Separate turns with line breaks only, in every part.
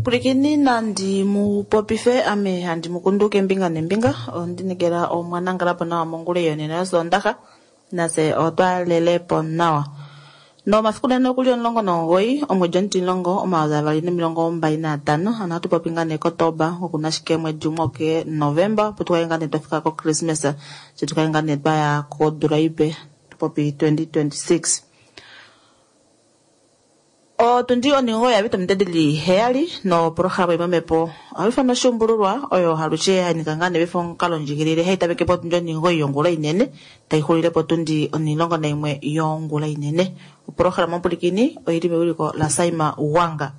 Pwilikini nandi mu popife ame handi mu kundu kembinga nembinga ondinekela omwanangalapo nawa mongula yonena yosondaxa nase otwa lelepo nawa. Nomafiku nene okuli 19 omwedi omutimulongo 2025 ano hatu popi ngaa nee Kotoba okuna ashike omwedi umwe oke Novemba opo tukale ngaa nee twafika ko Christmas tse tukale ngaa nee twaya kodula ipe tupopi 2026. Otundi oningo ya vita mutedili heyali no programa imamepo ohaifana oshuumbululwa oyo halushe hanika ngaa nee omukalo ndjigilile hayi tameke potundi oningo yongula inene tayi xulile potundi 11 yongula inene. Oprograma omupulikini oyili mewiliko la Saima Wanga.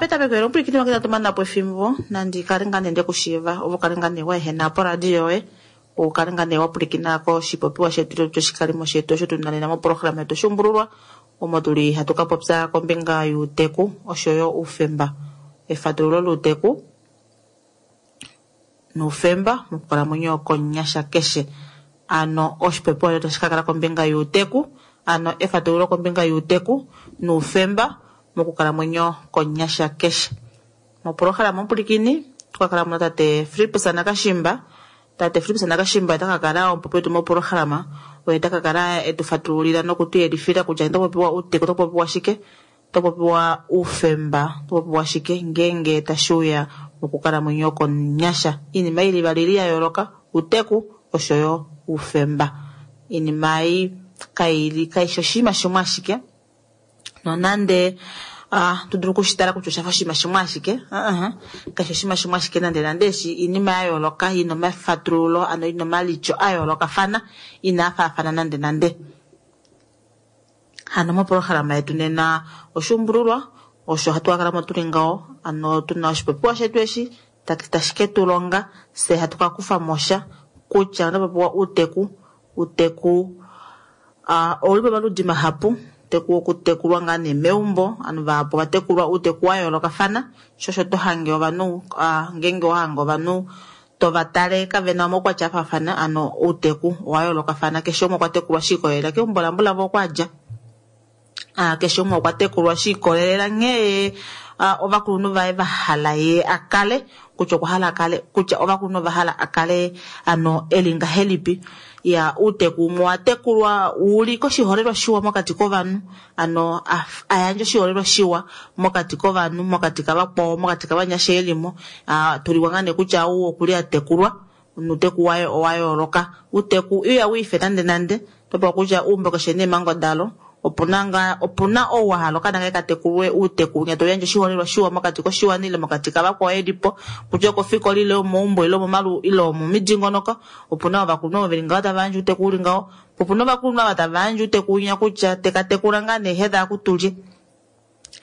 Petameko omupulikini wange tatumana po efimbo nandi kale ngaa nee ndekushiiva ovo kale ngaa nee waehena poradio yoye ukale ngaa nee wapulikina koshipopiwa shetu choshikalimo shetu osho tuna nena moprograma yetu oshuumbululwa omo tuli hatu ka popya kombinga yuuteku oshoyo uufemba, efatululo luuteku nuufemba mokukalamwenyo konyasha keshe. Ano oshipopiwa shetu otashi kakala kombinga yuuteku, ano efatululo kombinga yuuteku nuufemba mokukalamwenyo konyasha keshe. Moprograma omupulikini tukakala muna tate Filippus Nakashimba. Tate Filippus Nakashimba ota kakala omupopi wetu moprograma, oye ta kakala etu fatululila nokutuyelifila kutya oto popiwa uuteku, oto popiwa shike, oto popiwa uufemba, oto popiwa shike ngeenge tashiuya mokukalamwenyo konyasha. Iinima ili ivali ili ya yooloka, uuteku oshoyo uufemba. Iinima ei kaishi oshinima shimwe ashike, nonande tudulu okushitala kutya oshafa oshinima shimwe ashike, kaishi oshinima shimwe ashike nande nande eshi iinima ya yooloka ina omafatululo ano ina omalityo a yoolokafana inaa faafana nande nande. Hano moprograma yetu nena oshuumbululwa osho hatu kakala mo tuli ngaho, ano tuna oshipopiwa shetu eshi tashi ke tu longa se hatu ka kufa mo sha kutya ota popiwa uuteku. Uuteku ouli pamaludi mahapu, uuteku wokutekulwa ngaa nee meumbo, ovanhu vahapu ovatekulwa uuteku wa yoolokafana, sho osho to hange ovanhu ngeenge owa hange ovanhu tovatale kavena omaukwatya afaafana, ano outeku owa yoolokafana, keshe umwe okwa tekulwa shi ikolelela keumbo lambulavo oko adja. Keshe umwe okwa tekulwa shi ikolelela nghee ovakulunhu vaye va hala ye akale, kutya okwa hala akale, kutya ovakulunhu ova hala akale ano eli ngahelipi. Ya uuteku umwe owa tekulwa uli koshiholelwa shiwa mokati kovanhu, ano ayandje oshiholelwa shiwa mokati kovanhu, mokati kavakwao, mokati kavanyasha elimo, tuliwa ngaa nee kutya ou okuli atekulwa nuuteku waye owa yooloka. Uuteku iha wiife nande nande, topewa kutya uumbo keshe neemhango dalo, opuna ou wa hala okaana kaye katekulwe uuteku winya tauyandje oshiholelwa shiwa mokati koshiwana ile mokati kavakwao elipo, kutya okofikola ile omoumbo ile omomalu ile omomidingonoko. Opuna ovakulunhu ovo veli ngaho tava yandje uuteku uli ngaho, po opuna ovakulunhu ava tava yandje uuteku winya kutya tekatekula ngaa nee heda akutulye.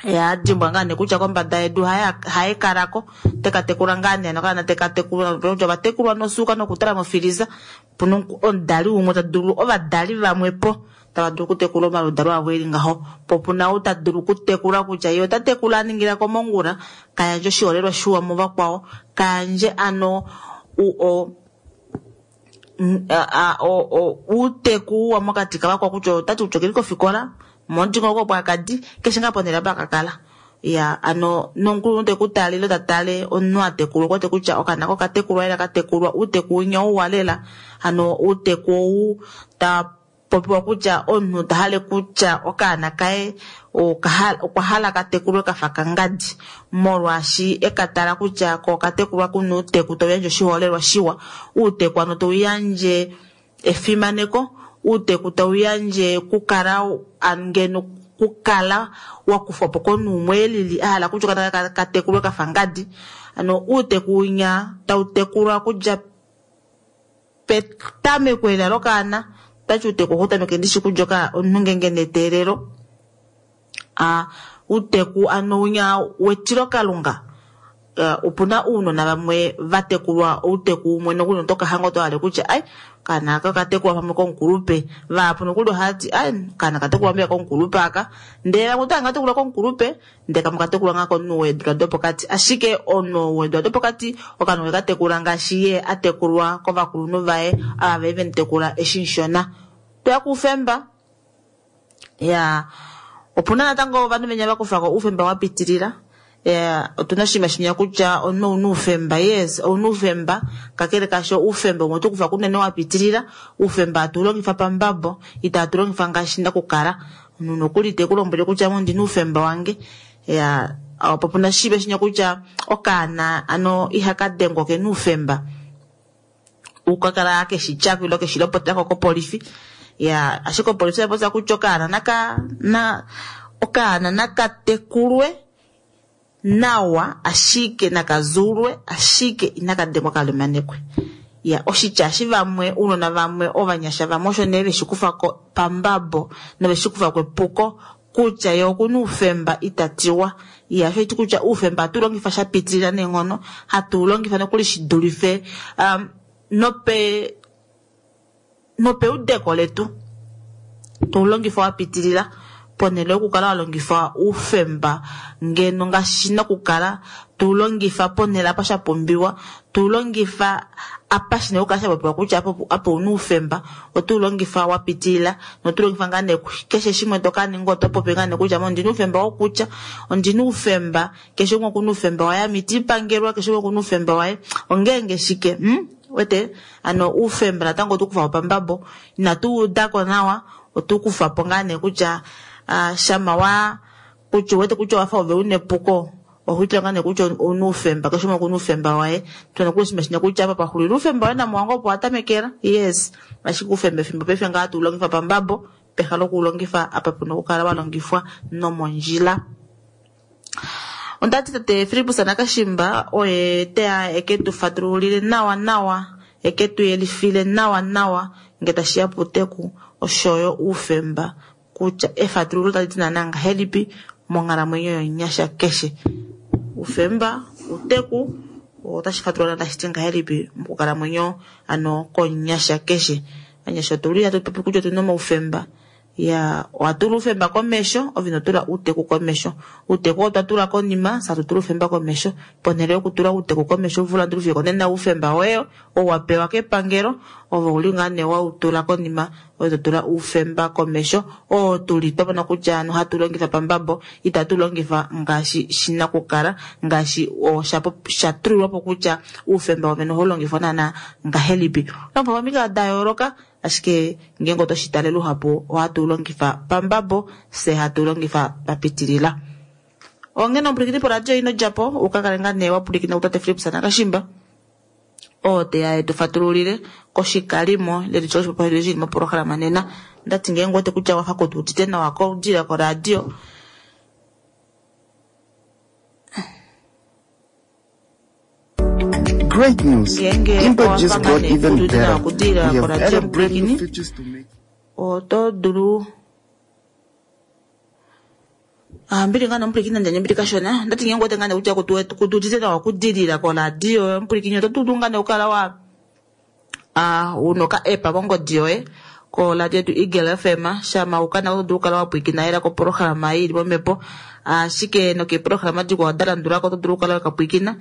Ya dimbwa ngaa nee kutya kombada yedu haye kalako, tekatekula ngaa nee nokaana tekatekulwa kutya ovatekulwa nosuuka nokutala mofiliza. Opuna omudali umwe ta dulu, ovadali vamwe po tava dulu okutekula omaludalo avo eli ngaho, po opuna ou ta dulu okutekula kutya ye ota tekula a ningila komongula, kayandje oshiholelwa shiwa muvakwao, kayandje ano uuteku uwa mokati kavakwao kutya otati kutya okeli kofikola momudingonoko opo akadi keshe ngaa ponhele apa akakala. Ya ano nomukulunhu teku tale ile ta tale omunhu atekulwa okwete kutya okaana kokatekulwa lela katekulwa uuteku winya ouwa lela, ano uuteku ou ta popiwa kutya omunhu ta hale kutya okaana kaye okwa hala katekulwe kafa kangadi, molwaashi ekatala kutya ko okatekulwa kuna uuteku tauyandje oshiholelwa shiwa, uuteku ano tauyandje efimaneko, uuteku tauyandje kukala ngeno kukala wakufwa po komunhu umwe elili a hala kutya okaana katekulwe kafa ngadi. Ano uuteku winya tautekulwa kudja petameko lela lokaana, otati uuteku ohau tameke ndishi kudja omunhu ngeenge neteelelo. Uuteku ano winya wetilokalunga, opuna uunona vamwe vatekulwa outeku umwe nokuli notoka hanga oto hale kutya ai okaana aka okatekulwa pamwe komukulupe, vahapu nokuli ohati ai okaana okatekulwa mbiya komukulupe aka, ndele vamwe oto hanga katekulwa komukulupe ndele kamwe okatekulwa ngaa komunhu weedula dopokati, ashike omunhu weedula dopokati okaana okwe katekula ngaashi ye atekulwa kovakulunhu vaye ava vali vemutekula eshi mushona. Toya kuufemba ya. Opuna natango ovanhu venya vakufako oufemba wapitilila. Otuna oshinima shinya kutya omunhu ouna oufemba, yes ouna oufemba, kakele kaasho oufemba umwe otokufa kunene wapitilila. Oufemba hatu ulongifa pambabo, itatu longifa ngaashi nakukala. Omunhu nokuli te ku lombwele kutya ame ondina oufemba wange. Ya opo puna oshinima shinya kutya okaana ano ihaka dengwa okena oufemba ukakala keshi tyako ile keshi lopotako kopolifi. Ya ashike opolifi oya popya kutya okaana naka na okaana nakatekulwe nawa ashike nakazulwe ashike inaka dengwa kalemanekwe. Ya oshitya eshi vamwe ounona vamwe ovanyasha vamwe osho nee veshi kufako pambabo noveshi kufako epuko kutya ye okuna oufemba itatiwa. Ya osho haiti kutya oufemba ohatu ulongifa shapitilila neenghono, hatu ulongifa nokuli shidulife nope nopeudeko letu toulongifa wapitilila ponhele yokukala walongifa oufemba ngeno ngaashi shina okukala tuulongifa ponhele apa shapumbiwa, tuulongifa apa shina okukala shapopiwa kutya apa ouna oufemba, otuulongifa wapitilila notulongifa ngaa nee keshe shimwe tokaninga oto popi ngaa nee kutya ame ondina oufemba wokutya, ondina oufemba, keshe umwe okuna oufemba waye, ame iti pangelwa, keshe umwe okuna oufemba waye, ongeenge shike wete ano oufemba natango otukufapo pambabo, inatu udako nawa, otukufapo ngaa nee kutya shama wa kutya uwete kutya owafa ove una epuko, ohoitula ngaa nee kutya ouna oufemba, keshe umwe okuna oufemba waye. Tuna nokuli oshinima shinya kutya apa paxulila oufemba woye namuwange opo watamekela, yes ashike oufemba efimbo paife ngaa hatu ulongifa pambabo peha lokuulongifa apa puna okukala walongifwa nomondjila. Ondati tate Fillipus Nakashimba oye teya eke tu fatululile nawa nawa, eke tu yelifile nawa nawa nge tashiya puuteku oshoyo oufemba kutya efatululo tali ti naana ngahelipi monghalamwenyo yomunyasha keshe. Oufemba, outeku otashi fatulula tashi ti ngahelipi mokukalamwenyo ano komunyasha keshe. Ovanyasha otuli hatu popi kutya otuna omaufemba. Ya owatula oufemba komesho ove inotula outeku komesho. Outeku otwa tula konima fye hatutula oufemba komesho. Ponhele yokutula outeku komesho ulandule fiyo okonena oufemba woye ou wapewa kepangelo ove ouli ngaa nee wautula konima ove totula oufemba komesho oo tuli twamona kutya ano hatu longifa pambabo itatu longifa ngaashi shina okukala ngaashi shatulilwapo kutya oufemba wovene ohaulongifwa naana ngahelipi. Ohaulongifwa pamikalo dayooloka ashike ngeenge otoshi tale luhapu ohatu ulongifa pambabo fye hatu ulongifa papitilila. Onghene omupwilikini poradio ino djapo ukakale ngaa nee wapwilikina kutate Fillipus Nakashimba oo teya etu fatululile koshikalimo ile tutye oshipopiwa shetu shili moprograma nena. Ondati ngeenge uwete kutya wafa kutuudite nawa kodila koradio.
Great news!
Ngeenge
Impact
owafa
just
ngaa
got
nee
even
kutuudite nawa
better.
kudila
We have
koradio
added brand new
mupwilikini
features to make
oto dulu mbili ngaa nomupwilikini nandjandje mbili kashona. Ondati ngeenge uwete ngaa nee kutya kutuudite nawa okudilila koradio mupwilikini oto dulu ngaa nee okukala wa una oka app mongodi yoye koradio yetu Eagle FM shama ukana oto dulu okukala wapwilikina ela koprograma ei ili momhepo ashike nokeeprograma dikwao dalandulako oto dulu okukala wekapwilikina.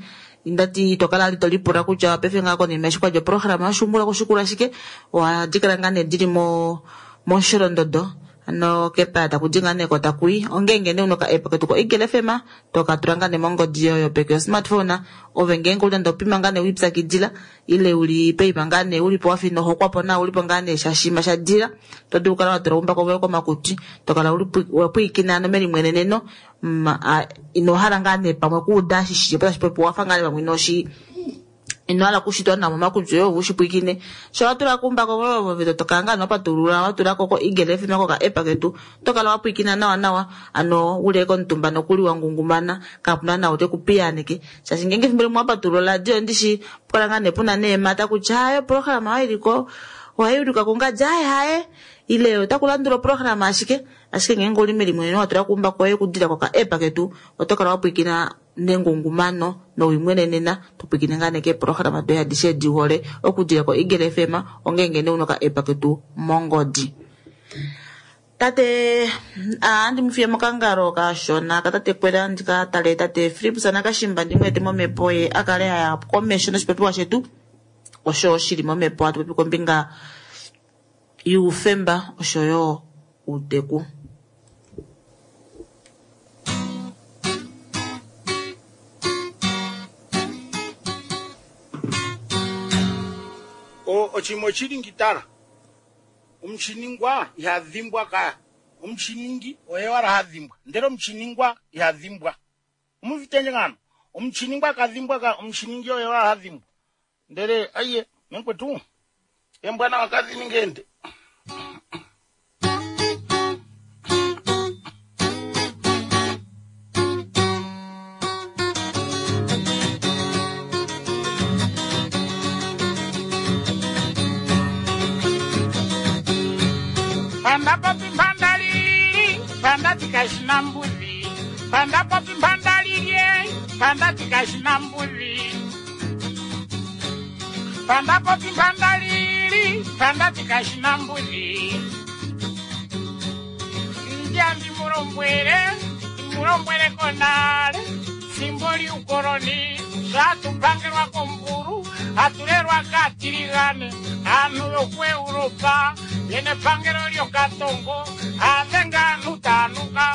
Ndati itokala vali tolipula kutya paife ngaa konima eshi kwali oprograma yoshuumbula kushikula shike, ohadi kala ngaa nee dili momusholondodo ano kepaya takudi ngaa nee ko takui. Ongeenge nee una oka app ketu ko Eagle FM tokatula ngaa nee mongodi yoye yopeke yo smartphone, ove ngeenge uli nande opima ngaa nee wiipyakidila ile uli poima ngaa nee ulipo wafa ino hokwapo nawa ulipo ngaa nee shashima shadila, oto dulu okukala watula oumbako voye komakutwi tokala wapwilikina ano melimweneneno ino hala ngaa nee pamwe okuuda eshi shilipo tashi popiwa wafa ngaa nee pamwe inoshi inohala okushitwa nawa momakutwi oye ove ushipwilikine. Sho watula kuumbako voye ove tokala ngaa nee wapatulula watulako ko Eagle FM koka app ketu otokala wapwilikina nawa nawa ano uli komutumba nokuli wangungumana kapuna nau teku piyaaneke shaashi ngeenge efimbo limwe wapatulula oradio ndishi pukala ngaa nee puna neemata kutya haye oprograma oyo iliko ohai ulikwa kungadi haye haye ile otaku landula oprograma ashike ashike ngeenge uli melimweneno watula kuumbako woye okudila koka app ketu oto kala wapwilikina nengungumano nowimwenenena topwilikine ngaa nee keeprograma doye adishe edi uhole okudila ko Eagle FM ongeenge nee una oka app ketu mongodi. Tate andi mufiye mokangalo kashona katate Kwela ndika tale tate Fillipus Nakashimba ndimweete momhepo ye akale aya komesho noshipopiwa shetu osho shili momhepo hatu popi kombinga youfemba oshoyo outeku.
Oshinima oshili tala, omushiningwa iha dhimbwa ka. Omushiningi oye wala ha dhimbwa, ndele omushiningwa iha dhimbwa. Omuvitenje ngano, omushiningwa ka dhimbwa ka, omushiningi oye wala ha dhimbwa. Ndele aiye, mekwetu, embwana wakadhi ende. Panda popi mpanda lili, panda tikashina mbuzi. Panda popi mpanda lili, panda tikashina mbuzi. Panda popi mpanda lili, panda tikashina mbuzi. Njambi mulombwele, mulombwele konale, fimbo liukoloni, zvatupangirwa komburu, hatulelwa katiligane, anhu yokuEuropa, yene pangelo lyokatongo, avenga anhu tanuka,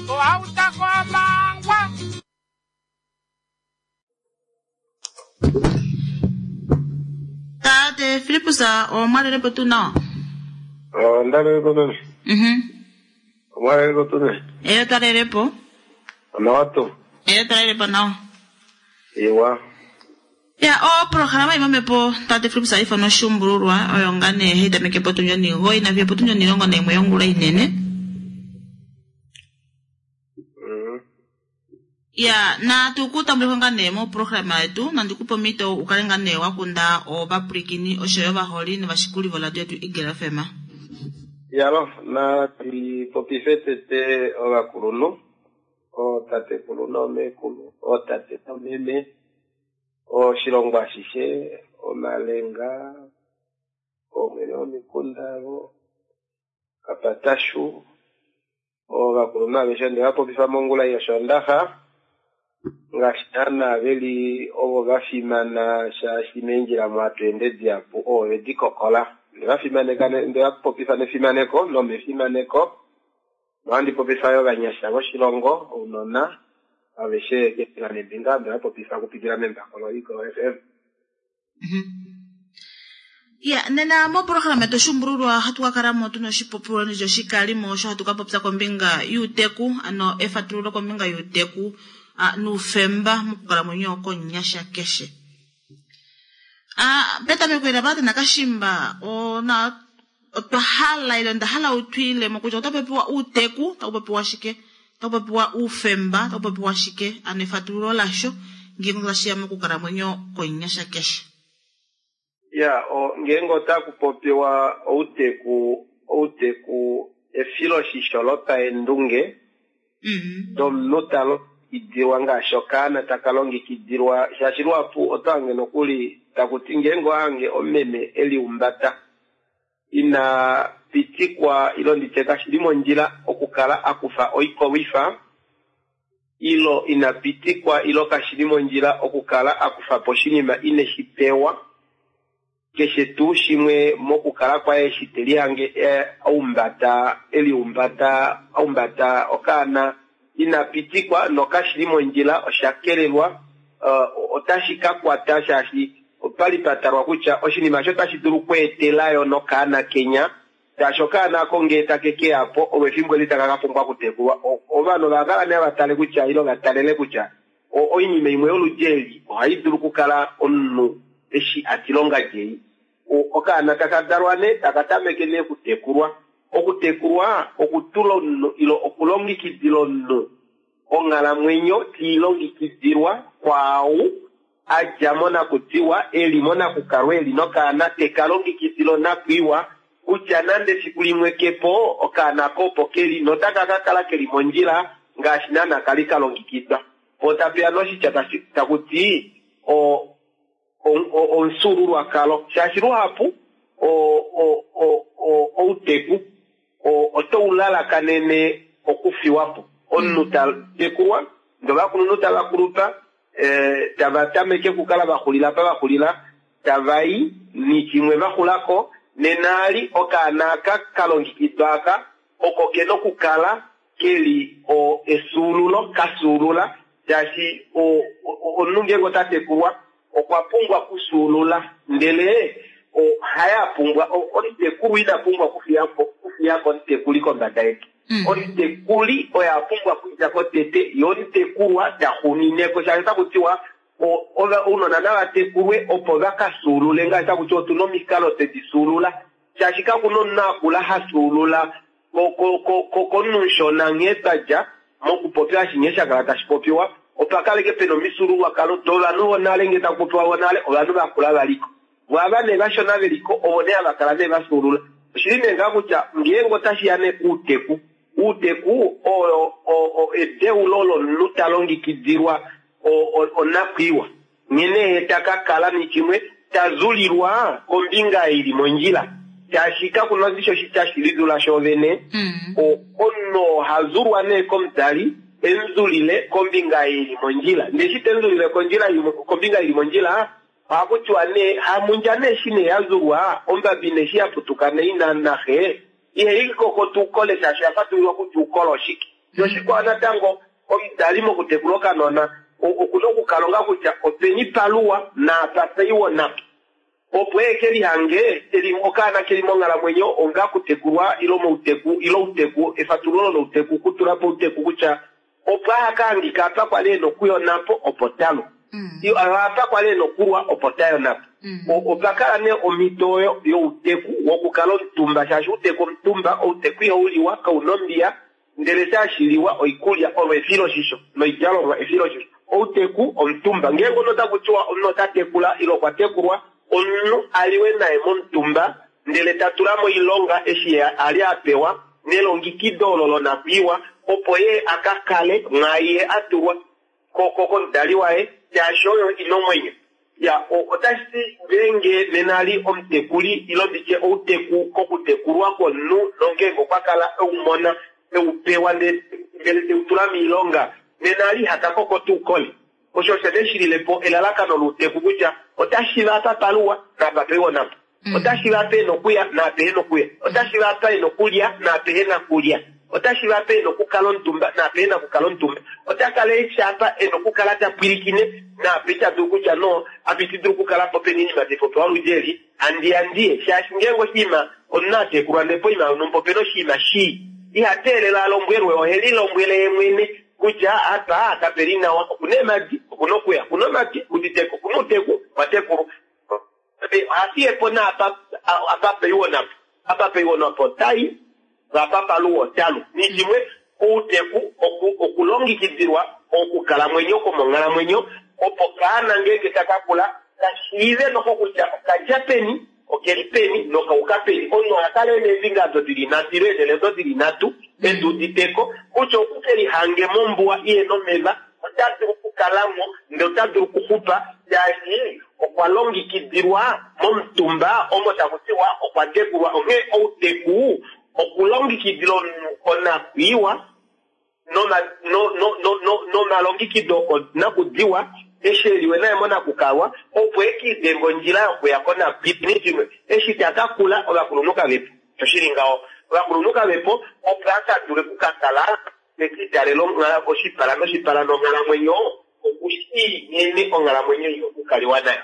ohautako amangwa.
Tate Filippus, omwalelepo tuu nawa?
Ondalelepo meme. Omwalelepo tuu ne?
Eyo twalelepo.
Onawa tuu?
Eyo twalelepo nawa.
Iwa.
Ya, oprograma imwe mepo tate Filippus aifana oshuumbululwa oyo nga nee hayi tameke potundi 9 nafiyo potundi 11 yongula inene. Ya, natu ku tambuleko nga nee moprograma yetu, nandi kupe omhito u kale nga nee wa kunda ovapwilikini oshoyo ovaholi novashikuli voradio yetu Eagle FM.
Yalo, nati popife tete ovakulunhu, ootatekulu noomekulu, ootate noomeme, oshilongo ashishe, omalenga, oomwene womikunda avo, kapatashu, ovakulunhu aveshe onde va popifa mongula yoshoondaxa, ngaashi naana veli ovo va fimana shaashi meendjila mu hatu ende dihapu ovo vedi kokola. Onde va fimaneka, onde va popifa nefimaneko nomefimaneko. Nohandi popifa yo ovanyasha voshilongo, ounona aveshe keembinga neembinga, onde va popifa okupitila membako loEagle FM.
Ya, nena moprograma yetu oshuumbululwa ohatu ka kala mo tuna oshipopiwa oshikalimo osho hatu ka popya kombinga yuuteku, ano efatululo kombinga yuuteku nuufemba mokukalamwenyo komunyasha keshe. Petameko ela tate Nakashimba, ona otwa hala ile onda hala utwiilemo kutya otaku popiwa uuteku, otaku popiwa shike, otaku popiwa uufemba, otaku popiwa shike, ano efatululo lasho ngeenge tashiya mokukalamwenyo komunyasha keshe.
Ya, ngeenge otaku popiwa outeku, outeku efiloshisho lopaendunge domunhu ta longekidilwa ngaashi okaana taka longekidilwa, shaashi luhapu oto hange nokuli taku ti ngeenge ohange omeme e liumbata ina pitikwa ilo nditye kashi li mondjila okukala a kufa oikolwifa, ilo ina pitikwa ilo kashi li mondjila okukala a kufa po oshinima ine shi pewa, keshe tuu shimwe mokukala kwaye eshi te lihange aumbata, e liumbata, aumbata okaana ina pitikwa nokashi li mondjila, osha kelelwa, otashi ka kwata shaashi opali pa talwa kutya oshinima osho otashi dulu okweetela yo nokaana kenya, shaashi okaana ako ngee take ke ya po olwefimbo eli taka ka pumbwa okutekulwa. Ovanhu ova kala nee va tale kutya ilo va talele kutya oinima imwe yoludi eli ohai dulu okukala omunhu eshi a tilonga lyei. Okaana taka dalwa nee taka tameke nee okutekulwa. Okutekulwa okutula omunhu ilo okulongekidila omunhu onghalamwenyo tiilongekidilwa kwaau a dja monakutiwa e li monakukalwa e li nokaana te ka longekidila onakwiiwa kutya nande efiku limwe kepo okaana ko opo ke li notaka ka kala ke li mondjila ngaashi naana kali ka longekidwa. Po tapeya noshitya taku ti omufyuululwakalo, shaashi luhapu outeku oto u lalakanene okufiwa po. Omunhu ta tekulwa, ndee ovakulunhu tava kulupa, tava tameke okukala va xulila apa va xulila, tava i nishimwe va xulako, nena ali okaana aka ka longekidwa aka oko kena okukala keli efyuululo, ka fyuulula, shaashi omunhu ngeenge ota tekulwa okwa pumbwa okufyuulula, ndele Haye a pumbwa omutekulu ina pumbwa okufiyako omutekuli kombada yetu. Omutekuli oye a pumbwa okudja ko tete, ye omutekulwa ta xunineko, shaashi otaku tiwa ounona nava tekulwe opo va ka fyuulule, ngaashi taku tiwa otu na omikalo twe di fyuulula, shaashi kaku na omunhu a kula ha fyuulula komunhu mushona nghee twa dja mokupopya eshi nghee sha kala tashi popiwa, opa kaleke pena omifyuululwakalo dovanhu vonale, ngee taku popiwa vonale ovanhu vakula valiko. Vo ava nee vashona veliko ovo nee hava kala nee va fyuulula. Oshili nee ngaa kutya ngeenge otashi ya nee kuuteku, uuteku oo edeulo lomunhu ta longekidilwa onakwiiwa, nghene ye ta ka kala nishimwe ta zulilwa kombinga ili mondjila, shaashi kaku na osho tashi lizula shoovene. Omunhu oo ha zulwa nee komudali e mu zulile kombinga ili mondjila, ndee eshi te mu zulile kombinga ili mondjila, ohaku tiwa nee hamundja nee eshi nee ya zulwa, ombabi nee eshi ya putuka nee ina naxe, ihai koko tuu kole shaashi oya fatululwa kutya uukolo oshike. Noshikwao natango, omudali mokutekula okanona okuna okukalonga kutya openi paluwa naapa paiwo napa, opo e ke lihange okaana keli monghalamwenyo onga kutekulwa ile mouteku ile outeku, efatululo louteku, okutula po outeku kutya opo aha ka hangika apa kwali ena okuyonapo opo talwa, apa kwali ena okulwa opo tayonapo. Opa kala nee omhito oyo youteku wokukala omutumba, shaashi outeku omutumba, outeku ihau liwa, kauna ombiya, ndele shaashi liwa oikulya olo efiloshisho noidjalomwa efiloshisho. Outeku omutumba, ngeenge omunhu otaku tiwa omunhu ota tekula ile okwa tekulwa, omunhu a liwe naye momutumba ndele ta tula moilonga eshi ye a li a pewa nelongikido olo lonakwiiwa opo ye a ka kale mwaai ye a tulwa komudali waye, shaashi oyo ina omwenyo. Ya, otashi ti ngeenge nena li omutekuli ile nditye outeku kokutekulwa kwomunhu nongeenge okwa kala e u mona, e u pewa ndele te u tula moilonga, nena li iha ka koko tuu kole. Osho osho nee shi lile po elalakano louteku kutya otashi va apa paluwa naapa paiwa napa. Otashi va apa e na okuya naapa ehe na okuya. Otashi va apa e na okulya naapa ehe na kulya. Otashi va apa e na okukala omutumba naapa ehe na okukala omutumba. Ota kala eshi apa e na okukala ta pwilikine naapa ita dulu kutya no, apa iti dulu okukala po pena oinima tai popiwa oludi eli, handi ya ndiye. Shaashi ngeenge oshinima omunhu a tekulwa ndele poima yonhumba opena oshinima shii, iha teelele a lombwelwe, ohe lilombwele ye mwene kutya apa kape li nawa, okuna eemhadi, okuna okuya, okuna omatwi, okuditeka, okuna outeku, okwa tekulwa. Oha fiye po naapa apa paiwo napo, apa paiwo napo otai, apa paluwa otalu. Nishimwe, outeku okulongekidilwa okukalamwenyo kwomonghalamwenyo, opo kaana ngeenge taka kula ka shiive noho kutya okadja peni, okeli peni nokauka peni. Omunhu oha kala e na eembinga odo di li nhatu ile eenhele odo di li nhatu e di udite ko kutya oku ke lihange mombuwa i hena omeva ota dulu okukala mo ndele ota dulu okuxupa shaashi okwa longekidilwa momutumba omo taku tiwa okwa tekulwa. Onghee outeku okulongekidila omunhu onakwiiwa nomalongekido okonakudiwa eshi e liwe naye monakukalwa opo e ke lidenge ondjila yokuya konakwiiwa. Eshi ta ka kula ovakulunhu kave po, osho shi li ngaho, ovakulunhu kave po opo a ka dule okukakala te ke litalele oshipala noshipala nonghalamwenyo, oku shii nghene onghalamwenyo i na okukaliwa nayo.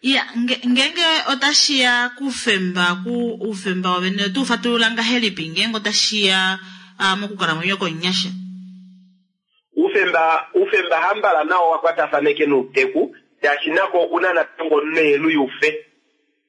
Ya, ngeenge otashi ya kuufemba, ku oufemba wovene oto u fatulula ngahelipi ngeenge otashi ya mokukalamwenyo komunyasha?
Oufemba, oufemba hambala nao owa kwatafaneke nouteku, shaashi nako okuna natango omunhu yufe.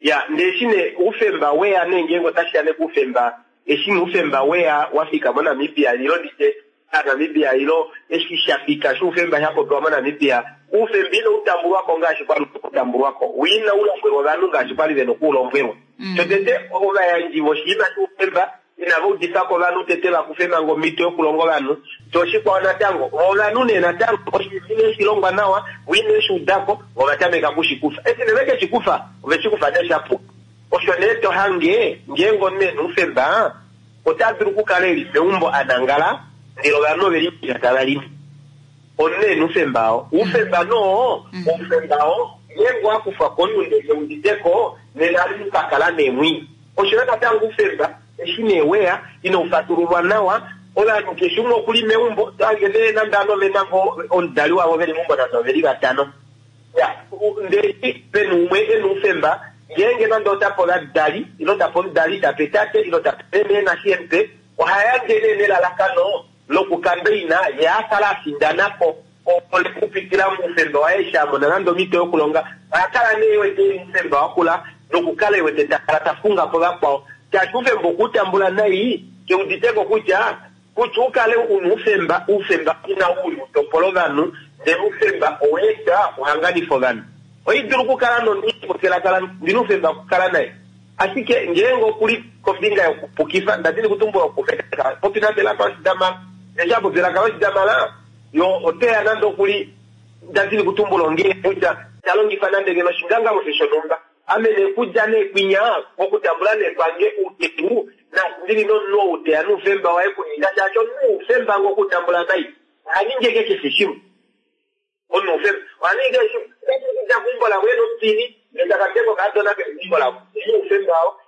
Ya, ndee eshi nee oufemba weya nee ngeenge otashi ya nee kuufemba, eshi nee oufemba weya wa fika moNamibia ilo nditye aNamibia ilo eshi sha fika shoufemba sha popiwa moNamibia, oufemba inau tambulwa ko ngaashi kwali utambulwa ko, wo inau lombwelwa ovanhu ngaashi kwali vena okuulombwelwa. Shotete, ovayandji voshinima shoufemba inava udifa ko ovanhu tete va kufe manga omhito yokulonga ovanhu. Sho oshikwao natango, vo ovanhu nee natango oshinima ine shi longwa nawa, vo ine shi uda ko, vo ova tameka oku shi kufa. Eshi nee ve ke shi kufa, ove shi kufa nee sha puka. Osho nee to hange ngeenge omunhu e na oufemba, ota dulu okukala e li meumbo a nangala, ndele ovanhu ove li mepya tava limi. Omunhu e na oufemba oo. Oufemba noo, oufemba oo ngeenge owa kufwa komunhu ndele ke udite ko, nena omunhu ka kala nee mwii. Osho yo natango oufemba eshi nee weya inau fatululwa nawa, ovanhu keshe umwe okuli meumbo, to hange nee nande ovanhu ove na ngoo omudali wavo veli meumbo nande oveli vatano. Ya, ndele pena umwe ena oufemba ngeenge nande otape ovadali ile tape omudali tape tate ile tape meme nashiempe oha yandje nee nelalakano lokukambeina ye a kala a findana po okupitila moufemba waye eshi a mona nande omhito yokulonga oha kala nee wete eli oufemba wakula nokukala ewete takala ta funga po vakwao shaashi oufemba okuutambula nai keuditeko kutya kutya ukale una oufemba oufemba ina uli utopola ovanhu ndele oufemba oweeta okuhanganifa ovanhu oidulu okukala nomunhu ndina oufemba okukala naye ashike ngeenge okuli kombinga yokupukifa ndadini kutumbula okufeka popi nande elaka loshidamala eshi apopi elaka loshidamala yo oteya nande okuli ndadini kutumbula ongee kutya talongifa nande ngeno oshingangamwifi shonhumba ame nekudja neekwinya okutambula nekwange outeku ndili nomunhu ou teya noufemba waye kuninga shaashi omunhu oufemba ngo okutambula nai ohaningi eke keshe shimwe omunhu oufemba ohaningi keshe shimwe otakudja keumbo lavo ena omupini ndele okadona keumbo lavo oufemba wao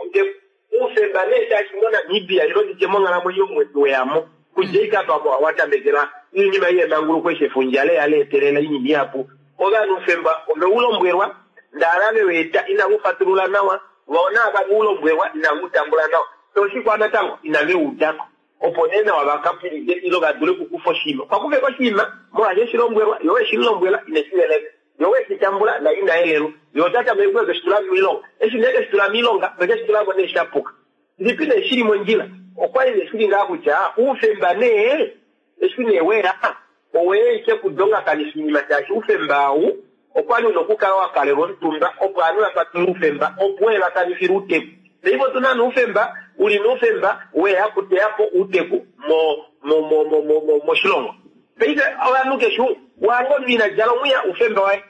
outeku oufemba nee shaashi moNamibia ilo nditye monghalamwenyo weyamo kudja ikapa watamekela iinima yemanguluko eshi efundja leya leetelela iinima ihapu ovanhu oufemba oveulombwelwa ndala veweeta inavu fatulula nawa vona ava ulombwelwa inavu tambula nawa toshikwa natango inaveuudako opo nee nawa vakapulide ilo vadule okukufa oshinima kwakufeka oshinima molwaashi eshilombwelwa yo weshilombwela ineshieleka yo weshitambula na ina elelwa yo otatameke keshitula moilonga eshi nee keshitula moilonga nokeshitulamo nee shapuka ndipi nee shili mondjila okwali nee shili ngaa kutya oufemba nee eshi nee weya oweya ike kudongakanifa iinima shaashi oufemba ou okwali una okukala wakalelwa omutumba opo ovanhu vafatulule oufemba opo wee vakanifile outeku paife otuna noufemba uli noufemba weya kuteyapo outeku moshilongo paife ovanhu keshe wange omunhu ina djala omwiya oufemba waye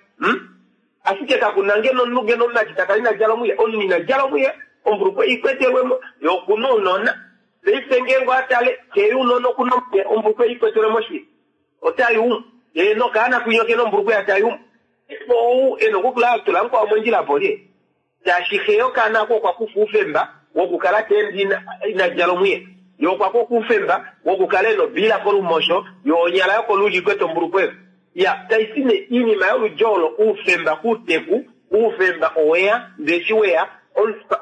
ashike kakuna ngeno omunhu ngeno omumati takala ina djala omwiya omunhu ina djala omwiya ombulukwe ikwetelwemo ye okuna ounona paife ngeenge atale keye unona okuna omwiya ombulukwe ikwetelwemo shili otayumu ye nokaana kwinya kena ombulukwe yatayumu ou ena okukula atula mukwao mondjila polye shaashi xe yokaana ako okwa kufa oufemba wokukala teende ina djala omwiya ye okwa kufa oufemba wokukala ena obiila kolumosho yo onyala yokolulyo ikwete ombulukweyo ya taisi ne iinima yoludji olo oufemba kuuteku oufemba oweya ndeshi weya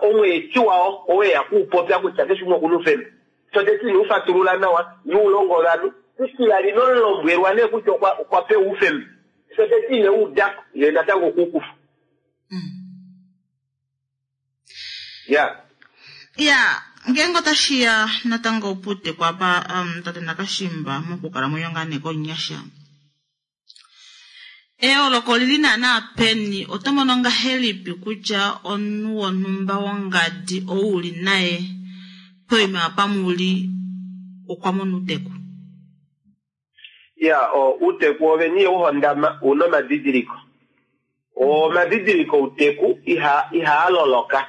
omweeti wao oweya kuupopya kutya keshe umwe okuna oufemba soteti ina ufatulula nawa nuulongo ovanhu isilali nomulombwelwa nee kutya okwa pewa oufemba soteti ine uudako ye natango okuukufa ya
ya ngeenge otashiya natango puuteku apa tate Nakashimba mokukalamwenyo ngaa nee komunyasha eyooloko olili naana peni oto mono ngahelipi kutya omunhu wonhumba wongadi ou uli naye poima apa muli okwa mona outeku
ya outeku oveni uhondama una omadidiliko omadidiliko outeku ihaa loloka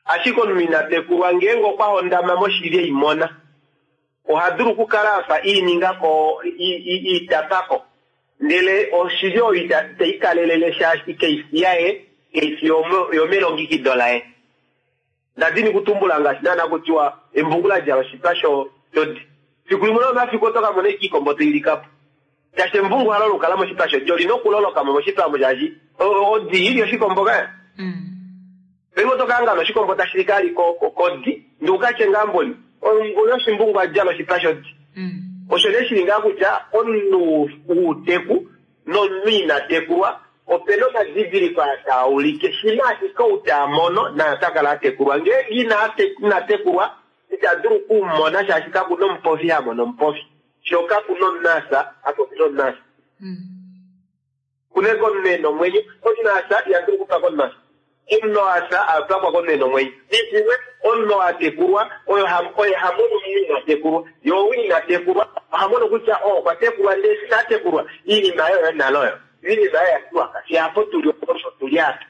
ashike omunhu ina tekulwa ngeenge okwa hondama moshili eimona oha dulu okukala afa iiningako iitapako ndele oshili oyo itaikalelele shaashi keifi yaye keifi yomelongikido laye ndadini kutumbula ngaashi naana kutiwa embungu la djala oshipa shodi fiku limwe lomafiku oto ka mona iikombo toilikapo shaashi embungu halo lukala moshipa shodi olina okulolokamo moshipa omo shaashi odi ili oshikombo kaya paife oto kaangana oshikombo tashi likali kodi ndi ukatye ngaa mboli oshimbungu adjala oshipa shodi osho nee shili ngaa kutya omunhu uuteku nomunhu ina tekulwa opena omadidiliko aa taa ulike shina ashike ou taa mono naye ota kala atekulwa ngeenge ina tekulwa ita dulu okumona shaashi kakuna omupofi ha mono omupofi sho kakuna omunasa apopi nomunasa kuneke omunhu ena omwenyo omunasa iha dulu okupaka omunasa omunhu asa apakwa komunhu ena omwenyo nitimwe omunhu atekulwa oye hamono omunhu ina tekulwa ye ou ina tekulwa oha mono kutya okwa tekulwa ndele eshi inatekulwa iinima yoyo nale oyo iinima yoyo yatiwaka fye apo tuli osho tuli apa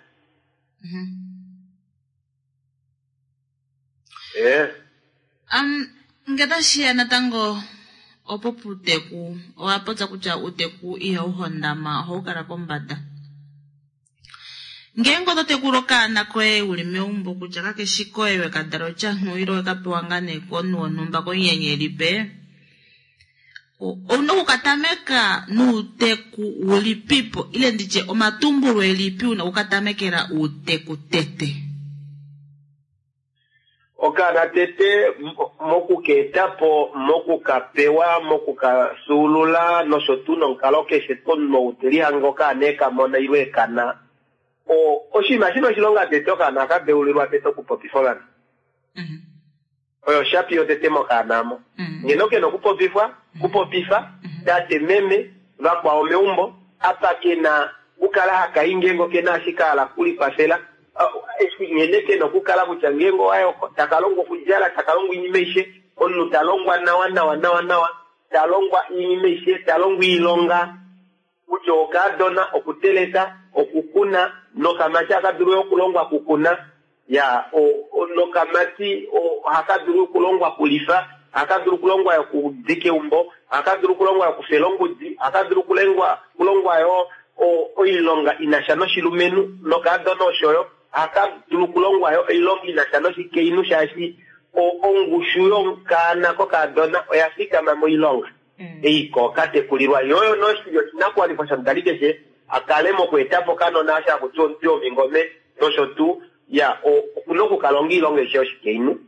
nge tashiya natango opo puuteku owa popya kutya uuteku ihau hondama ohau kala kombada ngeenge oto tekula okaana koye uli meumbo kutya kakeshi koye wekadala otyanhu ile wekapewa ngaa nee komunhu wonhumba komunyenyelipe. Ouna okukatameka nuuteku ulipipo ile nditye omatumbulo elipi una okukatamekela uuteku tete?
Okaana tete mokukeetapo, mokukapewa, mokukafyuulula nosho tuu nomukalo keshe omunhu ou telihange okaana ekamona ile ekana. Oshinima shina oshilonga tete okaana ohaka deulilwa tete okupopifa ovanhu. Oyo oshapi yotete mokaana mo. Ngeno kena okupopifwa, kupopifa, tate, meme, vakwao meumbo, apa kena kukala haka i ngeenge okena ashike a hala okulikwafela, eshi nghene kena okukala kutya ngeenge owaye oko, taka longwa okudjala, taka longwa oinima aishe, omunhu ta longwa nawa nawa nawa nawa, ta longwa oinima aishe, ta longwa oilonga, kutya okaadona, okuteleka, okukuna, nokamati ohaka dulu yo okulongwa okukuna, ya nokamati ohaka dulu okulongwa okulifa, ohaka dulu okulongwa yo okudika eumbo, ohaka dulu okulongwa yo okufela ongudi, ohaka dulu okulongwa yo oilonga inasha noshilumenhu, nokaadona oshoyo ohaka dulu okulongwa yo oilonga inasha noshikainhu, shaashi ongushu yokaana kokaadona oya fikama moilonga. Ei ko katekulilwa yo oyo noshili oshinakuwanifwa shomudali keshe a kale mokweeta po okanona osho haku tiwa omutwi womingome nosho tuu ya okuna okukalonga oilonga aishe yoshikainhu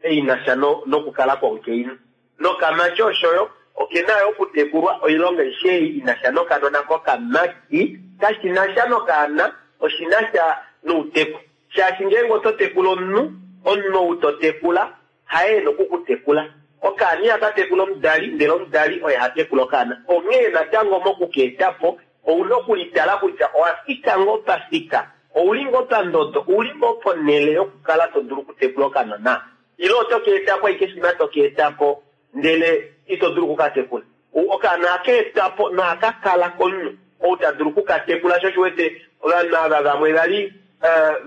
ei inasha nokukala kwomukainhu. Nokamati oshoyo okena yo okutekulwa oilonga aishe ei inasha nokanona kokamati kashinasha nokaana oshinasha nouteku. Shaashi ngeenge oto tekula omunhu, omunhu ou to tekula haye e na oku ku tekula. Okaana ihaka tekula omudali, ndele omudali oye ha tekula okaana. Onghee natango moku ka eta po, ou na okulitala kutya owa fika ngoo pafika, ou li ngoo pandodo, ou li ngoo ponhele yokukala to dulu okutekula okanona? Ile oto ka eta po ashike shimha to ka eta po ndele ito dulu oku ka tekula? Okaana ohaka etwa po nohaka kala komunhu ou ta dulu oku ka tekula. Sho osho u wete ovanhu ava vamwe va li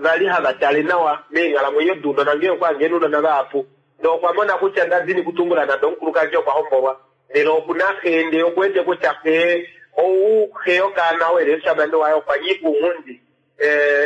va li hava tale nawa meenghalamwenyo dounona ngee okwa hange ounona vahapu ndee okwa mona kutya nda dini kutumbula nande omukulukadi okwa hombolwa ndele oku na xe ndee oku wete kutya xe ou xe yokaana ou eli omushamane waye okwa nyika ounghundi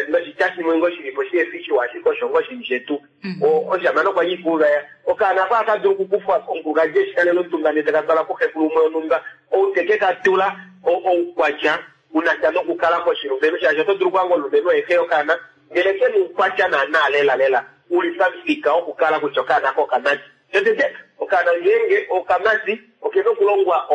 noshitya shimwe ngoo shilipo shihefi shiwa ashike osho ngoo shili shetu. Omushamane okwa nyika ouvaya. Okaana ako ohaka dulu okukufwa komukulukadi eshi kalela omutumba ndee taka twalwa kuxekulu umwe wonhumba ou teke ka tula oukwatya unasha nokukala koshilumenhu shaashi oto dulu okuhanga omulumenhu oye xe yokaana ndele ke na oukwatya naana lela lela uli pamufika wokukala kutya okaana ako okamati. Shotete, okaana ngeenge okamati okena okulongwa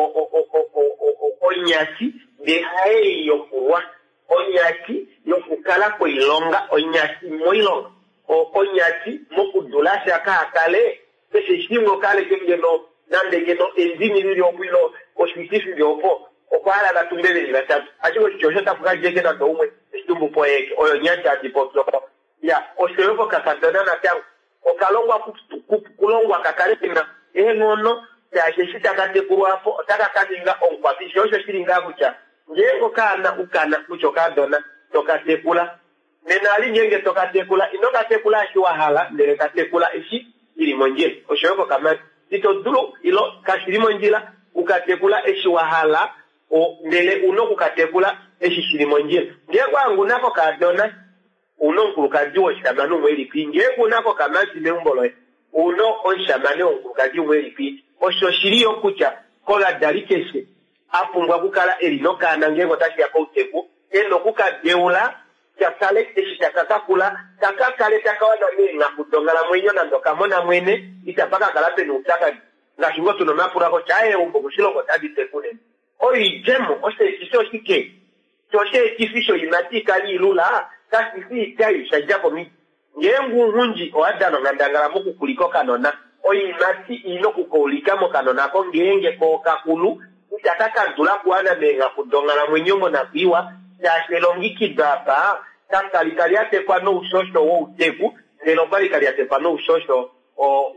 onyati ndee haei yokulwa. Onyati yokukala koilonga, onyati moilonga, onyati mokudula sha kaa kale keshe shimwe okaleke ngeno nande ngeno endini lili opo ile oshiti shili opo, okwa hala va tumbe veli vatatu ashike oshiti osho tapu ka djeke nande oumwe eshi tumbu po eeke oyo onyati handi popi opo. Ya oshoyo kokakadona natango okalongwa kulongwa ka kale kena eenghono shaashi eshi taka tekulwa apo otaka ka ninga omukwafi sho osho shili ngaa kutya ngeenge okaana ukana kutya okaadona toka tekula nena ali ngeenge toka tekula ino ka tekula eshi wa hala ndele ka tekula eshi shili mondjila oshoyo kokamati ito dulu ilo kashili mondjila uka tekula eshi wa hala ndele una okukatekula eshi shili mondjila ngeenge owa kokaadona Ouna omukulukadi woshamane umwe elipi? Ngeenge una kokamati meumbo loye, ouna omushamane womukulukadi umwe elipi? Osho oshili yo kutya kovadali keshe a pumbwa okukala e li nokaana ngeenge otashi ya kouteku, e na oku ka deula ka kale eshi taka ka kula, ka ka kale taka wana meenghaku donghalamwenyo nande okamona mwene, itapa ka kala pena oupyakadi. Ngaashi ngoo tuna omapulo kutya aaye eumbo moshilongo otali teku nene. Oidjemo, osheetifi oshike? Sho osheetifi shoiimati ikale ilula, kashi fi itai sha dja komiti. Ngeenge ounghundi owa dana onghandangala mokukulika okanona, oiimati i na oku ka ulika mokanona ako ngeenge ko okakulu, itaka ka dula okuwana meenghaku donghalamwenyo monakwiiwa, shaashi elongekido apa kakali ka lyatekwa noushosho wouteku, ndele okwali ka lyatekwa noushosho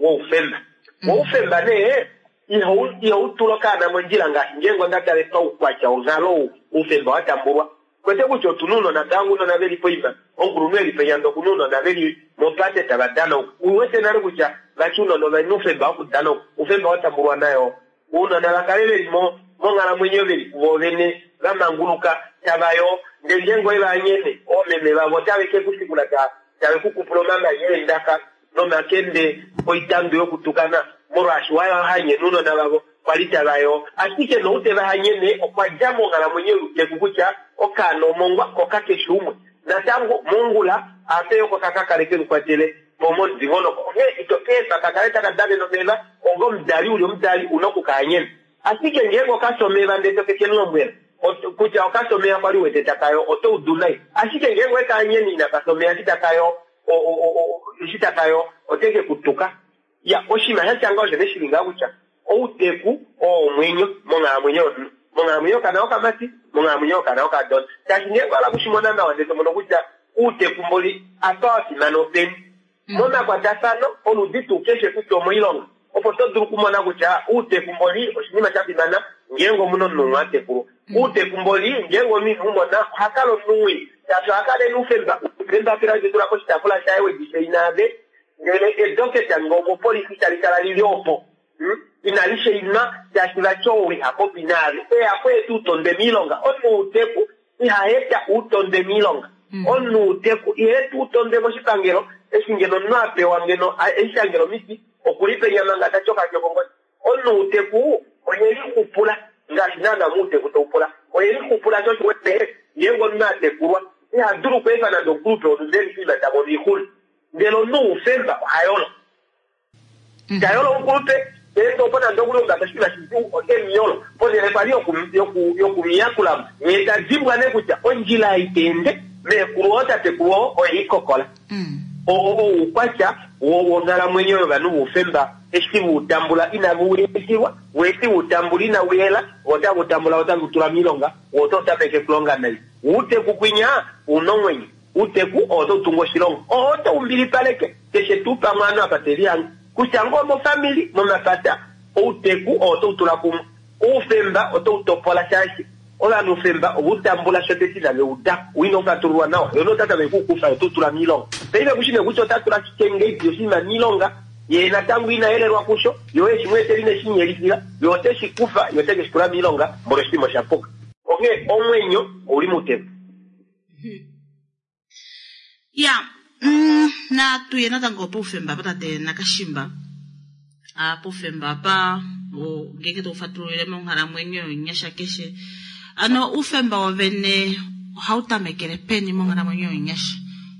woufemba. Woufemba nee ihau tula okaana mondjila ngaashi ngeenge onda tale paukwatya wonghalo ou oufemba wa tambulwa. Kwete kutya otu na ounona tango ounona ve li poima, omukulunhu e li penya ndee oku na ounona ve li mopate tava danauka. U wete nale kutya vati ounona ove na oufemba wokudanauka, oufemba wa tambulwa nayo. Ounona va kale ve li monghalamwenyo ve li kuvo vene va manguluka tava yoo ndee ngeenge owe va anyene oomeme vavo otave ke ku shikula tave ku kupula omamanya eendaka nomakende oitandu yokutukana molwaashi wa hanyena ounona vavo. kwali tava yoo. Ashike nou teva hanyene okwa dja monghalamwenyo youteku kutya okaana omongwa ko kakeshi umwe. Natango mongula ape oko kaka kale ke mukwatele po momudingonoko. Onghee ito keefa ka kale taka danene omeva onga omudali uli omudali una okukahanyena. Ashike ngeenge okafya omeva ndele to ke kemulombwela kutya okafya omeva kwali wete taka yoo, oto udu nai. Ashike ngeenge oweka hanyene inaka fya omeva eshi taka yoo, eshi taka yoo ote ke ku tuka. Ya, oshinima sha tya ngaho osho ne shili ngaho kutya outeku oo omwenyo monghalamwenyo yomunhu, monghalamwenyo yokana okamati, monghalamwenyo yokana okadona. Shaashi ngeenge owa hala okushimona nawa ndele to mono kutya outeku mboli apa wa fimana openi momakwatafano oludi tuu keshe kutya omoilonga, opo to dulu okumona kutya outeku mboli oshinima sha fimana ngeenge omunhu omunhu umwe a tekulwa. Outeku mboli ngeenge omunhu ine u mona oha kala omunhu mwii, shaashi oha kala e na oufemba, eembapila wedi tula poshitaafula shaye wedi shaina ave, ndele edoketa ngee omopolifi tali kala lili opo inali shainwa, shaashi vati ou iha popi naave eya kweeta outondwe miilonga. Omunhu wouteku iha eta outondwe miilonga. Omunhu wouteku iha eta outondwe moshipangelo, eshi ngeno omunhu a pewa ngeno eshangelo omiti okuli penya manga ta tyoka kongodi. Omunhu wouteku oye lixupula ngaashi naana mouteku tau pula. Oye lixupula sho osho wete ngeenge omunhu a tekulwa iha dulu okweefa nande omukulupe wonhumba eli poima ta mono oixuna. Ndele omunhu woufemba oha yolo. Ta yolo omukulupe, ndele opo nande okuli omumbada oshinima shidjuu ote mu yolo. Ponhele kwali yokumuyakula mo, ye ta dimbwa nee kutya ondjila ei ta ende, meekulu oo tatekulu oo oye i kokola. Oo oukwatya wonghalamwenyo yovanhu voufemba eshi ve u tambula inave u yelifilwa, vo eshi ve u tambula inau yela, vo otave u tambula otave u tula miilonga, wo otau tameke okulonga nai. Outeku kwinya u na omwenyo. Outeku oo otau tungu oshilongo. Oo otau mbilipaleke keshe tuu pamwe ovanhu apa te lihange. Kutya ngoo omofamili, momapata, outeku oo otau tula kumwe. Oufemba otau topola shaashi ovanhu oufemba ove u tambula shotete inave u uda, wo inau fatululwa nawa. Ye ota tameke oku u kufa ye ote u tula miilonga. Paife kushi nee kutya ota tula shike ngeipi oshinima miilonga, ye natango ina yelelwa kusho, ye oye shi mu etela ine shi mu yelifila, ye ote shi kufa ye ote ke shi tula miilonga molwa oshinima osha puka. Onghee omwenyo ouli mouteku.
Ya, natu ye natango poufemba apa tate Nakashimba. Poufemba apa ngeenge to fatululile monghalamwenyo yonyasha keshe. Ano oufemba wovene ohau tamekele peni monghalamwenyo yonyasha?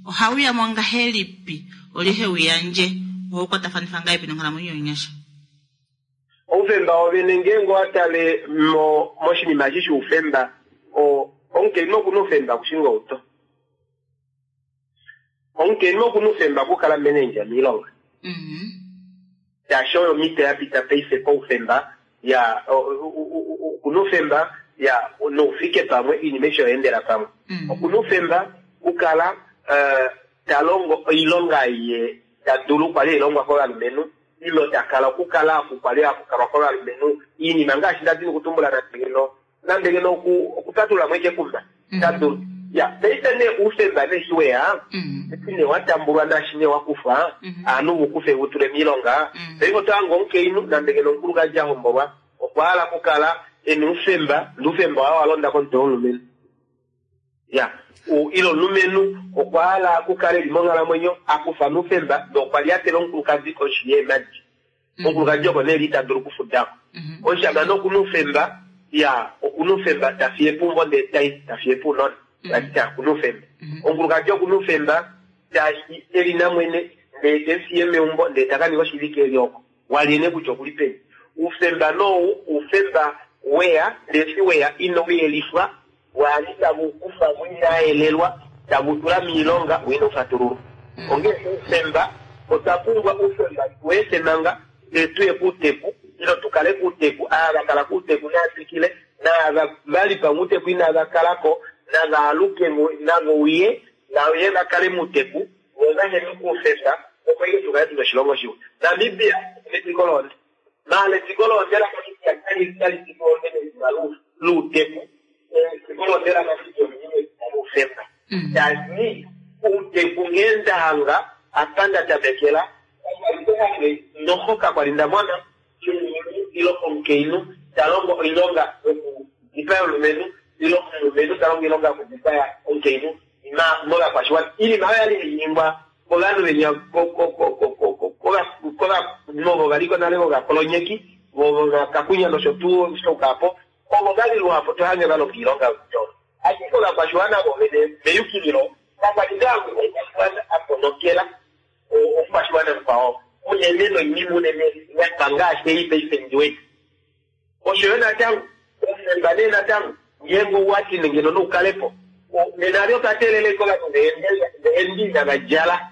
Ohau ya mo ngahelipi? Olye he u yandje? Ohau kwatafanifa ngahelipi nonghalamwenyo yonyasha?
Oufemba wovene ngeenge owa tale moshinima eshi shoufemba, omukainhu oku na oufemba okushinga outo. Omukainhu oku na oufemba okukala manager miilonga. Shaashi oyo omhito ya pita paife koufemba ya oku na oufemba ya noufike pamwe oinima aishe oya endela pamwe. Oku na oufemba okukala ta longo oilonga ye ta dulu kwali hai longwa kovalumenhu ilo ta kala okukala oku kwali haku kalwa kovalumenhu oinima ngaashi nda dini okutumbula nande ngeno nande ngeno okupatulula mo ashike ekumba ta dulu. Ya, paife nee oufemba nee eshi weya, eshi nee wa tambulwa naashi nee wa kufwa, ovanhu vu kufe vu tule miilonga, paife oto hange omukainhu nande ngeno omukulukadi a hombolwa okwa hala okukala e na oufemba, ndee oufemba waye owa londa komutwe womulumenhu. Ya, ile omulumenhu okwa hala okukala e li monghalamwenyo a kufa noufemba ndee okwa lyatela omukulukadi koshi yeemhadi. Omukulukadi oko nee li ita dulu okufudako. Omushamane oku na oufemba, ya, oku na oufemba ta fiye po eumbo ndee tai, ta fiye po ounona. Tati oku na oufemba. Omukulukadi oku na oufemba shaashi e li namwene ndee te mu fiye meumbo ndee ta ka ninga oshivike e li oko. Walye nee kutya okuli peni. Oufemba nee ou, oufemba weya ndee eshi weya inau yelifwa, waali tave u kufa mo inaa yelelwa, tave u tula miilonga wo inau fatululwa. Onghee oufemba, otwa pumbwa oufemba tu efe manga ndee tuye kuuteku, ile tu kale kuuteku, ava va kala kuuteku nava twikile, naava va li pamwe uuteku inava kala ko, nava aluke mo, nave uye, nave va kale muuteku, vo va hene kuufemba, opo ihe tu kale tuna oshilongo shiwa. Namibia etiko lohonde. Maala etiko lohonde laNamibia kali fi lohonde medina louteku, etiko lohonde laNamibia oli li medina loufemba. Shaashi outeku nghee nda hanga apa nda tamekela, kakwa li nda hange noho kakwa li nda mona omulumenhu ile omukainhu ta longo oilonga yokudipaya omulumenhu ile omulumenhu ta longo oilonga yokudipaya omukainhu movakwashiwana. Oinima oyo ya li hai ningwa kovanhu venya kovanhu ovo va li ko nale vovakolonyeki. Vomakakunya nosho tuu shokapo ovo vali luhapu tohange valonga oilonga youtolo. Ashike ovakwashiwana vovene meyukililo kakwali ngaa omukwashiwana a ponokela omukwashiwana mukwao unene noinima unene yafa ngaashi ei paife ndi wete. Osho yo natango oufemba nee natango ngeenge owati ngeno noukalepo nena ali otwa teelela ashike ovanhu veende inava djala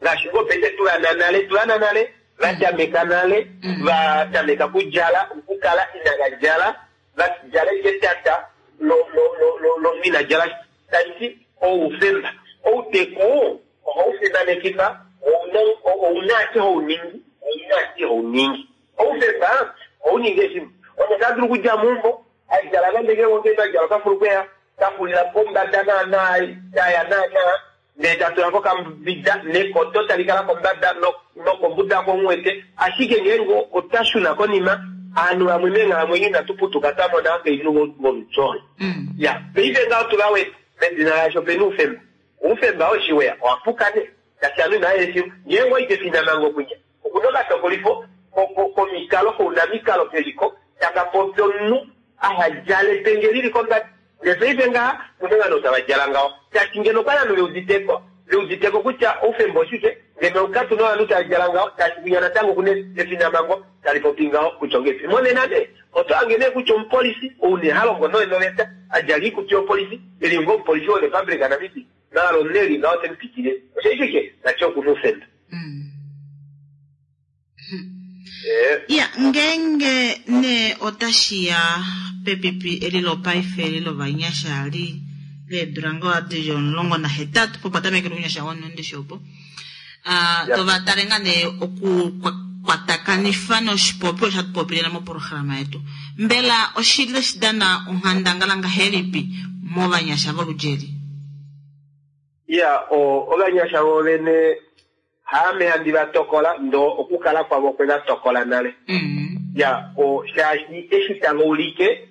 ngaashi ngoo paife tulana nale tulana nale vatameka nale vatameka kudjala okukala inava djala vadjala ashike etata lomunhu ina djala tashi oufemba. Outeku ohau fimanekifa ouna ashike hauningi ouna ashike hauningi. Oufemba ohauningi eshi omunhu ota dulu okudja meumbo adjala nande ngeenge adjala okafulukweya kafulila pombada naana taya naana ndee tatula kokambida nekoto tali kala kombada nokombuda komuwete. Ashike ngeenge ota shuna konima aanhu vamwe meenghalamwenyo inatu putuka twamona akainhu volutyo. Ya paife ngaho tuvawete medina lasho opena oufemba. Oufemba oshiweya owapuka nee tashi ovanhu inava eshiwa ngeenge oite finamhango kunya okuna okatokolifo komikalo kounamikalo keliko taka popi omunhu ahadjale epenge lili kombada. Ndee paife ngaha kuna ovanhu tava djala ngaho tashi ngeno okwali ovanhu veuditeko kutya oufemba oshike ngeno katuna ovanhu tava djala ngaho tashi kunya natango kuna efinamhango tali popi ngaho kutya ongepi. Monena nee oto hange nee kutya omupolisi ou nee halongo noveta adjala oikutu yopolisi eli ngo omupolisi woRepublic Namibia maala omunhu eli ngaho temupitile oshaishike nati okuna oufemba.
Ya ngeenge nee otashiya pepipi eli lopaife eli lovanyasha li leedula ngoo dili 18 popa tamekele ounyasha wonondishi opo tova tale ngaa nee okukwatakanifa noshipopiwa osho hatu popilela moprograma yetu. Mbela oshili tashi dana onghandangala ngahelipi movanyasha volulyeli?
Ya ovanyasha vovene haame handi vatokola ndo okukala kwavo kwe vatokola nale. Ya shaashi eshi tava ulike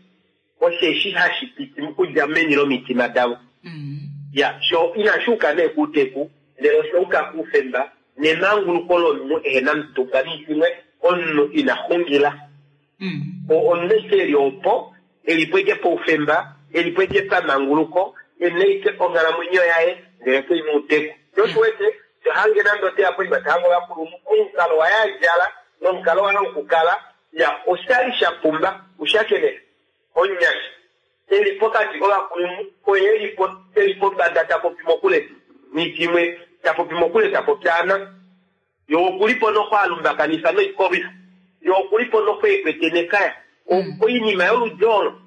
osheshi hashi piti okudja meni lomitima davo. Ya sho inashi uka nee kuuteku ndele osha uka kuufemba nemanguluko lomunhu ehena mutumba niishimwe omunhu ina xungila. Omunhu eshi eli opo elipo eke poufemba elipo eke pamanguluko ena ike onghalamwenyo yaye ndele kei muuteku. Oshiwete tohange nande oteya poima tahange ovakulunhu omukalo waye adjala nomukalo waye wokukala ya oshali shapumba ushakene omunyasha eli pokati kovakulunhu oye eli pombada tapopi mokule nitimwe tapopi mokule tapopyaana yo okulipo nokhwalumbakanifa noikolwifa yo okulipo nokhweekwete nekaya oinima yoludi olo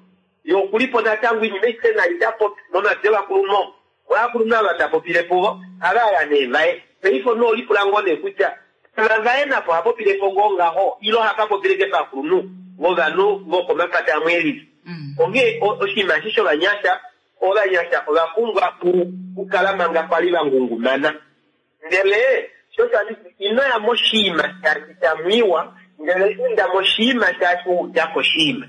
yo okulipo natango oinima aishe nai tapopi momatwi ovakulunhu ovakulunhu ava tapopile puvo havaya nee vaye. Paife omunhu olipula ngoo nee kutya ava vaye napo ohapopilepo ngoo ngaho ile ohakapopileke pakulunhu vovanhu vokomapata amwe elili. Onghee oshinima eshi shovanyasha ovanyasha ovapumbwa okukala manga kwali vangungumana. Ndele sho tanditi inoya moshiima shaashi tamwiiwa ndele inda moshiima shaashi waudako koshiima.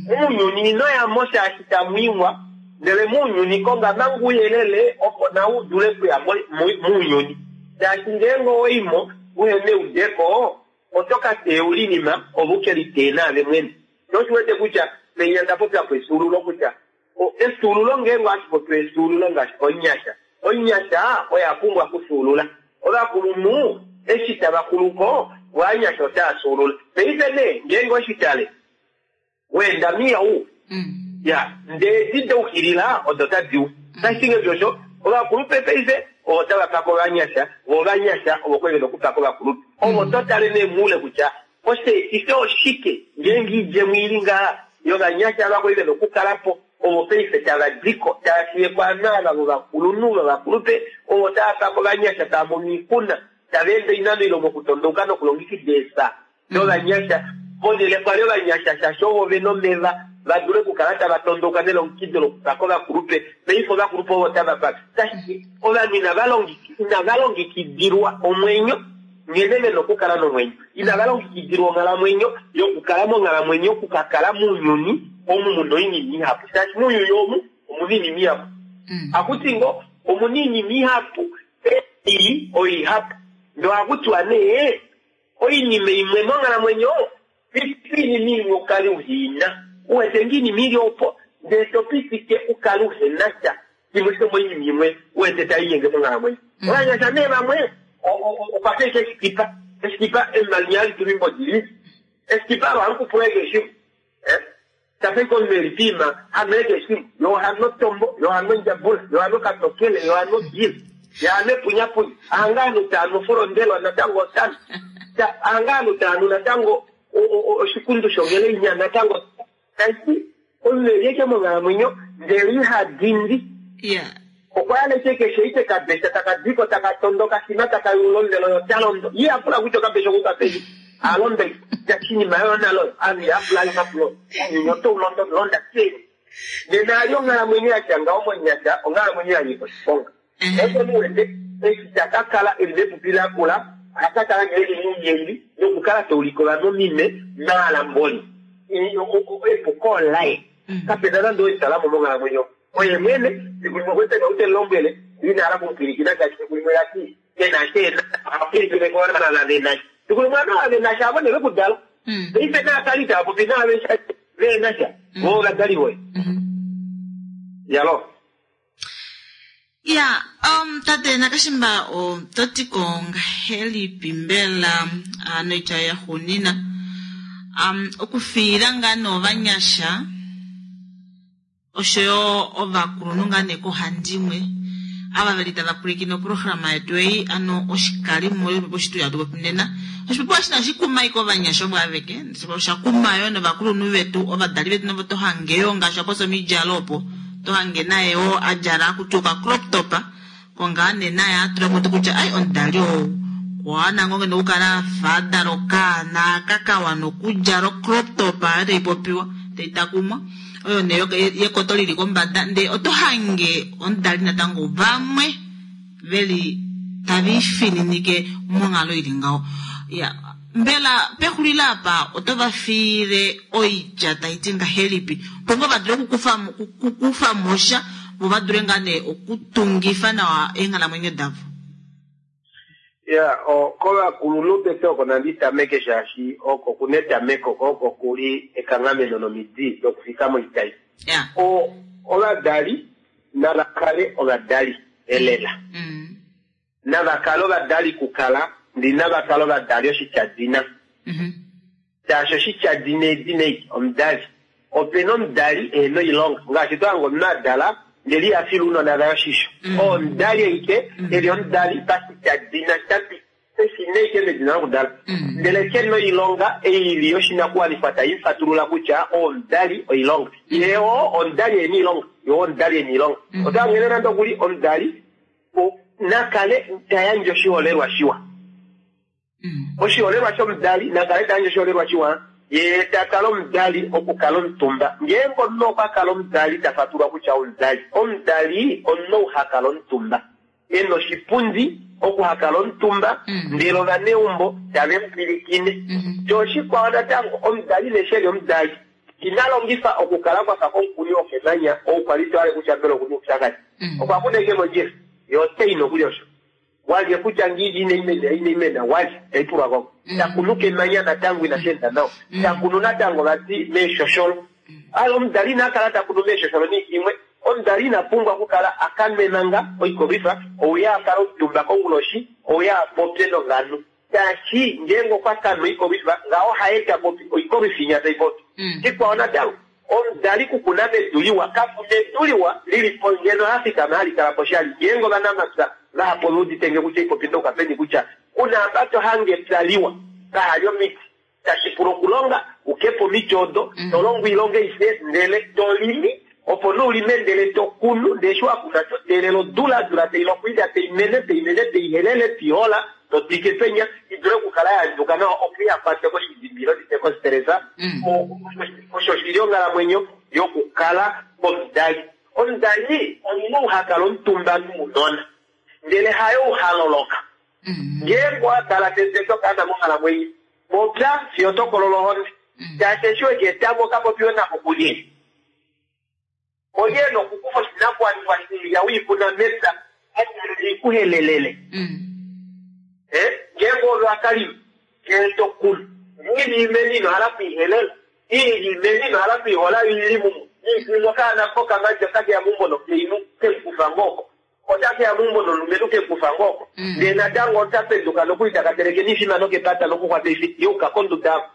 Muunyuni inoyamo shaashi tamwiiwa ndele muunyuni konga manga ouyelele opo nawe udule okuya muunyuni. Shaashi ngeenge owaimo uhena eudeko oto ka teya olinima ove ukeliteye naave mwene. Noshiwete kutya menya ndapopya po efyuululo kutya efyuululo ngeenge ohashi popiwa efyuululo ngaashi omunyasha. Omunyasha oye apumbwa okufyuulula. Ovakulunhu eshi tava kulupo ovanyasha otava fyuulula. Paife nee ngeenge oshitale weenda miyau ya ndee edi daukilila odo tadi u. Tashi osho ovakulupe paife ovo tava paka ovanyasha vo ovanyasha ovo kwali vena okupaka ovakulupe. Ovo totale nee muule kutya osheetife oshike ngeenge idjemo ili ngaha yovanyasha ava kwali vena okukalapo ovo paife tava diko tava fiyeko ava vovakulunhu vovakulupe ovo tava paka ovanyasha tava mono oixuna tava ende oinano ile mokutondouka nokulongekida eesa dovanyasha ponhele kwali ovanyasha shaashi ovo vena omeva vadule okukala tava tondouka nelongekido lokupaka ovakulupe. Paife ovakulupe ovo tava paka tashi ovanhu inava longekidilwa omwenyo nghene vena okukala nomwenyo. Inava longekidilwa onghalamwenyo yokukala monghalamwenyo okukakala mounyuni omu muna oinima ihapu. Shaashi mounyuni omu omuna oinima ihapu. Akuti ngo omuna oinima ihapu ei oihapu. Ndee ohakutiwa nee oinima imwe monghalamwenyo Piti oinima imwe u kale uhe i na. U wete ngoo oinima i li opo, ndele to pitike u kale uhe na sha shimwe shomoinima imwe u wete tai linyenge monghalamwenyo. Ovanyasha nee vamwe okwa fa ashike eshikipa. Eshikipa emanya hali tulwa oimbodi li. Eshikipa olo ohali kupula keshe shimwe. Tafa ashike omunhu e li poima ha nwele keshe shimwe. Ye oha nu otombo, ye oha nu ondjabula, ye oha nu okatokele, ye oha nu obiila, ye oha nu epunyapunya. Hanga ovanhu tava nu ofulondelwa natango ota nu. Hanga ovanhu tava nu natango oshikundu shongeleinya natango. Tashi omunhu e li ashike monghalamwenyo ndele iha dindi. Okwa hala ashike keshe ashike kabesha taka diko taka tondoka shima taka yula omuvelo ye ota londo. Ye iha pula kutya okabesha okuuka peni. A londa oshinima yoyo nalo ovanhu ihava pula omapulo. Ounyuni oto u londo londa peni. Nena ali onghalamwenyo ya tya ngaho monyasha onghalamwenyo ya nyika oshiponga. Paife omunhu wete eshi ta ka kala e li mepupi lakula oha ka kala nghee e li mounyengi nokukala ta ulike ovanhu omime naalamboli. Epuko olaye. Kapena nande oo itala mo monghalamwenyo. Oye mwene, fiku limwe okwe teka ou te mu lombwele, ina hala okumupwilikina shaashi fiku limwe vati ke na sha e na, oha pwilikine kovana ve na sha. Fiku limwe ovanhu ava ve na sha avo nee ve ku dala. Paife naakali itava popi naave sha ve na sha, vo ovadali voye. Yalo.
Ya, tate Nakashimba oto ti ko ngahelipi mbela noitya yaxuunina okufiila ngaa nee ovanyasha osho yo ovakulunhu ngaa nee koohandimwe ava veli tava pwilikine oprograma yetu ei ano oshikalimo yoshipopiwa hatu popi nena. Oshipopiwa eshi inashi kuma ashike ovanyasha ovo aveke, osha kuma yo novakulunhu vetu, ovadali vetu navo to hange yo ngaashi wa popya omidjalo opo to hange naye wo a djala akuti oka crop top ko ngaa nee naye a tula po kutya ai omudali ou okwa wana ngoo ngeno okukala a fa a dala okaana aka ka wana okudjala ocrop top oyo tai popiwa tai takumwa oyo nee yekoto lili kombada ndee oto hange omudali natango vamwe veli tave ifininike monghalo ili ngaho. Ya, mbela pexulilo apa oto va fiile oitya tai ti ngahelipi opo ngoo va dule okukufa mo sha vo va dule ngaa nee okutungifa nawa eenghalamwenyo davo?
Ya, kovakulunhu tete oko nandi tameke shaashi oko kuna etameko ko oko kuli ekanghameno nomidi dokufika moitai.
Ya.
Ovadali nava kale ovadali elela. Nava kale ovadali kukala, ndee inava kala ovadali oshityadina. Shaashi oshityadina edina eli, omudali. Ope na omudali ehe na oilonga. Ngaashi to hange omunhu a dala ndele iha file ounona vaye oshisho. Oo omudali aike e li omudali pashityadina sha Eshina ashike medina lokudala, ndele ke na oilonga ei i li yoshinakuwanifwa tai mu fatulula kutya oo omudali oilonga. Ye oo omudali e na oilonga, ye oo omudali e na oilonga. Ota nghene nande okuli omudali na kale ta yandje oshiholelwa shiwa. Oshiholelwa shomudali na kale ta yandje oshiholelwa shiwa, ye ta kala omudali okukala omutumba. Ngeenge omunhu okwa kala omudali ta fatulwa kutya omudali. Omudali omunhu ou ha kala omutumba. e na oshipundi oku ha kala omutumba ndele ovaneumbo tave mu pwilikine. Sho oshikwao natango, omudali neshi e li omudali ina longifa okukala kwa fa komukuni wokemanya ou kwa li to hale kutya mbela oku na oupyakadi. Okwa kuna ashike mondjila, ye ote i nokuli osho. Walye kutya ngiili inai mena, inai mena, walye, tai pulwa ko. Ta kunu kemanya natango inashi enda nawa. Ta kunu natango vati meeshosholo. Alo omudali ina kala ta kunu meeshosholo niiti imwe. Omudali ina pumbwa okukala a ka nwe manga oikolwifa, ouye a kale omutumba konguloshi, ouye a popye novanhu. Shaashi ngeenge okwa ka nwa oikolwifa, ngaho haye ta popi, oikolwifa inya tai popi. Shikwao natango, omudali kukuna medu liwa, kapu na edu liwa li li po ngeno la fikama hali kala po shali. Ngeenge ovanamapya vahapu ove udite nge kutya oipopi ndoka peni kutya ku na apa to hange epya liwa kaha li omiti. Tashi pula okulonga u ke po omiti odo, to longo oilonga aishe ndele to limi, opo nee u lime ndele to kunu, ndele eshi wa kuna to teelele odula, odula tai loko oilya tai mene, tai mene, tai helele, tai hola, to twike penya, i dule okukala ya andjuka nawa opo iha kwatwe koshidimbilo, ndi tye kostresa. Osho oshi li onghalamwenyo yokukala omudali. Omudali omunhu ou ha kala omutumba nounona, ndele haye ou ha loloka. Ngeenge owa dala tete tokaana monghalamwenyo, popya fiyo to kolola ohonde. Shaashi eshi we ka eta mo ka popiwe nako kulye? Olye e na okukufa oshinakuwanifwa shoilya we i kuna mepya i ku helelele? Ngeenge ove wa ka lima, ndele to kunu. Ili imeni ino hala kuihelela. Ili imeni ino hala kuihola ili mumwe. Okaana kokamati otakeya meumbo nokainhu kekufa ngoko. Otakeya meumbo nomulumenhu kekufa ngoko. Ndee natango ota penduka nokuli taka teleke nifima nokepata nokukwata ifi yuka konduda yako.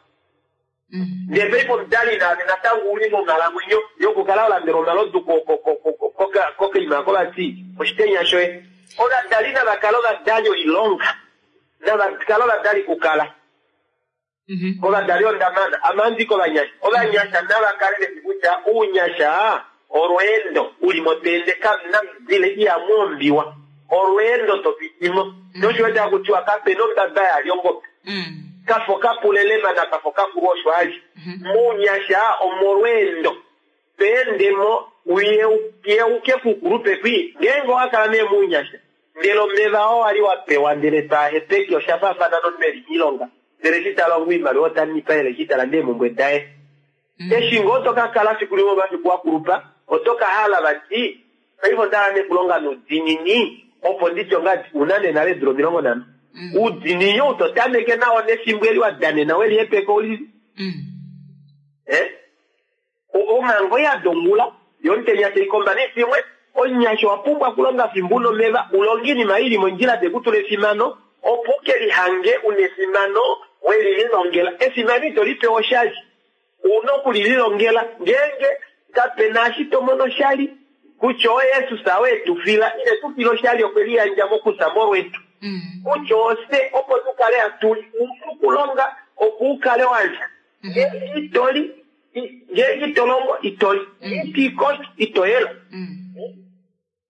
Ndee paife omudali naave natango uli monghalamwenyo yokukala walandela omalodu kokaima ako vati oshitenya shoye. Ovadali navakale ovadali oilonga. Navakale ovadali kukala. Kovadali ondamana amandi kovanyasha. Ovanyasha navakale veshi kutya ounyasha olweendo uli motende kamuna mudile ihamu ombiwa. Olweendo topitimo. Nosho takutiwa kapena ombaba yali ongobe. Kafo kapulelema na kafo kakulu osho ali. Muunyasha omolweendo. Peendemo uyeuke kukulupe kwi. Ngeenge owakala nee muunyasha. Ndele omeva oo wali wapewa ndele taahepeke osha faafana nomunhu eli moilonga. Ndele eshi talongo oimaliwa otanifa ele eshi talanda eemhumbwe daye. Eshi ngoo tokakala fiku limwe omafiku wakulupa oto kahala vati paife ondahala nee okulonga noudiinini opo nditye ongadi una nee nale eedula 50. Oudiinini ou totameke nao nefimbo eli wadanena welihepeka uli. Omhango yadongula yomutenya taikomba nefimwe. Omunyasha owa pumbwa okulonga fimbo una omeva ulonge oinima ili mondjila tekutula efimano opo ukelihange una efimano welililongela. Efimano ito lipewa oshali. Una okulililongela ngeenge kapena eshi tomono oshali kutya oYesus oo etufila ine tufila oshali okwe liyandja mokusa molwetu. Kutya ofye opo tukale hatuli una okulonga opo ukale walya. Ngeenge itoli ngeenge itolongo itoli. Ito itoyela.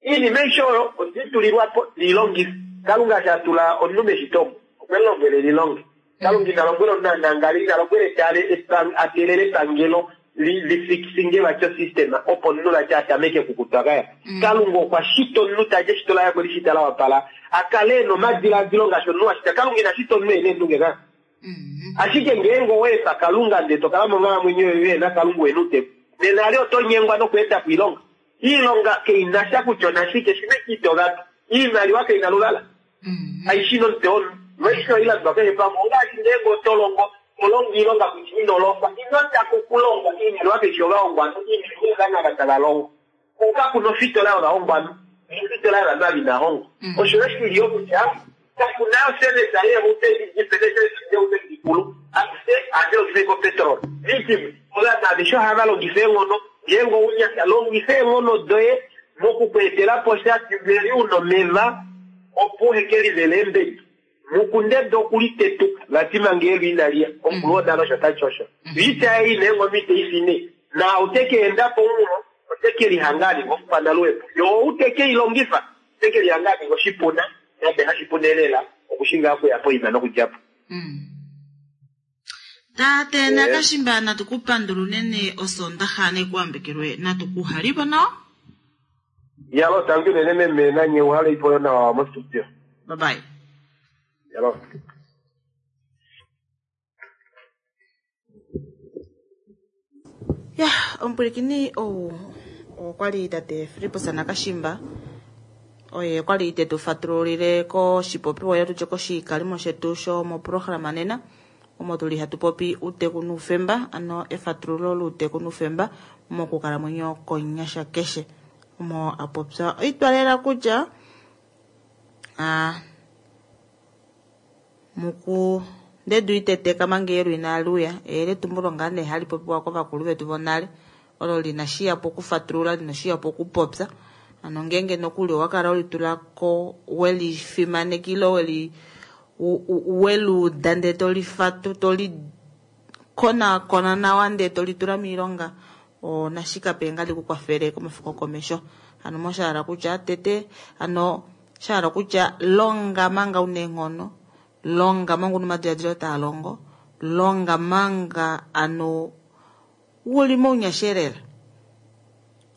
Iinima aishe oyo oditulilwapo lilongife. Kalunga shatula omunhu meshito okwe lombwele lilonge. Kalunga ina lombwela omunhu anangale, ina lombwela tale atelele epangelo lifikisinge vati osystem opo omunhu vati atameke okukutwa kaya. Kalunga okwa shita omunhu tali eshito laye okwe lishita la wapala akale ena omadiladilo ngaashi omunhu ashita. Kalunga ina shita omunhu ena eendunge kaya. Ashike ngeenge oweefa Kalunga ndee tokala monghalamwenyo yoye na Kalunga wena uteku. Nena ali oto nyengwa nokweeta po oilonga. Iilonga kainasha kutya onashike shina itovapi. Iimaliwa kaina luvala. Aishi nomutwe womunhu. Noisho oilandwa keshe pamwe ongaashi ngeenge otolongo olongo iilonga kutya inolongwa. Inotaka okulongwa iimaliwa kaishi ovahongwanhu. Iimaliwa ovana ava tava longo. Kakuna ofitola yovahongwanhu. Ofitola yovanhu ava inahongwa. Osho oshili yo kutya kakuna oservice yeutedikulu ase ohadi longifa iko petrol. Vikimwe ovanhu aveshe ohava longifa eenghono. Ngeenge ounyasha longifa eenghono doye mokukweetela po sha veli una omeva opo uheke livele eembedi. Mukundede okulitetuka vati manga eelu inaliya. Omukulu wonale osho tati osho. Oita ei neenghono iteifine. Na otekeenda po mulo otekelihanga aninga omukwanaluhepo. Yo outekeilongifa otekelihanga aninga oshipuna nande hashipuna lela okushinga okuya poima nokudjapo.
Tate Nakashimba natukupandula unene osondaxa nekuambekelwe natukuhalipo nawa.
Yalo tangi unene meme nanye uhale ipo nawa mostudio.
Bye bye.
Yalo.
Ya, omupwilikini ou okwali tate Filippus Nakashimba oye kwali tetu fatululile koshipopiwa yetu koshikalimo shetu shomoprograma nena omo tuli hatu popi uuteku nuufemba ano efatululo luuteku nuufemba mokukalamwenyo konyasha keshe omo apopya oitwalela kutya muku ndedu iteteka manga eelu inaluya eyeletumbulo ngaa nee hali popiwa kovakulu vetu vonale olo lina shiyapo okufatulula lina shiyapo okupopya ano ngeenge nokuli owakala welitulako welifimanekile weli weluuda ndee tolifatu toli konakona nawa ndee tolitula moilonga onashikape ngali kukwafele komafiku okomesho. Ano moshahala kutya tete ano shahala kutya longa manga una eenghono, longa manga una omadiladilo taa longo, longa manga ano uli mounyasha lela.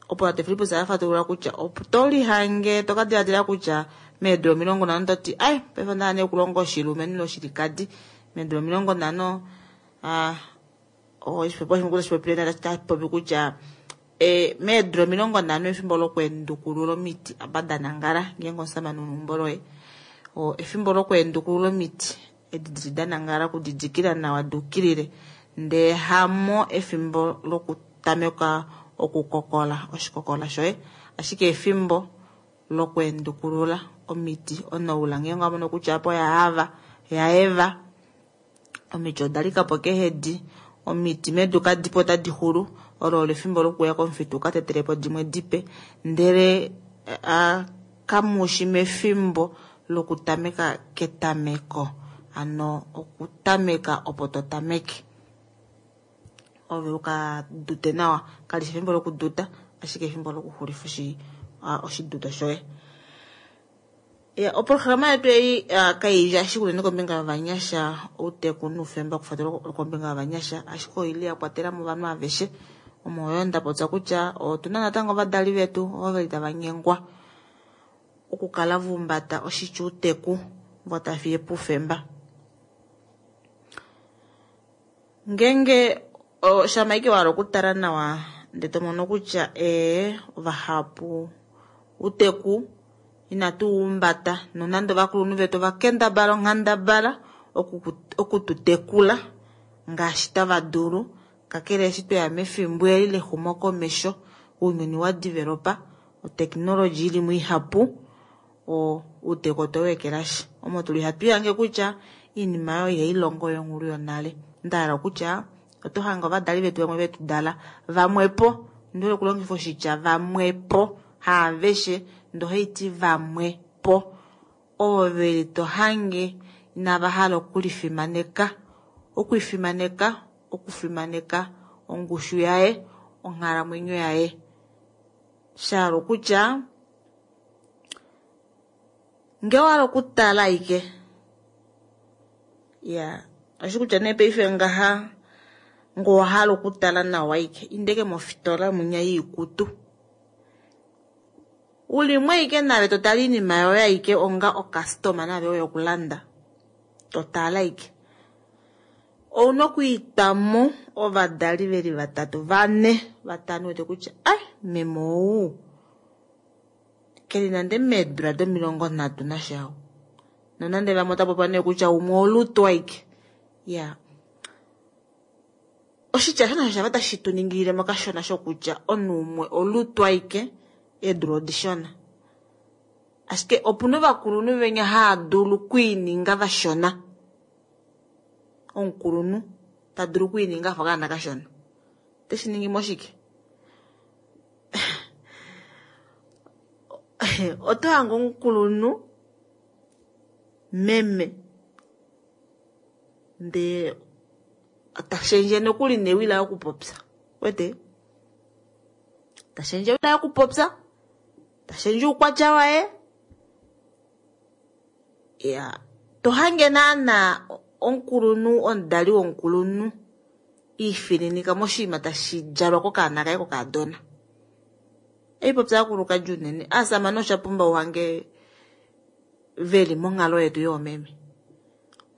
Opo tate Filippus afatulula kutya otolihange tokadiladila kutya meedula 50 toti ai paife onda hala nee okulonga oshilumenhu ile oshilikadi meedula 50 oshipopile tapopi kutya meedula 50 efimbo lokweendukulula omiti apa danangala ngeenge omusamane una eumbo loye efimbo lokweendukulula omiti. Edi dili da nangala okudidikila nawa dukilile ndee hamo efimbo lokutameka okukokola oshikokola shoye, ashike efimbo lokweendukulula omiti onoula ngeenge owa mono kutya apa oya hava yaeva omiti oda likapo kehedi omiti medu kadipo otadi xulu olo olo efimbo lokuya komufitu uka tetelepo dimwe dipe ndele kamushi mefimbo lokutameka ketameko ano okutameka opo to tameke ove uka dute nawa kalishi efimbo lokuduta ashike efimbo lokuxulifa oshiduto shoye. Oprograma yetu ei kaili ashike unene kombinga yovanyasha outeku noufemba okufatela kombinga yovanyasha ashike oili ya kwatela mo ovanhu aveshe omo yo nda popya kutya otuna natango ovadali vetu ovo veli tava nyengwa okukala vumbata oshitya outeku vo tafiye poufemba. Ngeenge shama ike wahala okutala nawa ndee tomono kutya ovahapu outeku inatu umbata nonande ovakulunhu vetu ovakendabala onghandabala okututekula ngaashi tava dulu kakele eshi tweya mefimbo eli lexumokomesho ounyuni wa developa oteknology ili muihapu outeku otwe weekelashi omo tuli hatu ihange kutya iinima oyo ihailongo yonghulu yonale ndahala kutya oto hange ovadali vetu vamwe vetu dala vamwepo ndihole okulongifa oshitya vamwepo haaveshe ndohaiti vamwepo ovo veli to hange inava hala okulifimaneka okwifimaneka okufimaneka ongushu yaye onghalamwenyo yaye shahala okutya ngee owahala okutala aike ya oshi kutya nee paife ngaha ngee owahala okutala nawa aike indeke mofitola munya yiikutu ulimwe aike nave totala iinima yoye aike onga okastoma nave oyo okulanda totala aike ouna okwiitwamo ovadali veli vatatu vane vatano wete kutya ai meme ou keli nande meedula do30 nasha nonande vamwe otapa nee kutya umwe olutu aike ya oshitya shona shava tashi tu ningilile mokashona shokutya omunhu umwe olutu aike eedula odishona ashike opuna ovakulunhu venya haa dulu okwiininga vashona omukulunhu ta dulu okwiininga afa okaana kashona oteshi ningi moshike oto hange omukulunhu meme ndee tashendje nokuli newi laye okupopya wete tashendje ewi laye okupopya tashendje oukwatya waye ya to hange naana omukulunhu omudali womukulunhu iifininika moshinima tashi djalwa kokaana kaye kokaadona eipopya akulukadi unene aasamane osha pumba uhange veli monghalo yetu yoomeme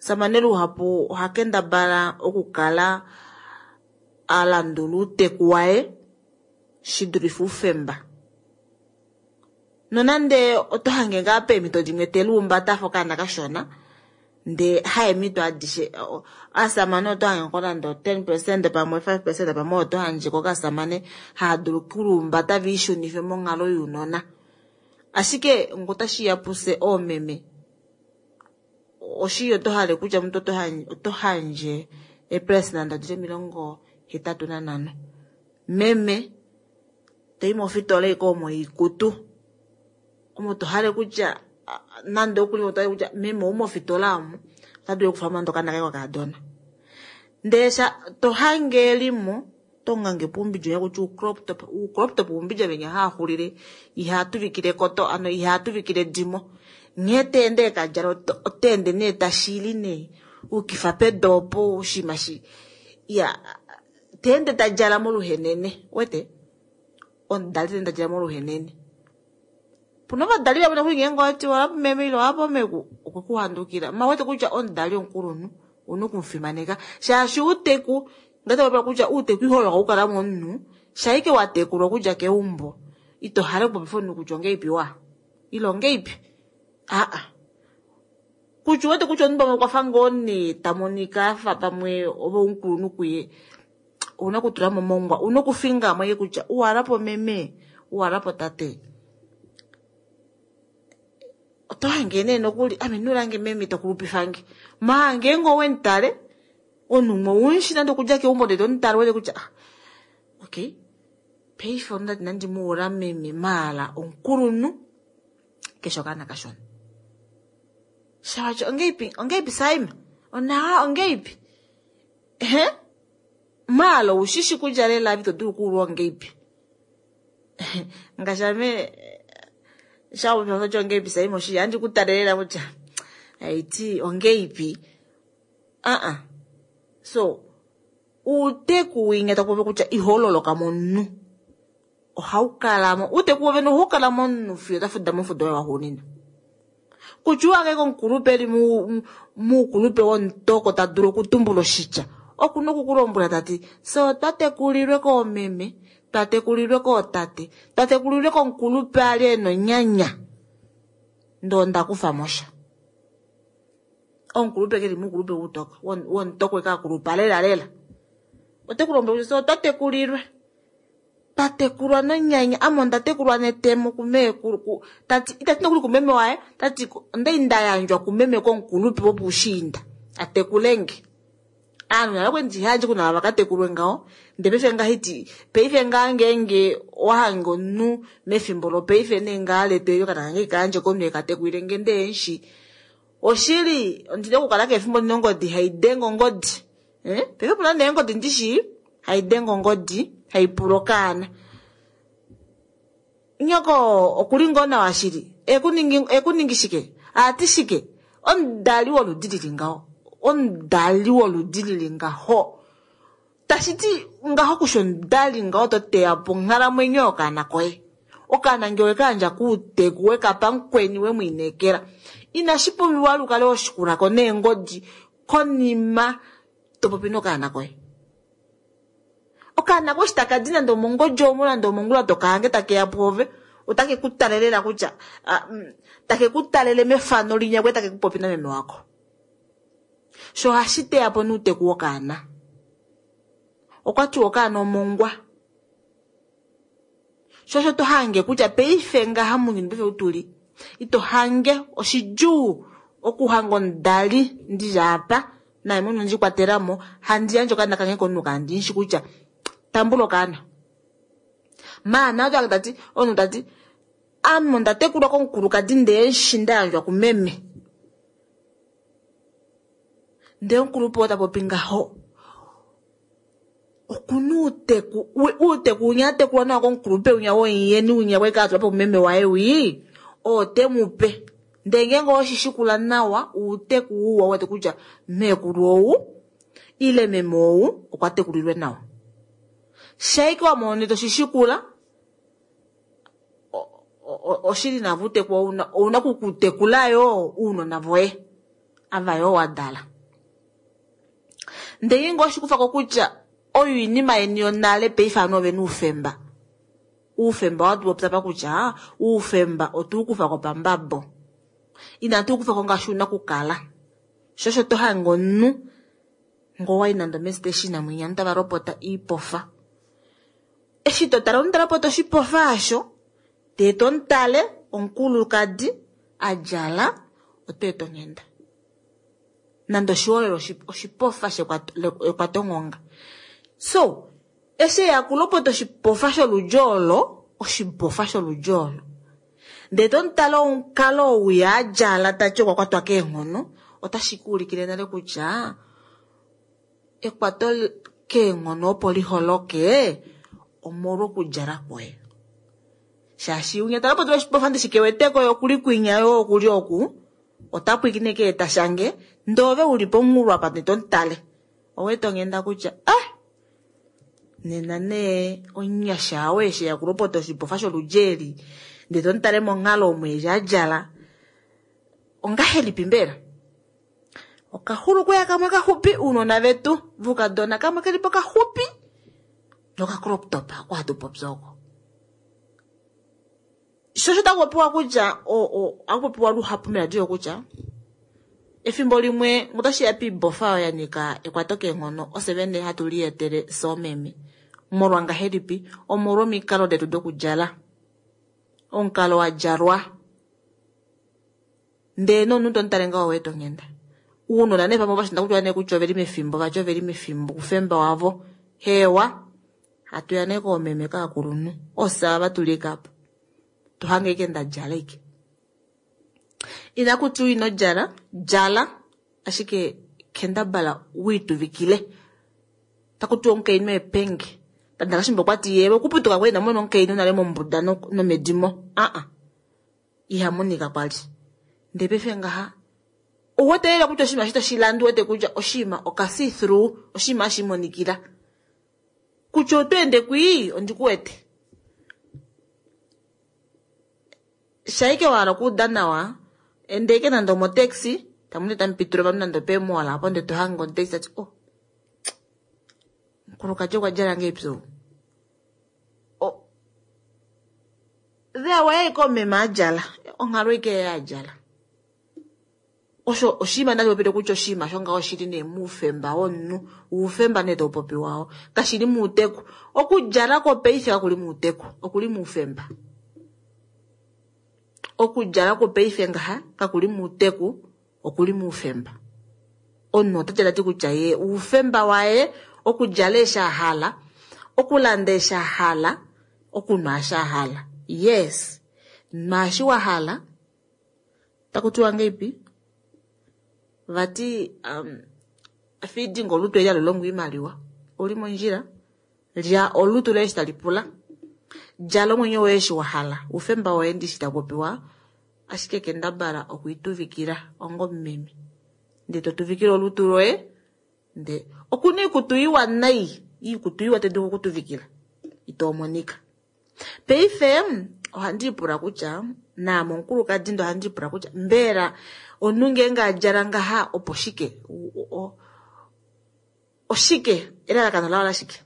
samane luhapu oha kendabala okukala alandula outeku waye shidulife oufemba nonande oto hange ngaa peemhito dimwe teluumbata afa okaana kashona ndee haemhito adishe aasamane oto hange ko nande 10% pamwe 5% pamwe oto handjeko kasamane haadulu okuluumbata viishunife monghalo younona ashike ngo otashiya puse oomeme oshi oto hale kutya omuntu oto handje eepresenda dili 85 meme toyi mofitola ike omo iikutu omo to hale kutya nande okuli oto hale kutya meme ou mofitola omu ota dulu okufa nande okaana kaye kokaadona ndee to hange elimo tongange puumbidja kutya ucrop top ucrop top uumbidja venya haaxulile ihaatuvikile koto ano ihaatuvikile dimo nghee teende ekadjala oteende nee tashili nee ukifa pedu opo oshinima shi ya teende tadjala moluhenene wete omudali teende tadjala moluhenene puna ovadali vamwe nokuli ngeenge owati walapo meme ile walapo meku okwekuhandukila mawete kutya omudali omukulunhu ouna okumufimaneka shaashi outeku ngatapopya kutya outeku iholo haukala momunhu shaike watekulwa okudja keumbo ito hale okupopifa omunhu kutya ongeipi wa ile ongeipi aa. Kutya uwete kutya omunhu pamwe okwa fa ngoo nee ta monika afa pamwe ove omukulunhu kuye, ouna okutula mo mongwa, ouna okufinga mo kutya uwalapo meme, uwalapo tate. Oto hange nee nokuli ame nulange meme to kulupifange. Ma ngeenge owemutale omunhu umwe oumushi nande okudja keumbo ndele tomutale wete kutya ah, okay, paife ondati nandi muula meme maala omukulunhu keshe okaana kashona. Shawatya ongeipi ongeipi Saima? Onawa ongeipi? Ehe? Maala oushishi kutya lela ito dulu okuulwa ongeipi. Ngaashi ame shawatya ongeipi Saima oshi handi ku talelela kutya aiti ongeipi. Uh-uh. So uuteku winya taku popi kutya ihololoka momunhu. Ohaukala mo uuteku wovene ohaukala momunhu fiyo tafuda mofudo waye waxuuninwa. Kutya uwange komukulupe eli muukulupe womutoko ta dulu okutumbula oshitya. Okuna okukulombwela tati fye otwa tekulilwe koomeme, twa tekulilwe kootate, twa tekulilwe komukulupe ali ena onyanya. Ndee onda kufa mo sha. Omukulupe keli muukulupe woutoka, womutoko ekakulupa lela lela. Ote ku lombwele kutya fye otwa tekulilwe. Twa tekulwa nonyanya, ame onda tekulwa netemo kumeekulu, tati itati nokuli kumeme waye, tati ondai nda yandjwa kumeme komukulupe wopuushiinda atekulenge. Aanhu nale okwali ndihaandje kuna vakatekulwe ngaho, ndele paife ngahiti paife ngaa ngeenge owahange omunhu mefimbo lopaife nee ngaa letu eli okaana kange kaandje komunhu ekatekulile nge ndee emushi. Oshili ondina okukala keshe efimbo ndina ongodi haidenge ongodi. Paife opuna nee ongodi ndishi haidenge ongodi haipula okaana. Nyoko okuli ngoo nawa shili? Ekuningi shike? Aati shike? Omudali woludi lili ngaho. Omudali woludi lili ngaho. Tashiti ngaho kusha omudali ngaho to teya po onghalamwenyo yokaana koye. Okaana ngee wekayandja kuuteku wekapa mukweni wemwiinekela. Inashi pumbiwa lukale oshikulako neengodi konima to popi nokaana koye. Okaana koye eshi taka di nande omongodi omo nande omongula tokahange takeya pwoove, otake ku talelela kutya take ku talele mefano linya kwe take ku popi nameme wako. Sho ohashi teya po nuuteku wokaana. Okwa tiwa okaana omongwa. Sho osho to hange kutya paife ngaha mounyuni paife utuli, ito hange oshidjuu okuhanga omudali ndili apa naye mwene ondji kwatelamo handi yandje okaana kange komunhu kandishi kutya tambula okaana. Maana oto tati omunhu tati ame onda tekulwa komukulukadi ndee eshi nda yandjwa kumeme. Ndee omukulupe oo ta popi ngaho okuna uuteku, uuteku winya atekulwa nawa komukulupe winya womuyeni winya kwali kaatulwa po kumeme waye wii, oo te mu pe. Ndee ngeenge oweshi shikula nawa uuteku uwa wete kutya meekulu ou ile meme ou okwa tekulilwe nawa. Shaike wa mona toshi shikula oshili navo uuteku ouna okukutekula yoo uunona voye ava yoo wa dala. Ndee ngeenge oshikufako kutya oyo iinima yeni yonale paife ovanhu ovena oufemba. Oufemba watupopya apa kutya oufemba otuukufako pambabo. Inatu ukufako ngaashi una okukala. Sho osho to hange omunhu ngoo wayi nande omestation mwinya ovanhu tava lopota iipofa. Eshi to tale omunhu ta lopota oshipofa osho, ndee tomutale omukulukadi adjala otweeta onghenda. Nande oshiholelwa oshipofa shekwatonghonga. So, eshi eya kulopota oshipofa sholudji olo, oshibofa sholudji olo. Ndee tomutale omukalo ou adjala tati okwa kwatwa keenghono, otashi ku ulikile nale kutya ekwato keenghono opo liholoke omolwa okudjala kwoye. Shaashi winya talopota oshibofa ndishi keweteko okuli kwinya yo okuli oku, ota pwiikine keeta shange, ndee ove uli pomunghulo apa ndee tomutale. Owete onghenda kutya ah nena nee omunyasha ou eshi eya kulopota oshibofa sholudji eli, ndee tomutale monghalo omo eshi adjala, ongahelipi mbela? Okaxulukuya kamwe kaxupi ounona vetu voukadona kamwe kelipo kaxupi noka crop top oko hatu popi oko. Sho osho taku popiwa kutya ohaku popiwa luhapu meladio kutya Efimbo limwe otashi ya piibofa oyo ya nyika ekwato keenghono ofye vene hatu lietele fye oomeme. Molwa ngahelipi? Omolwa omikalo detu dokudjala. Omukalo wa djalwa ndee nomunhu tomutale ngaho oweeta onghenda. Uunona nee pamwe ovashinda kutya nee kutya oveli mefimbo vati oveli mefimbo oufemba wavo. Hewa, hatu ya nee koomeme kaakulunhu ofye ava tuli ike apa. Tohange ike ndadjala ike. Ina kutiwa ino djala, djala ashike kendabala wiituvikile. Taku tiwa omukainhu epenge. Tandakashimba okwati ye okuputuka kwali ina mona omukainhu nale mombuda nomedimo. Aa, iha monika kwali. Ndee paife ngaha ouwete lela kutya oshinima eshi toshi landa uwete kutya oshinima oka see through, oshinima hashi monikila. Kutya oto ende kwii, ondikuwete. Shaike wa hala okuuda nawa, ende ike nande omotaxi, tamu tamu pitula ovanhu nande opeemola apo ndee tohange omutakisi tati oh, mukulukadi okwa djala ngahelipi ou? Oh, there waye ike omeme a djala, onghalo ike ye a djala. Osho oshinima ndashi popile kutya oshinima shongaho oshili nee moufemba womunhu, oufemba nee taupopiwa oo, kashili muuteku. Okudjala kwopaife kakuli muuteku, okuli moufemba. Okudjala kwopaife ngaha kakuli muuteku, okuli moufemba. Omunhu ota djala ti kutya ye oufemba waye okudjala eshi a hala, okulanda eshi a hala, okunwa eshi a hala. Yes, nwa eshi wa hala. Taku tiwa ngeipi? Vati feeding olutu eli hali longo oimaliwa. Ouli mondjila, lya olutu loye eshi tali pula. Djala omwenyo woye eshi wa hala. Oufemba woye ndishi taku popiwa, ashike kendabala okwiituvikila onga omumeme. Ndee to tuvikile olutu loye, ndee okuna oikutu iwa nai, oikutu iwa tai dulu okutuvikila, ito monika. Paife ohandi ipula kutya naame omukulukadi ndee ohandi ipula kutya mbela omunhu ngeenge a djala ngaha opo shike? Oshike? Elalakano lao lashike?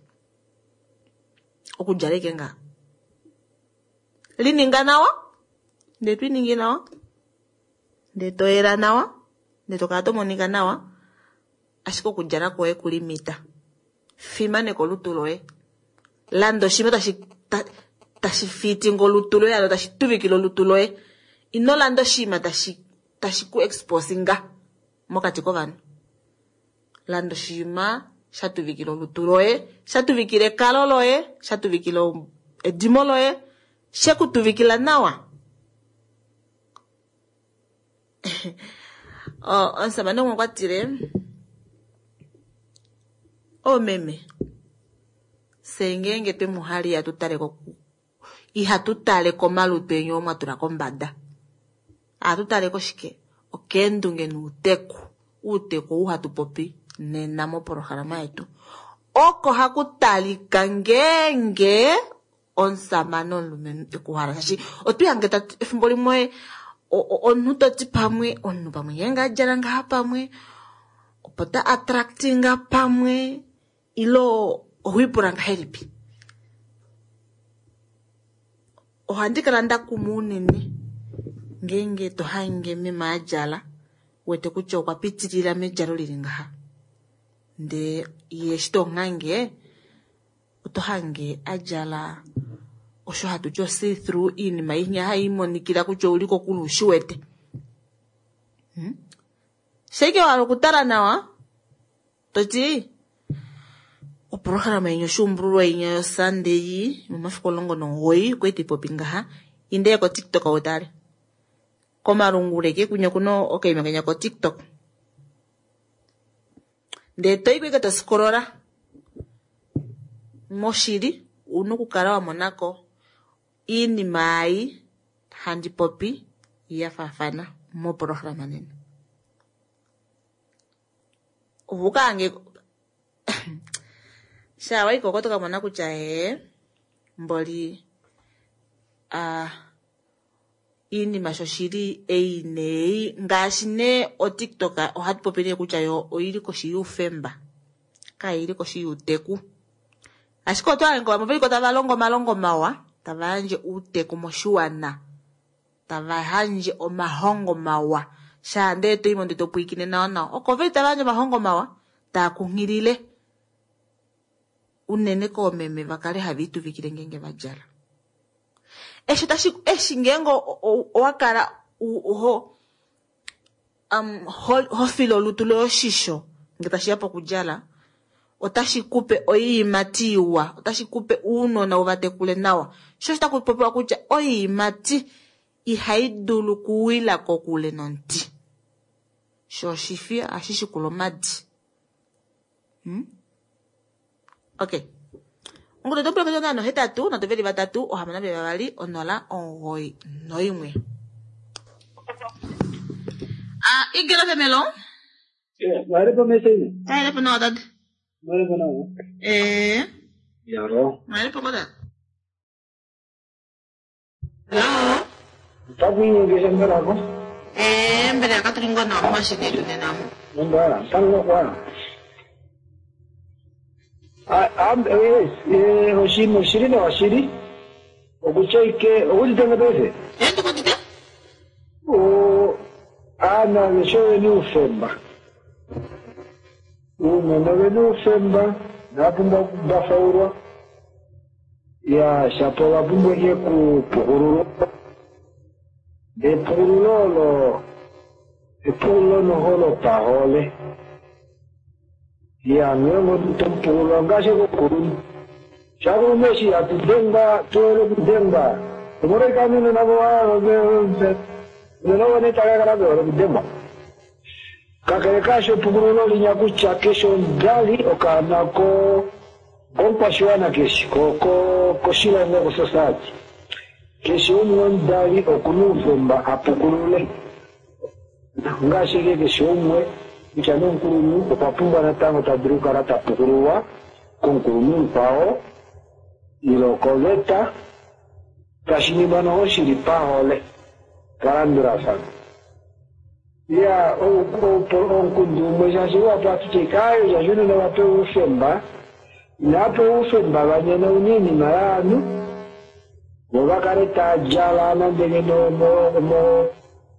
Okudjala ike ngaha. Lininga nawa, ndee to iningi nawa, ndee to yela nawa, ndee to kala to monika nawa, ashike okudjala kwoye kulimita. Fimaneka olutu loye. Landa oshinima tashi fitinga olutu loye, ano tashi tuvikile olutu loye. Ino landa oshinima tashi ku exposinga mokati kovanhu. Landa oshinima sha tuvikila olutu loye, sha tuvikila ekalo loye, sha tuvikila edimo loye, she ku tuvikila nawa. Omusamane umwe okwa tile, oomeme, fye ngeenge twe mu hala ihatu tale ko, ihatu tale komalutu eni oo mwa tula kombada. Ohatu tale koshike? Okeendunge nouteku. Outeku ou hatu popi nena mopolohalama yetu. Oko haku talika ngeenge omusamane omulumenhu ekuhala. Shaashi otwiihange tati efimbo limwe omunhu toti pamwe, omunhu pamwe ngeenge a djala ngaha pamwe, opo ta attractinga pamwe, ilo ohoipula ngahelipi? Ohandi kala nda kumwa unene ngeenge to hange meme a djala, wete kutya okwa pitilila medjalo lili ngaha. Ndee ye eshi to muhange, oto hange a djala osho hatu ti o-see through, iinima inya hai monikila kutya ouli kokule ushi wete. Shaike wa hala okutala nawa, toti oprograma yenya oshuumbululwa inya yoSunday momafiku 19 okwali taipopi ngaha, indeye koTikTok utale. Komalungula eke kunya okuna okaima kenya koTikTok. Ndee toyi ko ike tosikolola. Moshili una okukala wa monako iinima ei handi popi ya faafana moprograma nena. Ovuka ange sha wayi koko toka mona kutya ee mboli iinima shoshili ei neyi ngaashi nee oTikTok ohatu popi nee kutya yo oili koshi youfemba, kaili koshi youteku. Ashike oto hange vamwe veliko tava longo omalongo mawa, tava yandje outeku moshiwana, tava yandje omahongo mawa. Shaa ndee to i mo ndee to pwilikine nawa nawa. Oko veli tava yandje omahongo mawa taa kunghilile unene koomeme va kale have ituvikile ngeenge va djala. Eshi tashi eshi ngeenge owa kala ho ho file olutu loye oshisho nge tashi ya pokudjala, otashi kupe oiimati iwa, otashi kupe ounona u va tekule nawa. Sho osho taku popiwa kutya oiimati ihai dulu kuwila kokule nomuti. Sho oshifi ohashi shikula omadi. Okay. Ongudu oto pula kutya 8 3 6 2 0 91. Ah, igelo femelo.
Mwalipo message.
Mwalipo nawa tata.
Mwalipo nawa.
Eh.
Yaro.
Mwalipo koda. Hello.
Takuinyengesha mbelako.
Eh, mbele yakaturingwa na mashine yetu nena.
Mbala, tango kwa. Yes, oshili oshili na oshili. Okuchaike, okutitenga pese.
Eh, ndikutite.
O ana vesho ni ufemba. Uunona veni ufemba napumbwa okubafaulwa. Ya shapo vapumbwa ihe kupukululwa. Epukululo olo epukululo noho lopahole. Ya ngeenge tomupukulula ngaashi kokulunhu. Shakulunhu eshi hatudengwa tuwele okudengwa. Omolwashike nunona nunona vone takakala vehole okudengwa. Kakele kaasho epukululo linya kutya keshe omudali okaana komukwashiwana keshe koshilongo kosociety. Keshe umwe omudali okuna oufemba apukulule. Ngaashi keshe umwe kutya nomukulunhu okwa pumbwa natango ta dulu okukala ta pukululwa komukulunhu mukwao ile koveta tashi ningwa noho shili pahole palandulafano. Ya omukundu umwe shaashi wapo atutye kaayo shaashi unene vapewa oufemba inapewa oufemba vanyene una oinima yaanhu vo vakale tadjala nande ngeno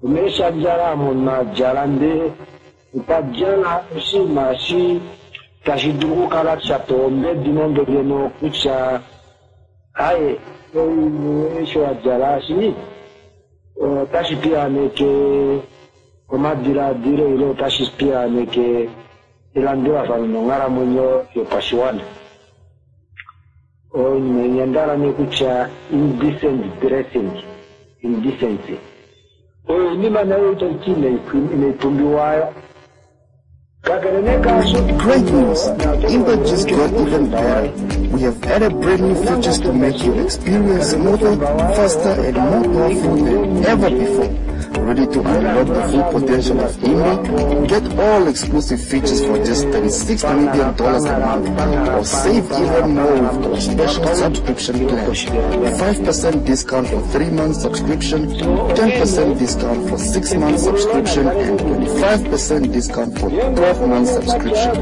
omeeshandjala omo madjala ndee okwadjala oshinima eshi tashi dulu okukala sha pewa ombedi nande ngeno kutya aye eshi wadjala eshi otashi piyaaneke omadilaadilo ile otashi piyaaneke elandulafano nonghalamwenyo yopashiwana. Oinima inyandala nee kutya indecent dressing, indecency. Oyo oinima nayo itaiti inaipumbiwayo.
Great news! Imba just got even better. We have added brand new features to make your experience smoother, faster, and more powerful than ever before. Ready to unlock the full potential of Imba? Get all exclusive features for just $36 Namibian a month, or save even more with our special subscription plan. 5% discount for 3 months subscription, 10% discount for 6 months subscription, and 25% discount for 12 months subscription.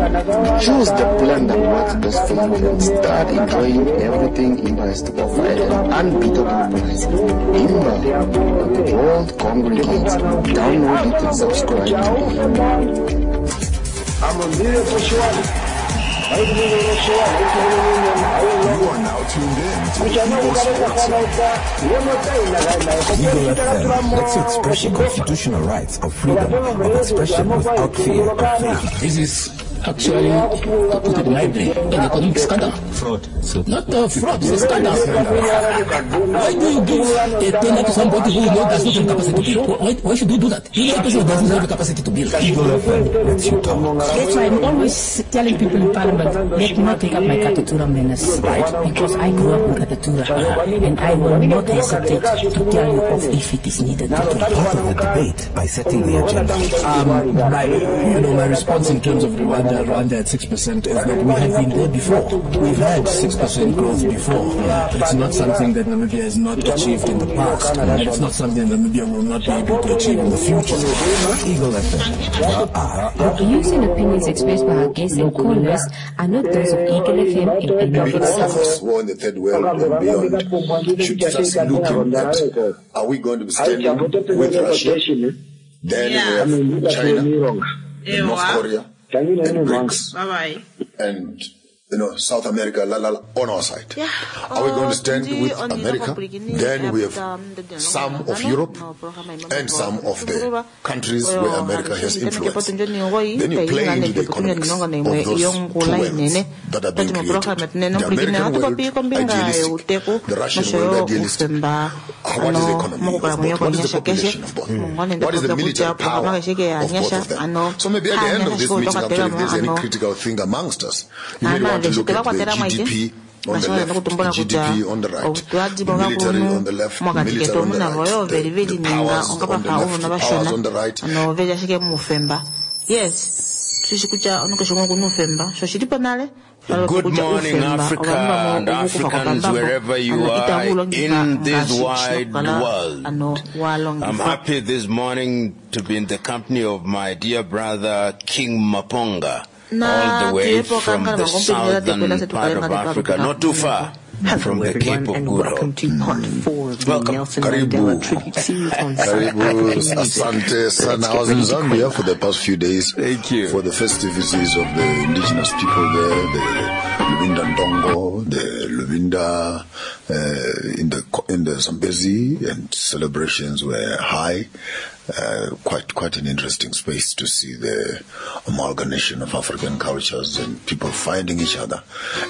Choose the plan that works best for you and start enjoying everything Imba has to offer at an unbeatable price. Imba, where the world congregates. Download it and subscribe today.
You are now tuned in to Eagle Sports. Eagle FM lets you express your constitutional rights of freedom of expression without fear of favor.
This is actually, to put it mildly, an economic scandal.
Fraud. So
not a fraud, it's a scandal. Why do you give a tender to somebody who does not have the capacity to build? Why should you do that? You know a person who doesn't have the capacity to build.
Eagle FM lets you talk.
That's why I'm always telling people in Parliament, let me not take up my Katutura manners.
Right.
Because I grew up in Katutura, and I will not hesitate to tell you off if it is needed to do.
Part of the debate by setting the agenda.
My response in terms of Rwanda at 6% is that we have been there before. We've had 6% growth before. It's not something that Namibia has not achieved in the past, and it's not something that Namibia will not be able to achieve in the future.
Eagle FM.
The views and opinions expressed by our guests and callers are not those of Eagle FM and any of its
All of us who are in the third world and beyond should start looking at, are we going to be standing with Russia
Then
Yeah.
we have China, and North
Ewa.
Korea, and BRICS,
Bye bye.
and you know South America, la, la, la, on our side.
Yeah.
Are we going to stand
Otundi
with
onina
America?
kopulakini
Then we have
ya
some of Europe and some of the countries where America has influence. Then you play into the economics of those two worlds that are being created. The American world idealistic, the Russian world idealistic. What is the economy of both? What is the population of both? What is the military power of both of them? So maybe at the end of this meeting, actually, if there's any critical thing amongst us, you may want to look at the GDP on the left, the GDP on the right, the military on the left, the
mokati
military
ketu
on the
omuna voyo
right,
veli
the,
veli
the
ninga
powers
onga
on the
vafa
left,
uvona
the powers
vashona
on the right.
ano veli ashike muufemba yes tushi kutya onokeshi gumwe okuna uufemba sho oshili po nale
Good
kutya
morning,
uufemba
Africa
ovanhu vamwe
and
ovukufa
Africans,
kwapambambo
wherever you
ano
are
itavu longitha
in this
ngaashi
wide
shinokukala
world.
ano
I'm
walongitha
happy this morning to be in the company of my dear brother King Maponga,
na
all the way
tuyepo
from
kankala
the
makompilila tekwela
southern
se
part
tukale
of
nga
Africa, not too far
Hello,
from the
everyone,
Cape of
and
Good
welcome
Hope.
to part four of the
Welcome.
Nelson
Karibu.
Mandela tribute series on South
Karibu,
African music.
asante sana.
Let's
I
get
was in
ready to
Zambia
quaver.
for the past few days.
Thank you.
For the festivities of the indigenous people there, the Lubinda Ndongo, the Lubinda in the Zambezi, and celebrations were high. Quite an interesting space to see the amalgamation of African cultures and people finding each other.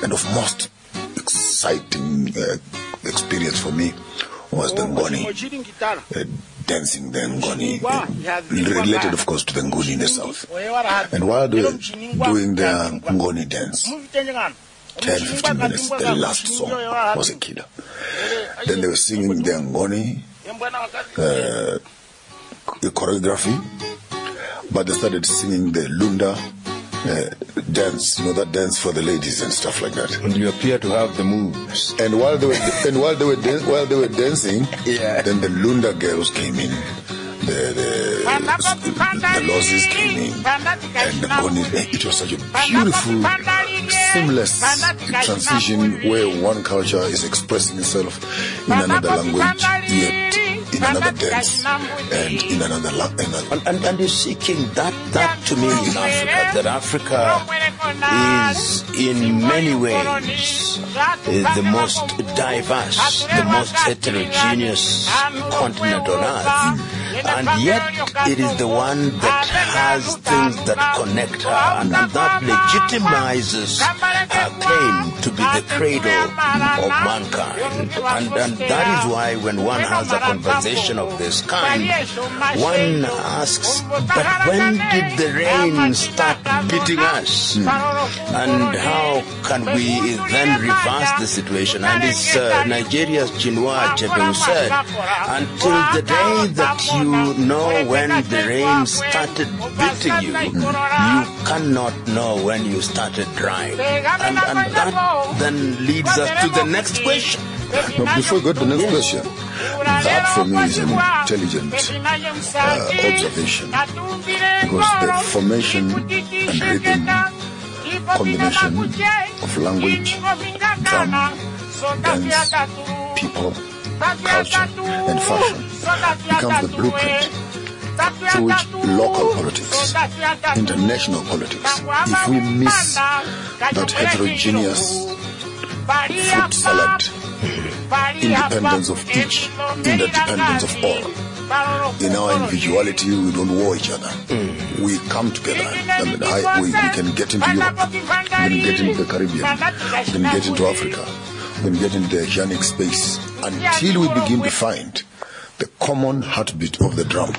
And of most exciting experience for me was the Ngoni
Oshili ngitala.
dancing the Ngoni,
Wa, iha
related of course to the Nguni in the south.
Oye wala ha-
And while they were
Omuchiningwa
doing their
iha
Ngoni dance,
Muvitenge ngano.
10, 15 minutes, the last song was a killer. Then they were singing their Ngoni choreography, but they started singing the Lunda dance, you know, that dance for the ladies and stuff like that.
And you appear to have the moves.
And while they were while they were dancing,
Yeah.
then the Lunda girls came in, the Lozis came in, and the Ngoni. It was such a beautiful, seamless transition where one culture is expressing itself in another language, yet in another dance, and in another language.
And you see, King, that to me in Africa, that Africa is in many ways the most diverse, the most heterogeneous continent on earth. And yet it is the one that has things that connect her, and that legitimizes her claim to be the cradle of mankind. And that is why when one has a conversation of this kind, one asks, but when did the rain start beating us? And how can we then reverse the situation? And it's Nigeria's Chinua Achebe who said, until the day that you know when the rain started beating you, you cannot know when you started drying. And that then leads us to the next question.
Now, before we go to the next question, that for me is an intelligent observation, because the formation and rhythm combination of language, drum, dance, people, culture, and fashion becomes the blueprint through which local politics, international politics, if we miss that heterogeneous fruit salad, independence of each, interdependence of all. In our individuality, we don't war each other. We come together. I mean, we can get into Europe, we can get into the Caribbean, we can get into Africa, we can get into the Asianic space, until we begin to find the common heartbeat of the drum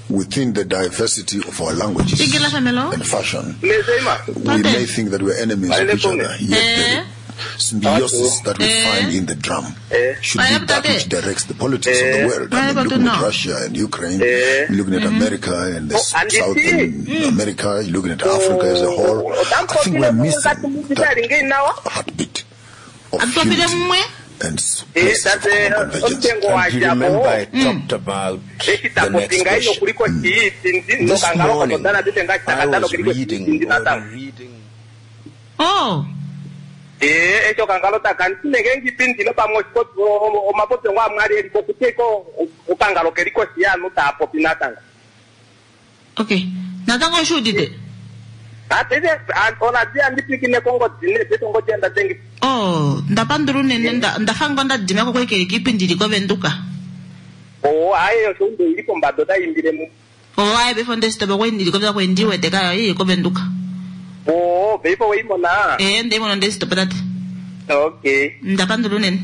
within the diversity of our languages and fashion. We may think that we're enemies of each other, yet the symbiosis that we find in the drum should be that which directs the politics of the world. I mean, looking at Russia and Ukraine, you're looking at America and the Southern America, you're looking at Africa as a whole. I think we're missing that heartbeat of unity and places of common convergence.
And you remember I talked about the next question. This morning, I was reading.
Oh.
Echo kangalo takantinenge ngipindile pamwe omapopyo ngo amwali eliko kuteko okangalo keliko siyanu tapopi natanga.
Okay. Natango oshi udite?
Ah, paife oradio handi pwilikine kongodi nee paife ongodi anda dengi.
Oh, ndapandula unene nda ndafa ngoo nda dima ko kwali keli kiipindi ili kovenduka.
Oh, aye osho unde ili pombada otai imbile mu.
Oh, aye paife onde shitopa kwali ndili kovenduka kwali ndi wete kayo ili kovenduka.
Oh, paife weimona.
Eh, ndeimona onde shitopa tate.
Okay.
Ndapandula unene.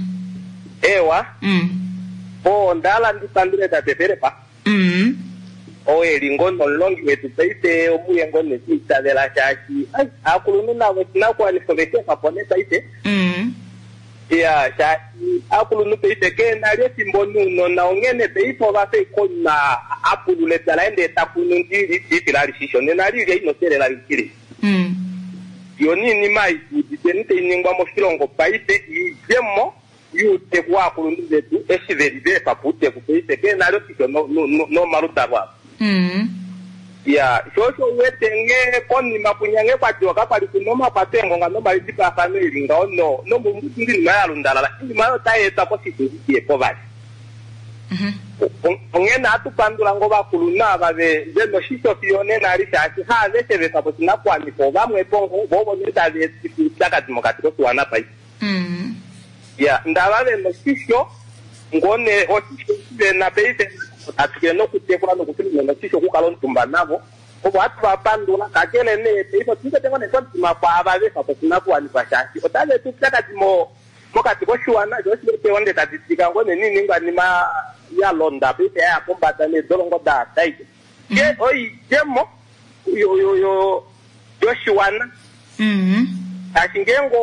Ewa. Oh, ndahala ndipandule tate Philip. Oo e li ngoo nomulongi wetu paife omuye ngoo nekwiitavela shaashi ai aakulunhu navo oshinakuwanifwa ove shi efa po nee paife. Iya, shaashi aakulunhu paife ke na li efimbo nounona onghene paife ova fa ashike omunhu a pulula epya laye ndee ta kunu ndili liifila alishisho nena li ilya ino teelela likile. Yo niinima ei tu uditeni tai ningwa moshilongo paife iidjemo yuuteku waakulunhu vetu eshi ve li va efa po outeku paife ke na li oshisho nomaludalo avo. Iya, sho osho u wete nghee konima kwinya nghee kwa tiwa kakwa li ku na omakwato eengonga nomalidipafano e li ngaho no, nomomuti oinima ya lundalala, oinima oyo otai etwa koshitundi shi ye po vali. Onghene ohatu pandula ngoo ovakulunhu ava ve ve na oshisho fiyo onena eli shaashi haaveshe va efa po oshinakuwanifwa, ovamwepo ngoo, vo ovo nee tava etifa oupyakadi mokati koshiwana paife. Ya, ndava ve na oshisho ngoo nee, oshisho eshi ve na paife tatu ke nokutekula nokufila oshisho okukala omutumba navo, ovo hatu va pandula. Kakele nee paife otu wete ngoo nee komutima kwaava va efa po oshinakuwanifwa shaashi otava eta oupyakadi mo mokati koshiwana, sho oshi wete onde tadi tika ngoo nee noiningwanima ya londa paife ya ya pombada needolongo da daike. Ke oidjemo yo yo yo yoshiwana. Shaashi ngeenge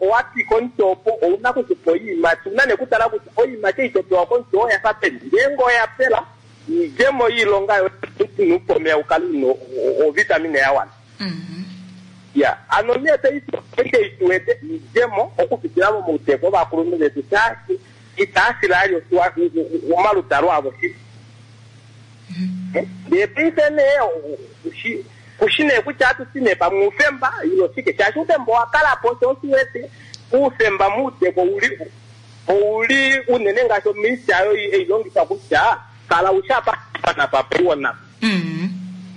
owa twika omuti opo, ou na okukupa oiimati. Ou na nee okutala kutya oiimati ei to pewa komuti oo oya fa peni. Ngeenge oya pela, oidjemo yoilonga yoye ino upa omeya u kale u na ovitamine ya wana. Ya, ano nee paife eshi ei tu wete oidjemo okupitila momauteku ovakulunhu vetu, shaashi itaa file ali omaludalo avo shili. Ndee paife nee kushi nee kutya ohatu ti nee pamwe oufemba ile oshike, shaashi oufemba owa kala po, sho oshi wete oufemba mouteko ouli ouli unene ngaashi ominista oyo ei longifa kutya kala ushi apa napa paiwa napa.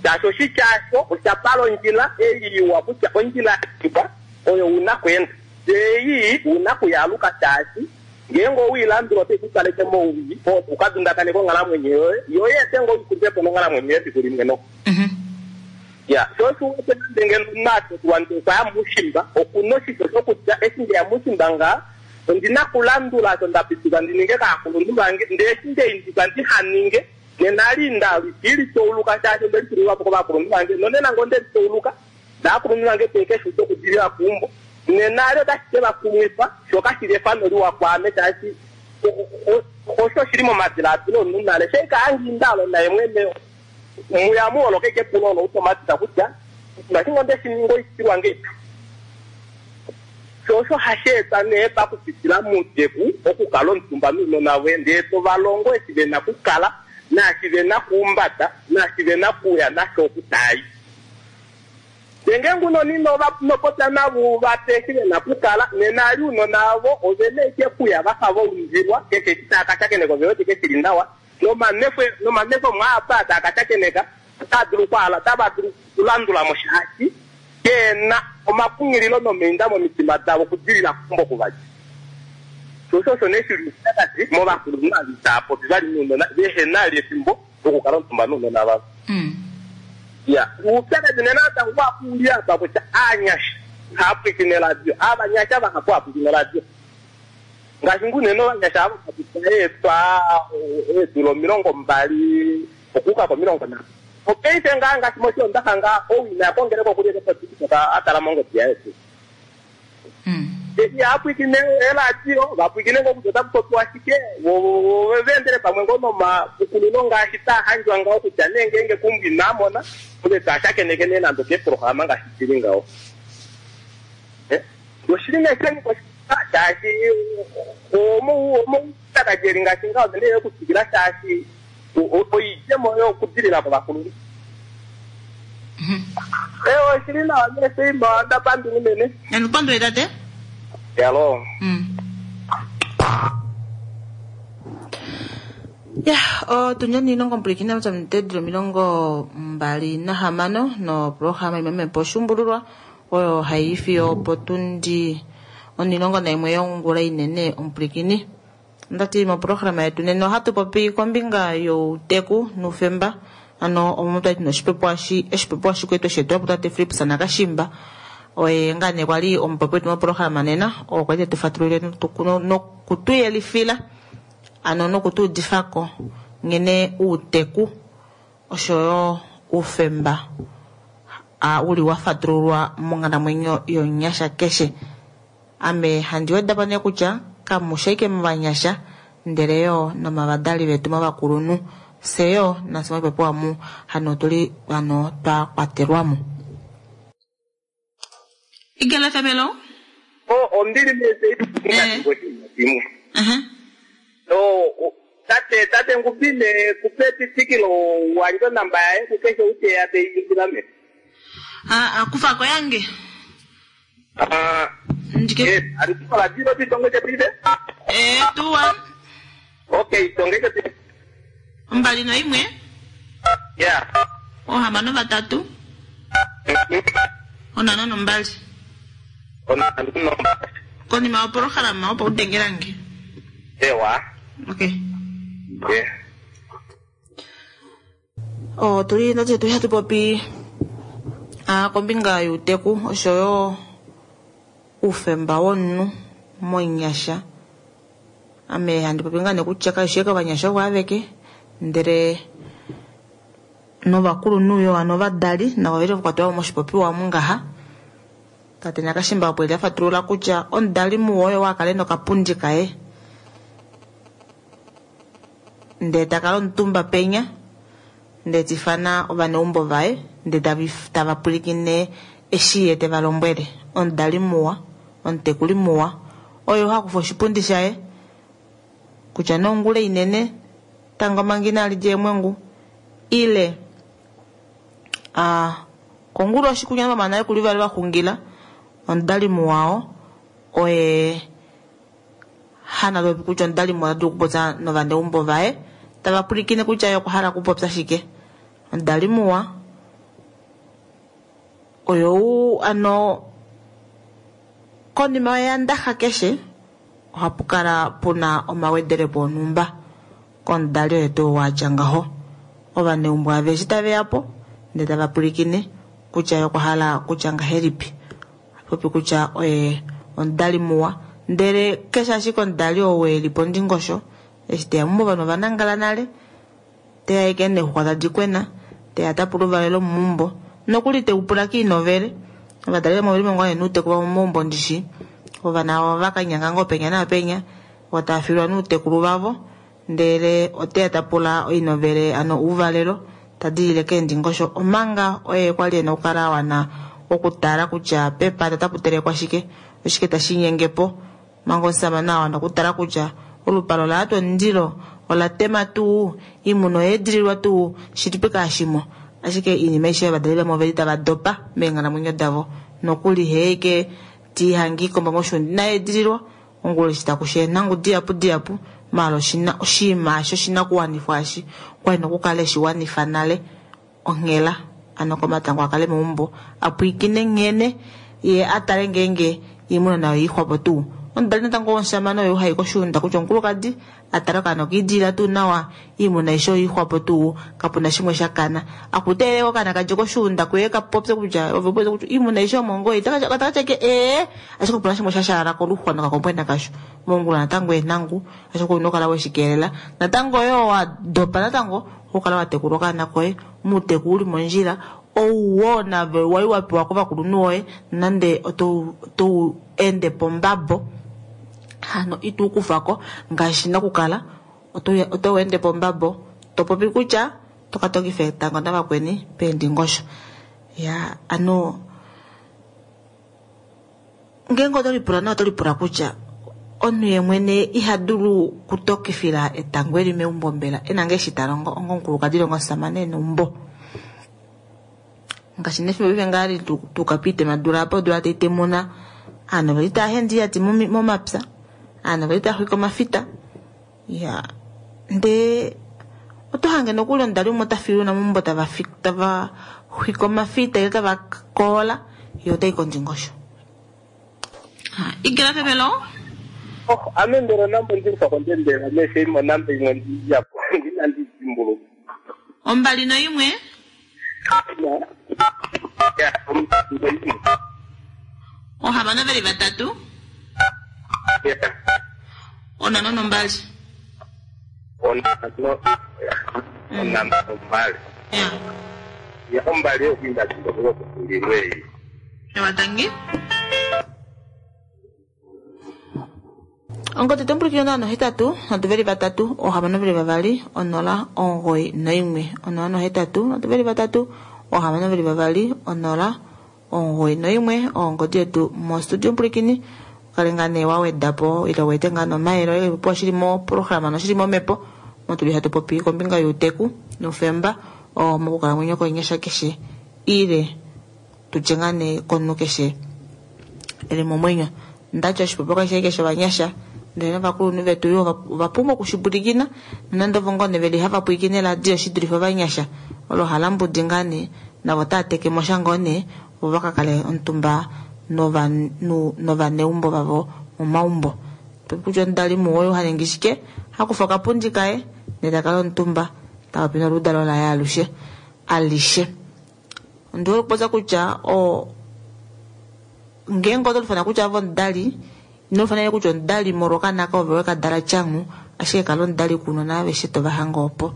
Shaashi oshitya osho osha pala ondjila ei iwa kutya ondjila iwa oyo una kweenda, ei una kuyaluka shaashi Ngeenge owe i landula otai ku kaleke mowii oo tau ka dundakaneka onghalamwenyo yoye, yo i ete ngoo oikulya po monghalamwenyo yoye efiku limwe noko. Ya, sho osho u wete nande ngeno omunhu a tekulwa ndee okwa ya moushimba, oku na oshisho shokutya eshi nde ya moushimba ngaha, ondi na okulandula osho nda pitikwa ndi ninge kaakulunhu vange, ndee eshi nde indikwa ndiha ninge, nena ali nda li tauluka shaashi onde litulilwa po kovakulunhu vange, nonena ngee onde li tauluka, Naakulunhu vange tee ke shi uda okudilila keumbo nena ali otashi ke va kumwifa, sho kashi li efano liwa kwaame shaashi osho shi li momadilaadilo omunhu nale. Sheika Hangiindalo naye mwene muya mu holoka ashike epulo olo automatic kutya oshinima eshi ngee onde shi ninga oitilwa ngeipi. Sho osho hashi eta nee pakupitila mouteku okukala omutumba nounona voye ndee to va longo eshi ve na okukala naashi ve na okuhumbata naashi ve na okuuya nasho oku taa i. Ndee ngeenge ounona ino va popya navo u va pe eshi ve na okukala, nena ali ounona ovo ove na ashike okuya va fa va undilwa, keshe eshi tava ka shakeneka ove wete ashike shi li nawa, nomanwefemo aa apa tava ka shakeneka otaa dulu okwaala, otava dulu okulandula mo shaashi ke na omakunghililo nomainda momitima davo okudilila keumbo oku va dja. Sho osho osho nee shi li oupyakadi movakulunhu ava itava popi vali nounona, vehe na vali efimbo lokukala omutumba nounona vavo. Ya, uupyakadhi nena natango wapu uli apa kutya aanyasha ihaya pwiikine oradio. Aavanyasha vahapu haya pwiikine oradio. Ngaashi ngu unene ovanyasha ava va pita eetwa eedula 20 okuuka komilongo nhatu. Opaife ngaa ngaashi mOshoondaxa ngaa ou ina ya kongeleka okuli eke poTiktok a tala mongodi yaye tuu. Ihaya pwiikine eeradio, va pwiikine ngoo kutya otaku popiwa shike, vo va endele pamwe ngoo nomapukululo ngaashi taa handjwa ngaho kutya nee ngeenge keumbo inaa mona, ove taa shakeneke nee nande okeeprograma ngaashi di li ngaho. Oshili nee sha nyika oshiponga shaashi omaupyakadi eli ngaashi ngaho ove nee okutwikila shaashi oidjemo yokudilila kovakulunhu. Ewa, oshili nawa nee Seima, onda pandula unene.
Nandi pandule tate.
Yalo.
Ya, otundi onilongo mpwilikina mutedilo 26 noprograma imemepo oshuumbululwa oyo hai fiyo potundi 11 yongula inene omupwilikini. Ndati moprograma yetu nena ohatu popi kombinga youteku nuufemba, ano omo twali tuna oshipopiwa shikwetu shetu tate Philips Nakashimba oye ngaa nee kwali omupopi wetu moprograma nena, oo kwali tetu fatululile nokutuyelifila ano nokutuudifako nghene uuteku oshoyo uufemba uli wa fatululwa monghalamwenyo yomunyasha keshe. Ame handi wedapo nee kutya kamusha ashike movanyasha ndele yo nomavadali vetu movakulunhu, fye yo nafye moipopiwa mu hano otuli hano twa kwatelwamo. Igala Famelo?
Oh, ombili mese imwe. No, tate tate ngupile kupe titikilo wanjo namba yaye kukeshe ute ya te me.
Ah, kufa ko yange.
Ah,
ndike.
Alikuwa la zero titonge te pide?
Eh, 21.
Okay, tonge te.
Mbali no imwe?
Yeah.
Ohamano vatatu. Onano nombali.
Onano nombali.
Konima yoprograma opo udengelange.
Ewa.
Okay.
Yeah.
Oh, tuli ndati tuli hatu popi kombinga yuuteku oshoyo uufemba womunhu monyasha. Ame handi popi ngaa nee kutya kaishi ashike ovanyasha ovo aveke, ndele novakulunhu yo ano ovadali navo oveli vakwatelwa moshipopiwa omu ngaha. Tate Nakashimba opo eli afatulula kutya omudali muwa oyo akale nokapundi kaye, ndee takala omutumba penya, ndee tifana ovaneumbo vaye, ndee tava pwilikine eshi ye teva lombwele. Omudali muwa, omutekuli muwa, oyo hakufa oshipundi shaye kutya nongula inene tango manga inali lya eemwengu, ile kongula oshikunya vamana kuli vali vaxungila. Omudali muwao oye hana lopi kutya omudali muwa ota dulu okupopya novaneumbo vaye tava pwilikine kutya ye okwa hala okupopya shike. Omudali muwa oyo ano konima yoyandaxa keshe ohapu kala puna omawedelepo onhumba komudali oye tuu watya ngaho. Ovaneumbo aveshe taveya po ndee tava pwilikine kutya ye okwa hala kutya ngahelipi. Popi kutya oye omudali muwa, ndele keshe ashike omudali ou eli pondingosho eshi teya meumbo ovanhu ovanangala nale, teya ashike neexuxwa tadi kwena, teya tapula ouvalelo meumbo nokuli teupula kiinovele. Ovadali vamwe oveli ngoo nuuteku vamwe momaumbo ndishi, ovana ovakanyanga ngoo penya naapenya otava filwa nuutekulu vavo, ndele oteya tapula oinovele ano ouvalelo tadilile keendingosho, omanga oye kwali ena okukala awana okutala kutya pepata otapu telekwa shike, oshike tashi nyengepo, manga omusamane awana okutala kutya olupalo ola yatwa omundilo, ola tema tuu, iimuna oya edililwa tuu, shilipi kaashimo. Ashike iinima aishe ovadali vamwe oveli tava dopa meenghalamwenyo davo, nokuli heeke tiihangi ikomba moshuunda inayi edililwa, ongula eshi takusha eenhangu dihapu dihapu, maala oshinima osho oshinakuwanifwa eshi kwali nokukala eshi wanifa nale onghela, ano komatango akale meumbo apwiikine nghene ye atale ngeenge iimuna nayo iixwapo tuu. Omudali natango womushamane oyo hai koshuunda kutya omukulukadi atale okaana okiidilila tuu nawa, iimuna aishe oiixwapo tuu, kapuna shimwe sha kana. Akuteelele okaana kadje koshuunda kuye kapopye kutya ove popye kutya iimuna aishe omongoyi, otakatya ke ee, ashike opuna shimwe sha shaala koluxwa nokakombwena kasho. Mongula natango eenhangu, ashike ouna okukala weshikeelela. Natango oyo wa dopa natango okukala wa tekula okaana koye muuteku uli mondjila, ouwo nave wali wa pewa kovakulunhu woye, nande otou ende pombabo hano itu kufako ngaashi nakukala oto ende pombabo topopi kutya tokatokifa etango navakweni peendingosho. Ya ano ngeenge oto lipula nawa oto lipula kutya omunhu ye mwene iha dulu kutokifila etango eli meumbo mbela ena ngee eshi talongo onga omukulukadi ile onga omusamane neumbo. Ngaashi nefimbo paife ngaa li tuka piitema apa odula taitemuna, ovanhu oveli tava hende oiyati momapya, ovanhu oveli tava xwike omafita. Ya ndee Oto hange nokuli omudali umwe ota fiye ounona meumbo tava tava xwike omafita ile tava koola, ye otai kondingosho. Igela Femelo.
Oh, ame mbela onamba ondimfa kondembela meshe imwe onamba imwe ndiyapo inandi dimbuluka.
21.
Ya, 21.
6 veli 3.
Ya.
52.
5 onamba 2.
Ya.
Ya, 2 yokuinda dimbuluka kufundilwe ei.
Ewatangi. Ongodi tombulukile 0 8 3 6 2 0 9 1 0 8 3 6 2 0 9 1 ongodi yetu mostudio mpulikini kale ngaa nee wawedapo ile wete ngaa nomayele oye po shili moprograma noshili momhepo motuli hatu popi kombinga youteku noufemba oo mokukalamwenyo konyasha keshe ile tutye ngaa nee komunhu keshe eli momwenyo. Ndati oshipopiwa kashi keshe ovanyasha ndele novakulunhu vetu yo ovapumbwa okushipulikina nonande ovo ngoo nee veli hava pwilikine eradio shi dulife ovanyasha olo halambudi ngaa nee navo otava teke mo sha ngoo nee opo vaka kale omutumba novaneumbo vavo momaumbo. Kutya omudali muwa oyo ha ningi shike, hakufa okapundi kaye ndele ta kala omutumba ta popi noludalo laye alushe alishe. Ondi hole okupopya kutya ngeenge oto lifana kutya ove omudali, ino lifana kutya omudali molwa okaana kaye ove weka dala tyangu, ashike kala omudali kuunona aveshe tova hange opo.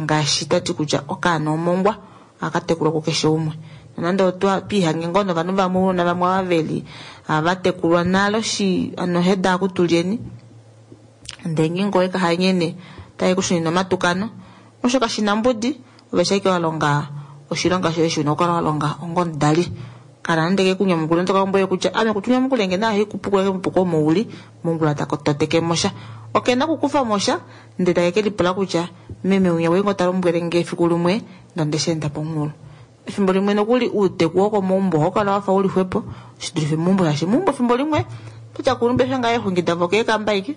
Ngaashi twati kutya okaana omongwa ohaka tekulwa kukeshe umwe. Nonande otwa twiihange ngoo novanhu vamwe ounona vamwe ava veli hava tekulwa nale shi ano heda akutulyeni ndele ngeenge oweka hanyene otaye kushunine omatukano osho kashina mbudi ove shaike wa longa oshilonga shoye shi una okukala wa longa onga omudali. Kala nande ke kunyamukula notoka lombwele kutya ame kutunyamukule nge nayo haikupukula ke mupuko omo uli mongula toteke mosha. Okena okukufa mosha ndele take ke lipula kutya meme winya oye ngoo ta lombwele nge efiku limwe nonde shi enda pomunghulo. Efimbo limwe nokuli uuteku wokomaumbo ohau kala wafa uli xwepo shi dulife meumbo shaashi meumbo efimbo limwe totya kulumbe efe ngaa eexungi davo keekamba aike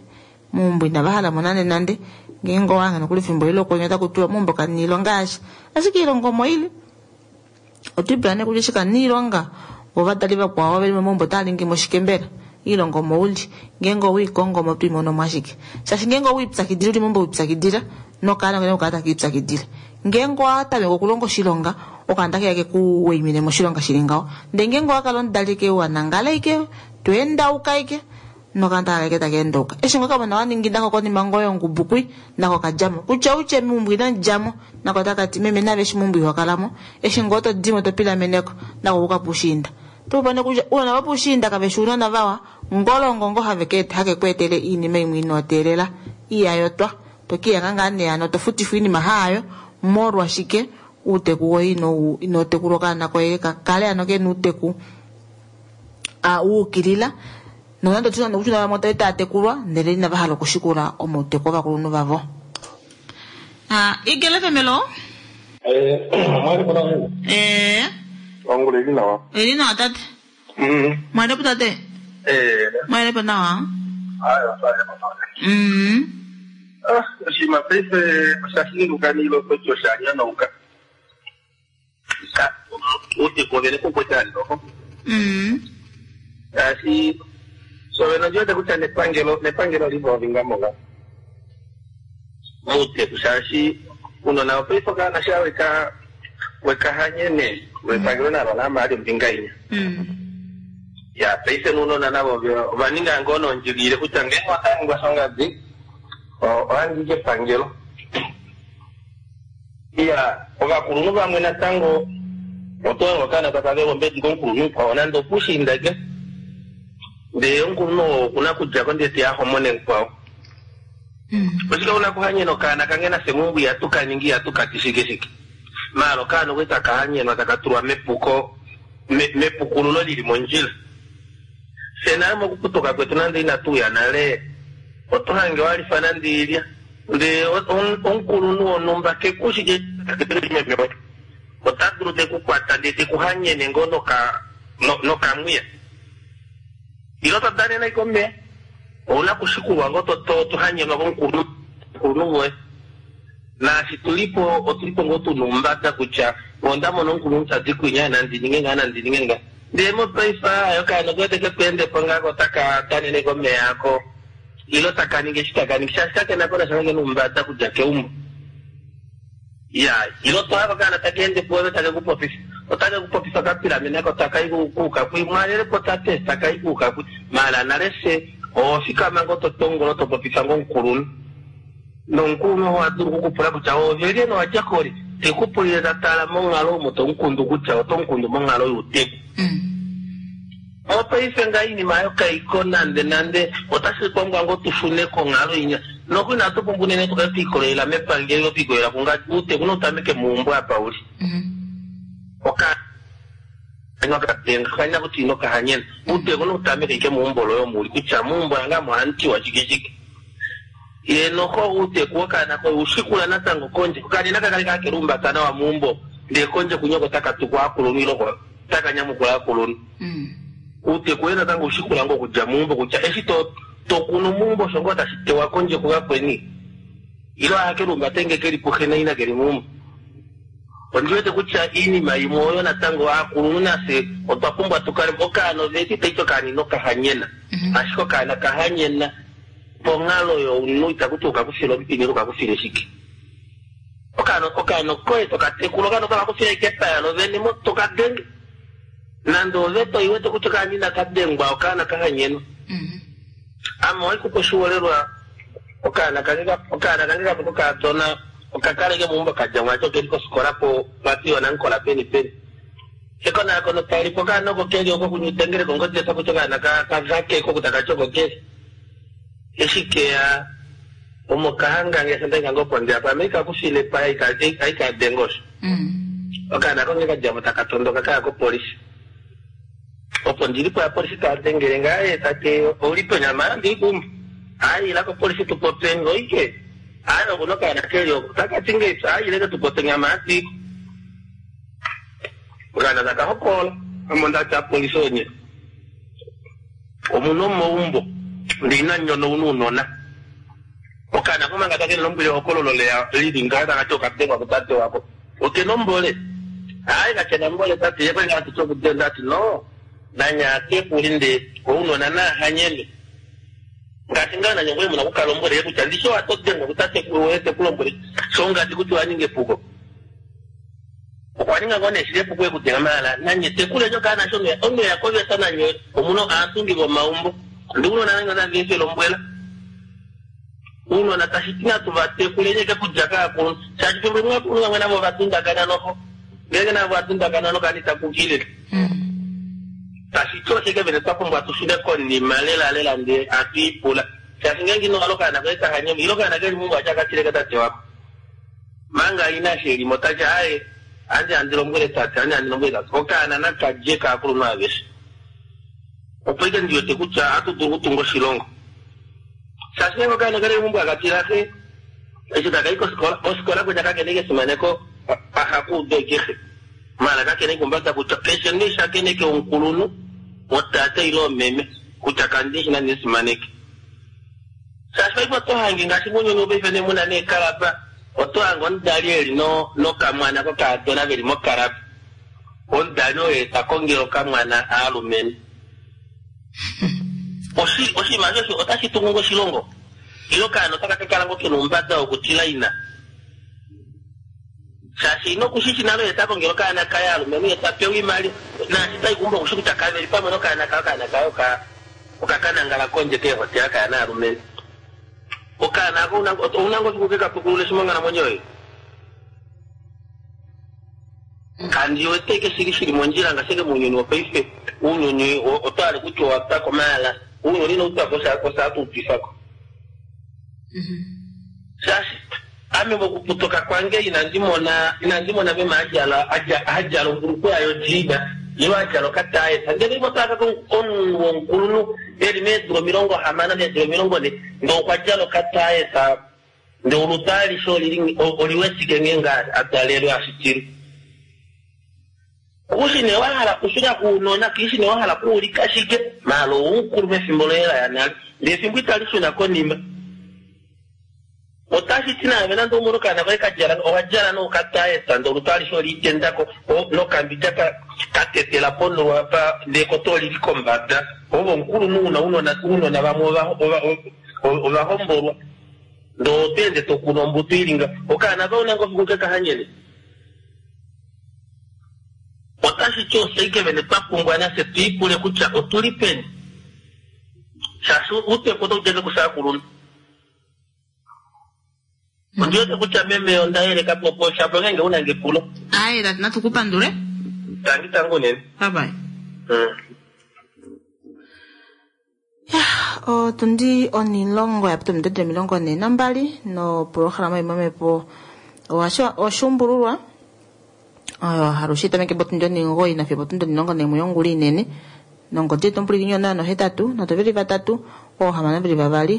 meumbo inava hala mo nande nande ngeenge owahange nokuli efimbo eli lokwenye otaku tiwa meumbo kamuna oilonga yasha ashike oilonga omo ili. Otwiipula nee kutya eshi kamuna oilonga vo ovadali vakwao veli momaumbo otava ningi mo shike mbela oilonga omo uli ngeenge oweikongo omo toimono mo ashike shaashi ngeenge oweipyakidila uli meumbo weipyakidila nokaana kena okukala takiipyakidile ngeenge owatameke okulonga oshilonga okaana otakeya keku waimine moshilonga shili ngaho ndee ngeenge owakala omudali ike wanangala ike tweendauka ike nokaana otakakala ike takeendauka eshi ngoo kamona waningi nako konima ngoo yongubu kwi nako kadjamo kutya utye meumbo inamudjamo nako otakati meme nave eshi meumbo ihokalamo eshi ngoo todimo topilameneko nako kuka puushiinda topopane kutya ounona vopuushiinda kaveshi ounona vawa ngolongo ngoo hake kweetele oinima imwe ino teelela iyayotwa tokiyanga ngaa nee hano tofutifwa oinima haayo molwashike uuteku woye ino tekulwa okaana koye kakale hano kena uuteku wuukilila nonande otuna nokutya vamwe otali tava tekulwa ndele inava hala okushikula omauteku ovakulunhu vavo. Igele Femelo.
Ongula ili nawa.
Ili nawa tate. Mwalepo tate. Mwalepo nawa.
Oshinima paife osha shinduka niilongo osha nyonauka. Uuteku ovene kukwete aliloko. Ngaashi sovene ondi kutya nepangelo oliva moga muuteku shaashi unona opaife okaana sha weka hanyene wepangelo nalo lama ali ombinga inya. Ya paife nuunona navo ovaninga ngoo nondjigilile kutya ngeenge otaningwa shongadi ohangi kepangelo. Ya ovakulunhu vamwe natango otoongo okaana taka vele ombedi komukulunhu mukwao nande opushiinda ke ndee omukulunhu okuna kudjako ndee teya homone mukwao. Oshike una kuhanyena okaana kange nafye meumbo ihatu kaningi ihatu kati shike shike maala okaana okwe taka hanyenwa taka tulwa mepuko mepukululo lili mondjila. Fye nale mokuputuka kwetu nande inatuuya nale oto hange walifa nande ilya ndee omukulunhu wonhumba kekushike ota dulu tekukwata ndee tekuhanyene ngoo nokamwiya ilo todanena ike omeya ouna kushikulwa ngoo tohanyenwa komukulunhu woye. Naashi tulipo otulipo ngoo tuna oumbada kutya onda mona omukulunhu tadi kwinya nandi ninge ngaa nandi ninge ngaa. Ndee mopaife aaye okaana okuwete keku endepo ngaa ko otaka danene komeya ako ilo taka ningi eshi taka ningi shaashi kakena ko nasha kakena oumbada okudja keumbo. Iyaa ilo to hanga okaana taka ende puove take ku popifa otake ku popifa ka pilamena ko taka i kuuka kwi mwalelepo tate taka i kuuka kwi maala nale fye oho fikama ngoo to tongola to popifa ngoo omukulunhu. Nomukulunhu oha dulu oku ku pula kutya oove lyene owa dja koli? Te ku pulile ta tala monghalo omo to mu kundu kutya oto mu kundu monghalo youteku. Mopaife ngaha oinima oyo kai ko nande nande. Otashi pumbwa ngoo tu shune konghalo inya. Noku inatu pumbwa unene tu kale twe ikolelela mepangelo ile twe ikolelela kungadi. Outeku nau tameke meumbo apa u li. Okanya okadenga, okanya kutya ino ka hanyena. Outeku nau tameke ashike meumbo loye omo u li kutya meumbo lange ame ohamu tiwa shike shike. Ye noho uuteku wokaana koye u shikula natango kondje. Okaana inaka kale kaa ke lumbata nawa meumbo, ndee kondje kunyoko otaka tukwa aakulunhu ile otaka nyamukula aakulunhu. Uuteku woye natango u shikula ngoo okudja meumbo kutya eshi to to kunu meumbo osho ngoo tashi tewa kondje kuvakweni. Ile ohake lumbate ngee keli puxe naina keli meumbo. Ondi wete kutya iinima imwe oyo natango aakulunhu nafye otwa pumbwa tu kale okaana oveti itaiti okaana ino ka hanyena ashike okaana ka hanyena Ponghalo younhu itaku ti okakufile omupini ile okakufile shike. Okaana okaana okoye to ka tekula, okaana otaka kufile ashike epaya lovene mo to ka denge. Nande ove to iwete kutya okaana inaka dengwa okaana ka hanyenwa. Ame ohandi kupe oshiholelwa okaana kange okaana kange kamwe kokakadona oka kaleke meumbo ka dja mwaashi okeli kofikola po vati oNangkola peni peni. Ekonakono tali po okaana oko keli oko kunyutengeleka ongodi eta kutya okaana ka ka vake ko taka ti oko keli. Eshi keya omo ka hanga nge sho ndaika ngoo pondje apa, ame ika kufile epaya aika denga osho. Okaana ako nghee ka djamo taka tondoka kaya kopolifi. Opo ndili po apolifi taa dengele nge, aaye tate ouli peni? Ame aaye ondili keumbo. Aaye ila kopolifi tu popyeni. Oike? Aaye okuna okaana keli oko. Taka ti ngahelipi? Aaye ileke tu popyeni. Ame aatiiko. Okaana taka hokola. Ame ondati apolifi onye. Omunhu omoumbo, ndee ina nyona ouna ounona. Okaana ko manga take lombwele ehokololo leya lili ngaha taka ti okadengwa kutate wako. Okena ombole? Aaye kakena ombole tate, ye kwali ngaa atiti okudenga ati no, nanye aatekuli ndee ounona naa hanyene. Ngaashi ngaa nanye ngoye muna okukala ombole ye kutya ndishi owa todengwa kutatekulu woye teku lombwele shongadi kutya owa ninga epuko. Okwa ninga ngoo nee shili epuko ekudenga maala nanye tekuleni okaana sho omeya koveta nanye omuna aatungi vomaumbo ndi uunona nanye otandi efe lombwela uunona tashi ti natu va tekuleni eke kudja kaakulunhu shaashi fimbo limwe aakulunhu vamwe navo ova dundakana noho ngeenge navo va dundakana nokaana ita kukilile tashi ti oshike vene twa pumbwa tu shune konima lela lela ndee atu ipula shaashi ngeenge ino hala okaana koye kahanyemo ile okaana keli meumbo acha katileke tate wako Manga ina shelimo ta ti, Aaye, andi handi lombwele tate, andi handi lombwele tate, okaana naka dje kaakulunhu aveshe. Opo ike ndi wete kutya ohatu dulu okutunga oshilongo. Shaashi ngeenge okaana okali meumbo haka tila xe eshi taka i kofikola, kofikola kwinya kakena ike efimaneko ahaku udu eke xe. Maala kakena ike ombada kutya keshe nee shakeneke omukulunhu, otate ile omeme, kutya kandi shi nandi mu fimaneke. Shaashi paife oto hange ngaashi mounyuni wopaife nee muna neekalaba, oto hange omudali eli nokamwana kokaadona veli mokalaba. Omudali oye ta kongele okamwana aalumenhu. Oshi, oshinima osho otashi tungu ngoo oshilongo? Ile okaana otaka ka kala ngoo kena oumbada wokutila ina? Shaashi ina oku shi shi nale oye ta kongele okaana kaye aalumenhu ye ta pewa oimaliwa. Naashi tai keumbo oku shi kutya kave li pamwe nokaana kaye, okaana kaye oka. Okakanangala kondje keehotela kaya naalumenhu. Okaana ako ouna ngoo fiku keka pukulule shi monghalamwenyo yoye? Kandi wete eke shili shili mondjila ngaashi eke mounyuni wopaife. Ounyuni oto hale kutya owa twako maala ounyuni inau twako osha hatu utwifako. Shaashi ame mokuputuka kwange inandi mona inandi mona meme a djala a djala ombulukweya yodjiina ile a djala okataayesa. Ndele imwe oto hanga omunhu womukulunhu e li meedula 60 meedula 40 ndee okwa djala okataayesa ndee olutu alishe olili oli wetike nghee ngaa a dalelwe a shitilwe. Kushi nee wa hala okushuna kuunona, kishi nee wa hala okuulika shike, maala oumukulu mefimbo loye la ya nale, ndee efimbo itali shuna konima. Otashi ti naave nande oumone okaana koye ka djala owa djala noukataesa ndee olutu alishe oliitendako nokambidja ka tetela ponhulo apa ndee ekoto olili kombada. Ove omukulunhu una ounona ounona vamwe ova hombolwa ndee oto ende to kunu ombuto ili nga. Okaana koye ouna ngoo fiku ke ka hanyene? Otashi ti ofye ike vene twa pumbwa nafye tu ipule kutya otuli peni shaashi uuteku otau di ashike kufye aakulunhu. Ondi wete kutya meme onda yeleka po po shapo ngeenge una nge epulo.
Aaye natu ku pandule.
Tangi tangi unene.
Bye bye. Otundi onilongo ya pita ominute 42 nopolohalama yomamhepo oshuumbululwa oyo halushe itameke potundi 9 nafiyo potundi 11 yongula inene. Nongodi yetu omupulikinyi 083 3 622 091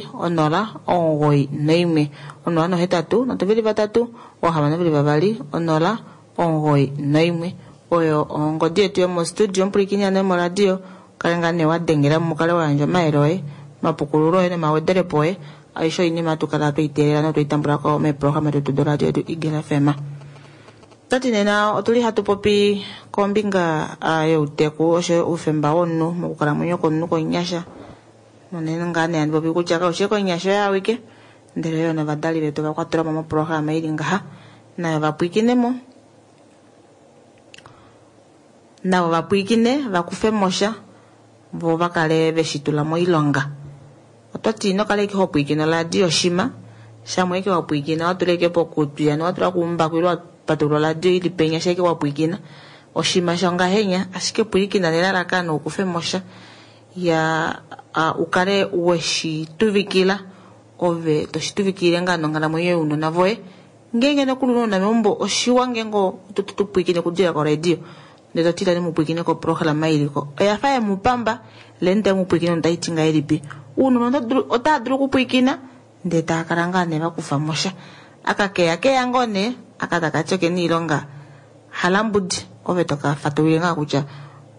083 3 622 091 oyo ongodi yetu yomostudio omupulikinyi ano yomoradio. Kale ngaa nee wa dengela mo mukale wa yandja omayele oye, omapukululo oye nomawedelepo oye. Aishe oinima hatu kala twei teelela notwei tambula ko meeprograma detu doradio yetu Eagle FM. Otwati nena otuli hatu popi kombinga youteku oshoyo oufemba womunhu mokukalamwenyo kwomunhu komunyasha. Unene ngaa nee handi popi kutya kaushi komunyasha oye awike ndele yo novadali vetu ova kwatelwa mo moprograma ili ngaha nayo va pwiikine mo. Navo va pwiikine va kufe mo sha vo va kale ve shi tula moilonga. Otwati ino kala ashike ho pwiikine oradio shima, shamwe ashike wa pwiikina wa tula ashike pokutwi hano wa tula kuumbaku ile wa patulula oradio ili penya sha ashike wa pwiikina oshima shongahenya ashike pwilikina nelalakano u kufe mo sha ya u kale we shi tuvikila ove to shi tuvikilile ngaa nonghalamwenyo younona voye. Ngeenge nokuli una ounona meumbo oshiwa ngeenge to pwilikine okudilila koradio ndele to ti ilani mu pwilikine koprograma ili ko oya fa ye mu pamba leni tamu mu pwilikine otayi ti ngahelipi. Ounona otava dulu okupwilikina ndele tava kala ngaa nee va kufa mo sha. Aka keya keya ngoo nee aka taka ti okena oilonga halambudi ove to ka fatululile ngaa kutya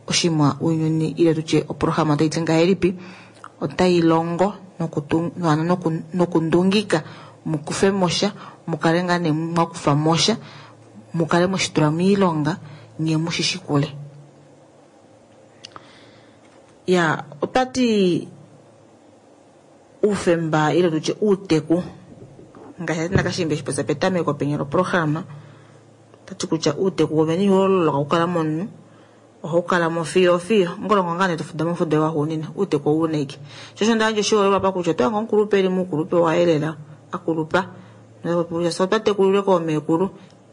oshimwa ounyuni ile tutye oprograma otai ti ngahelipi otai longo nokundungika mu kufe mo sha mu kale ngaa nee mwa kufa mo sha mu kale mwe shi tula moilonga nye mu shi shikule. Ya ota ti oufemba ile tutye outeku ngaashi ati nakashimba eshi popya petameko penya loprograma ota ti kutya outeku wovene ihau loloka okukala momunhu ohau kala mo fiyo fiyo ngolongo ngaa nee tofuda mofudo waxuuninwa outeku ou na ike. Sho osho nda yandja oshiholelwa apa kutya oto hange omukulupe eli moukulupe waye lela akulupa kutya fye otwa tekulilwe koomeekulu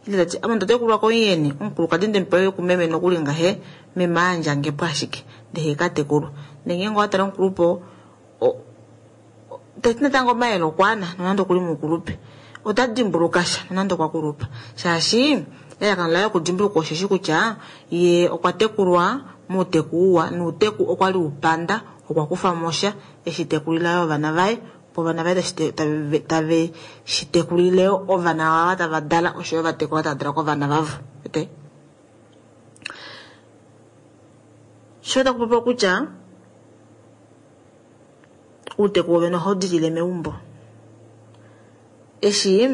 ile tati ame onda tekulwa komuyeni omukulukadi ndemupewa kumeme nokuli ngahe meme ayandjange po ashike ndee ka tekulwa. Ndee ngeenge owa tala omukulupe oo tati natango omayele okwaana nonande okuli moukulupe ota dimbuluka sha nonande okwa kulupa shaashi elalakano laye okudimbuluka osheshi kutya ye okwa tekulwa mouteku uwa nouteku okwali upanda okwa kufa mo sha eshi tekulila yo ovana vaye opo ovana vaye tave shi tekulile yo ovana vava tava dala osho yo vatekulwa tava dala kovana vavo. Wete? Sho taku popiwa kutya outeku wovene ohau dilile meumbo. Eshi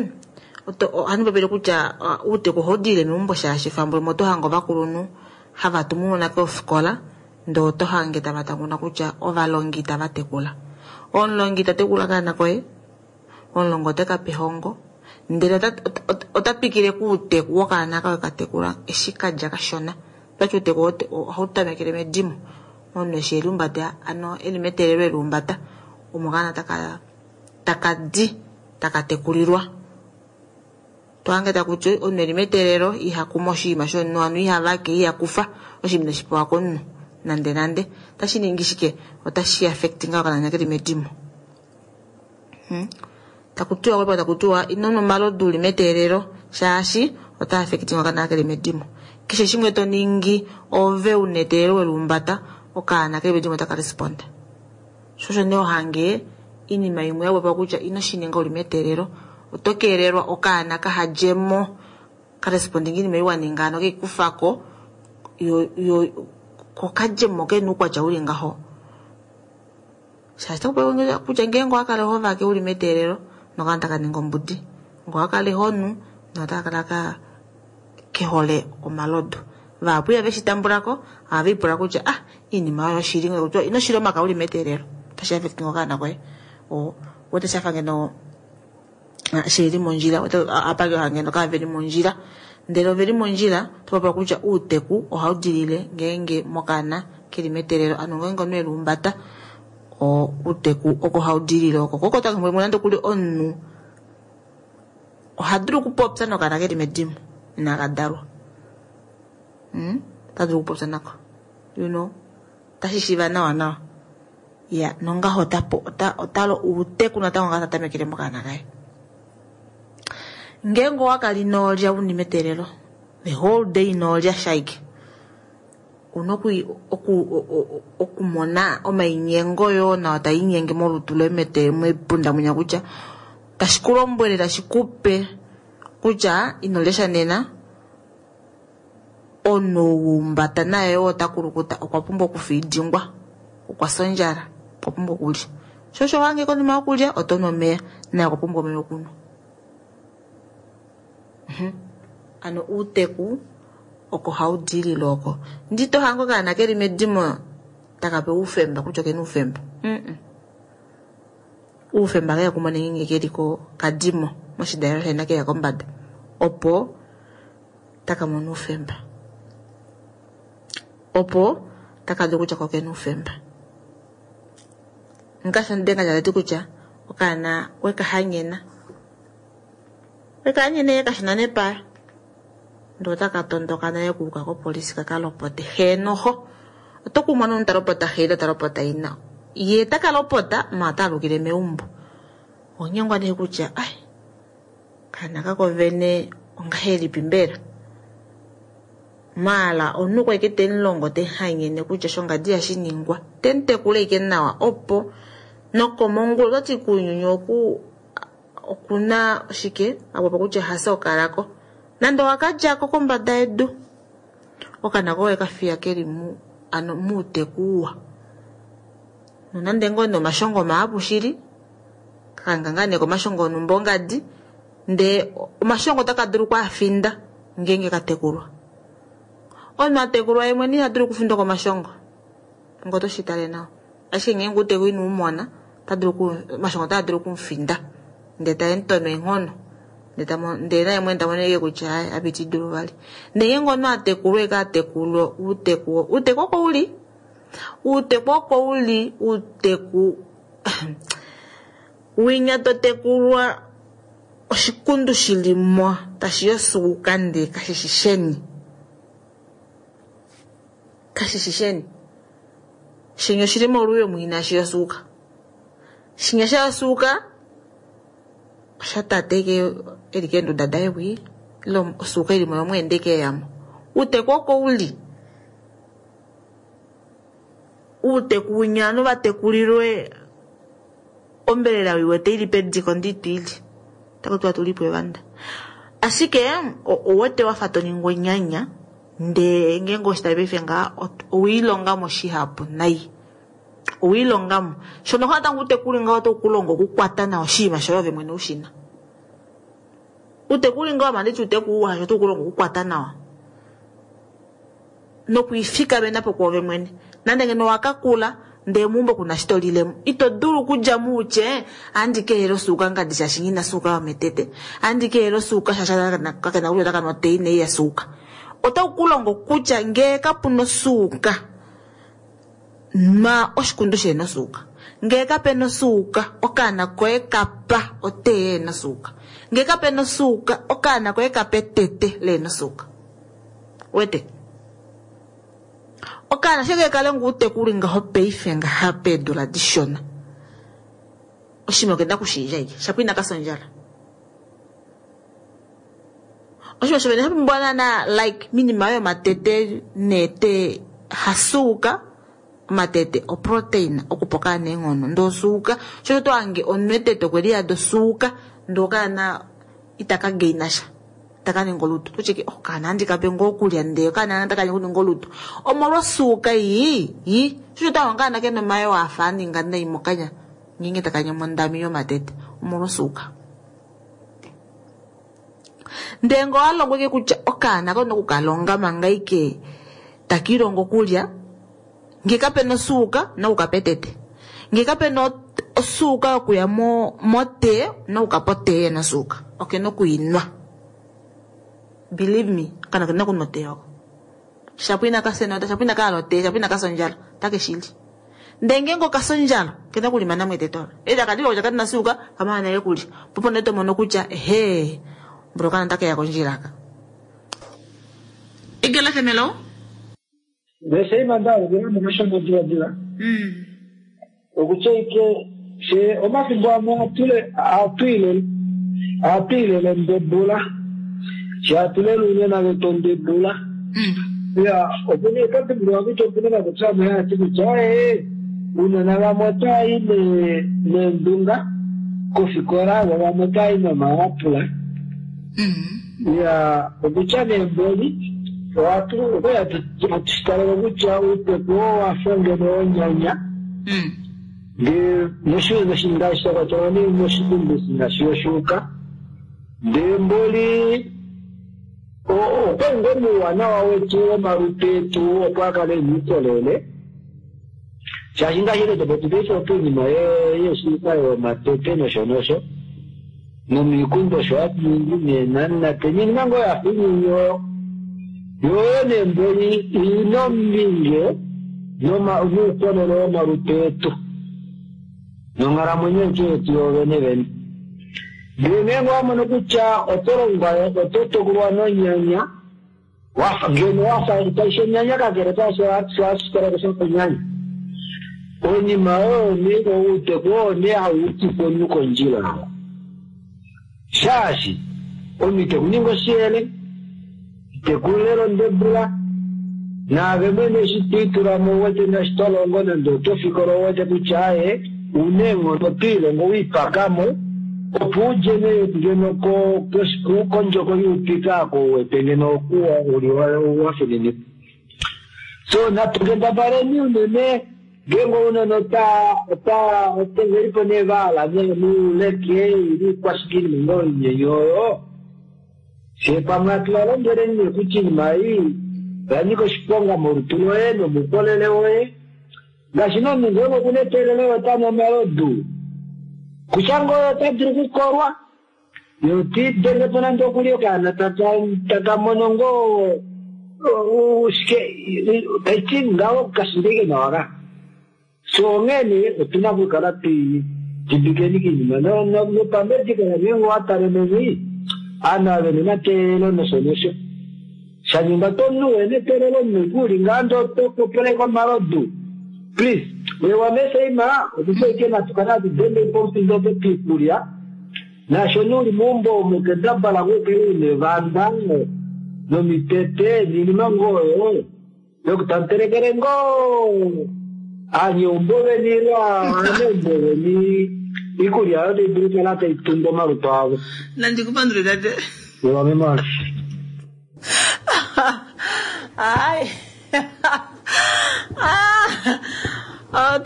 ohandi popile kutya outeku ohau dilile meumbo shaashi efambo limwe oto hange ovakulunhu hava tumu ounona kofikola ndee oto hange tava tanguna kutya ovalongi itava tekula. Omulongi ita tekula okaana koye, omulongi ote ka pe ehongo ndele ota twikile kouteku wokaana kaye ka tekula eshi kadja kashona. Otwati outeku ohau tamekele medimo omunhu eshi eliumbata ano eli meteelelo eliumbata omo okaana taka di taka tekulilwa. Tohange takuti omunhu eli meteelelo iha kumu oshinima shomunhu hano iha vake iha kufa oshinima inashi pewa komunhu nande nande. Otashi ningi shike? Otashi affect ngaa okaana keli medimo. Takutiwa kwepa takutiwa ino nwa omalodu uli meteelelo shaashi ota affect okaana keli medimo. Keshe shimwe to ningi ove una eteelelo weliumbata okaana keli medimo otaka responda. Sho osho nee ohange oinima imwe ya popiwa kutya ino shi ninga uli meteelelo oto keelelwa okaana kahadjemo ka respondinga oinima ei waninga hano keikufako yo ko kadjemo kena oukwatya uli ngaho. Shaashi otaku popiwa kutya ngeenge owa kala ho vake uli meteelelo Nokaana taka ningi ombudi. Ngoo akale honu, notaka kala ka kehole omalodu. Vahapu ihave shi tambula ko, ohave ipula kutya ah, iinima oyo oshili, ino shila omaka uli meteelelo. Otashi affect ngoo okaana koye. Wete shafa ngeno shili mondjila, apa ngeno kaveli mondjila. Ndele oveli mondjila, otopapula kutya uuteku ohau dilile ngeenge mokaana keli meteelelo, ano ngeenge omunhu eli umbata, uuteku oko hau dilile oko. Koko tango nande kuli omunhu oha dulu okupopya nokaana keli medimo inaka dalwa. Ota dulu okupopya nako. You know, otashi shiiva nawa nawa. Ya, nongaho otalo uuteku natango ngaa tatamekele mokaana kaye. Ngeenge owakala inolya uni meteelelo, the whole day inolya shaike, una okumona omainyengo yoo nawa taa inyenge molutu loye mepunda mwinya kutya tashi ku lombwele, tashi kupe kutya inolya sha nena, omunhu wumbata naye oo ota kulukuta okwa pumbwa okufiidingwa, okwa fya ondjala, okwa pumbwa okulya. Sho osho wange konima yokulya oto nu omeya, naye okwa pumbwa omeya okunwa. Ano uuteku oko hau dilile oko. Ndi to hango okaana keli medimo taka pewa oufemba kutya okena oufemba. Oufemba keya kumona ngeenge keli kadimo moshidalelo shaina keya kombada, opo taka mona oufemba. Opo taka dulu kutya ko okena oufemba. Ngaashi omudenga tati kutya okaana weka hanyena. Weka hanyena ye kashina nepaya. Ndoo otaka tondoka naye kuuka kopolisi kaka lopote. Heenoho. Oto kumona omunhu ta lopota xe ile ta lopota ina. Ye taka lopota ma ota alukile meumbo. Onyengwa nee kutya ai kaana kako vene ongahelipi mbela? Maala omunhu kwa ike temulongo tehanyene kutya shongadi ihashi ningwa. Temutekula ike nawa opo nokomongula otati kuunyuni oku okuna oshike apopa kutya hasa okalako. Nande owakadjako kombada yedu, okaana koye kafiya keli mu ano muuteku uwa. Nonande ngoo nee omashongo mahapu shili, kakanga ngaa nee komashongo onhumba ongadi, ndee omashongo otaka dulu okwaafinda ngeenge katekulwa. Omunhu atekulwa ye mwene iha dulu okufindwa komashongo, ngo oto shi tale nawa. Ashike ngeenge uuteku ino umona, omashongo otaa dulu okumufinda ndee tae mutono eenghono. Ndee naye mwene ta mono ashike kutya ai apa iti dulu vali. Ndee ngeenge omunhu atekulwa eke atekulwa uuteku, uuteku oko uli. Uuteku oko uli, uuteku winya totekulwa oshikundu shilimo tashi yosuuka ndee kashishi sheni. Kashishi sheni. Shinya oshili moluyo mwina shi yosuuka. Shinya sha yosuuka osha tate ke eli keenduda daye wii, ile osuuka ili mo yomweende ke yamo. Uuteku oko uli. Uuteku winya ovanhu vatekulilwe ombelela wiwete ili pediko nditwili. Otaku tiwa tulipo evanda. Ashike owete wafa to ningi onyanya, ndee ngeenge oshitali paife ngaa owiilongamo shihapu nai. Owiilongamo. Shono natango uutekuli ngaho otawu ku longo okukwata nawa oshinima shoye ove mwene ushina. Uutekuli ngaho manditi uuteku uwa shaashi otawu ku longo okukwata nawa. Nokwiifikamena po kwoove mwene. Nande ngeno owakakula ndee meumbo kuna shi tolilemo, ito dulu okudja mo utye ohandi keehela osuuka ngadi shaashi nghi na osuuka yometete, ohandi keehela osuuka shaashi kakena kutya otaka nwa otee inai ya suuka. Otawu ku longo kutya ngee kapuna osuuka, nwa oshikundu shehena osuuka. Ngee kapena osuuka, okaana koye kapa otee yehena osuuka. Ngee kapena osuuka, okaana koye kapa etete lehena osuuka. Wete? Okaana sheke kale ngoo utekuli ngaho paife ngaha peedula dishona. Oshinima okena okushiidja ike, shapo inaka fya ondjala. Oshinima shovene sha pumbiwa naana like minima yomatete neetee hasuuka, omatete oprotein okupa okaana eenghono, ndee osuuka sho to hange omunhu etete okwe liyada osuuka ndee okaana itaka gaina sha, itaka ningi olutu. Oto ti okaana ohandi kape ngoo okulya ndee okaana otaka nyengwa okuninga olutu omolwa osuuka ii yi. Sho to hange okaana kena omayoo afa aninga nai mokanya ngeenge taka nyamwa ondami yomatete omolwa osuuka. Ndele ngee owalongwa ike kutya okaana kena okukalonga manga ike takiilongo okulya, ngee kapena osuuka owuna okukapa etete, ngee kapena osuuka yokuya motee owuna okukapa otee nosuuka, okena okwiinwa. Believe me, okaana okena okunwa otee oko. Shapo inakafya enota, shapo inakahala otee, shapo inakafya ondjala, otakeshili. Ndee ngeenge okafya ondjala, okena okulimana mo etete olo. Eshi taka didilika kutya kali na osuuka, okamana nale kulya. Poo opo nee tomono kutya ehee, mboli okaana otakeya kondjila aka. Egala FM, hello.
Ndele nda alukila mo kashona diladila. Okutya ike fye omafimbo amwe ohatu ilele ondebula. Fye hatu lele ounona vetu ondebula. Ya, opena oto dimbuluka kutya opena omapopyo amwe haa ti kutya ee ounona vamwe otava i neendunga kofikola vo vamwe otava i nomayapula. Ya, okutya nee mboli ohatu okwali hatu shi talele kutya outeku oo wafa ngeno wonyanya ndee ngaashi sha kwatelwa nee moshikundu ngaashi yoshuuka ndee mboli okwali ngoo muuwanawa wetu womalutu etu opo a kale ena uukolele shaashi ngaashi nee topopi paife opo oinima yeeshuuka yomatete nosho nosho nomiikundu osho hatu ningi neenanate niinima ngoo yafa inini oyo yoyo nee mboli ina ombinge nuukolele womalutu etu nonghalamwenyo yetu yetu yoovene vene. Ndele ngeenge owa mono kutya oto longwa oto tekulwa nonyanya wafa ngeno wafa kaishi onyanya kakele kaasho hashi kala shafa onyanya oinima oyo nee outeku oo nee hau utifa omunhu kondjila shaashi omunhu ite kuninga oshiyele ite kulela ondebula naave mwene eshi twiitula mo ouwete ngaashi to longo nande oto fikola ouwete kutya aaye una eenghono twiilongo wiipakamo opo udje nee ngeno kondjoko youpika oko uwete ngeno okuwa uli wafininikwa. So natu kendabaleni unene ngeenge ounona ota velipo nee vahala nee nuuleke ili ikwashike iinima ngoo inyenye oyo fyee pamwe hatu valombweleni nee kutya iinima ei oya nyika oshiponga molutu loye nomuukolele woye ngaashi nee omunhu ngeenge okuna eteelelo ota nu omalodu kutya ngoo ota dulu okukolwa ye otiidenge po nande okuli okaana taka mono ngoo shike taiti ngaho kashindeke nawa ka so onghee nee otuna okukala twiidimbikeni kiinima nopamedikala ngeenge owatale meni aanhu ava vena omateelelo nosho nosho shaningwa to omunhu wena eteelelo omunhu uli ngaa ndee oto popoleke omalodu please wewameseima okutya ike natu kale hatu denge pomufindo opo piikulya naasho nee uli meumbo omo kendabala ngoo ukale una evanda nomitete niinima ngoo oyo yoku tamutelekele ngoo aanyeumbo veni ile aaneumbo veni iikulya oyo tayi dulu okukala tayi tungu omalutu avo.
Nandikupandule tate.
Wamemala.
Ai. Ah.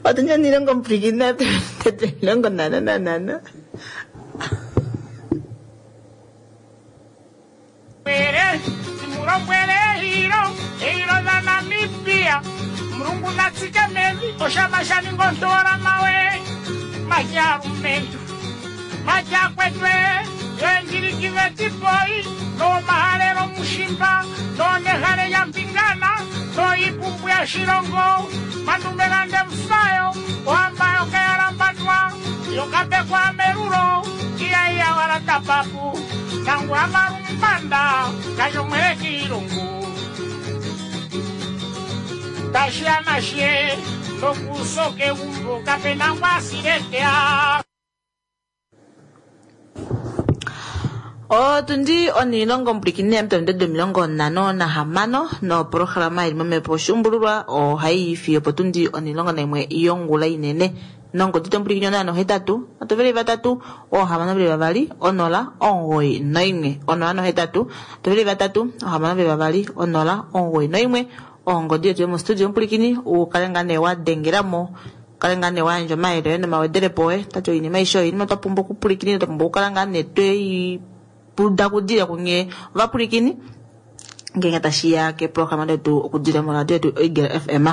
Otunja nilongo mpwikina tete nilongo nana nana.
Mulombwele eilo eilo la Namibia mulungu natsike mevi oshama sha ninga ontola mawe majalumentu majakwetwe yoendjiliki vetipoi nomahalelo mushimba nonehale ya mpingana noipumbu ya shilongo mandumelande mfayo ohamba yokayalambandwa yokapekwa melulo iyaiya wala tapapu nangwa malumbanda kashomwele kiilungu tashiamashe nokusoke umbo kapena ngwasiletea.
Otundi onilongo mpwilikine yamutande 56 noprograma ili momepo oshuumbululwa ohayi fiyo potundi 11 yongula inene nongodi tompwilikine 083 3 622 0 91 083 3 622 0 91 ongodi yetu yomostudio mpwilikini ukale ngaa nee wa dengelamo Kale ngaa nee wa yandja omayele oye nomawedelepo oye. Tati oinima aishe oyo oinima twa pumbwa okupwilikina, twa pumbwa okukala ngaa nee twei pudakudile kunye ovapwilikini ngeenge tashiya keeprograma detu okudila moradio yetu Eagle FM.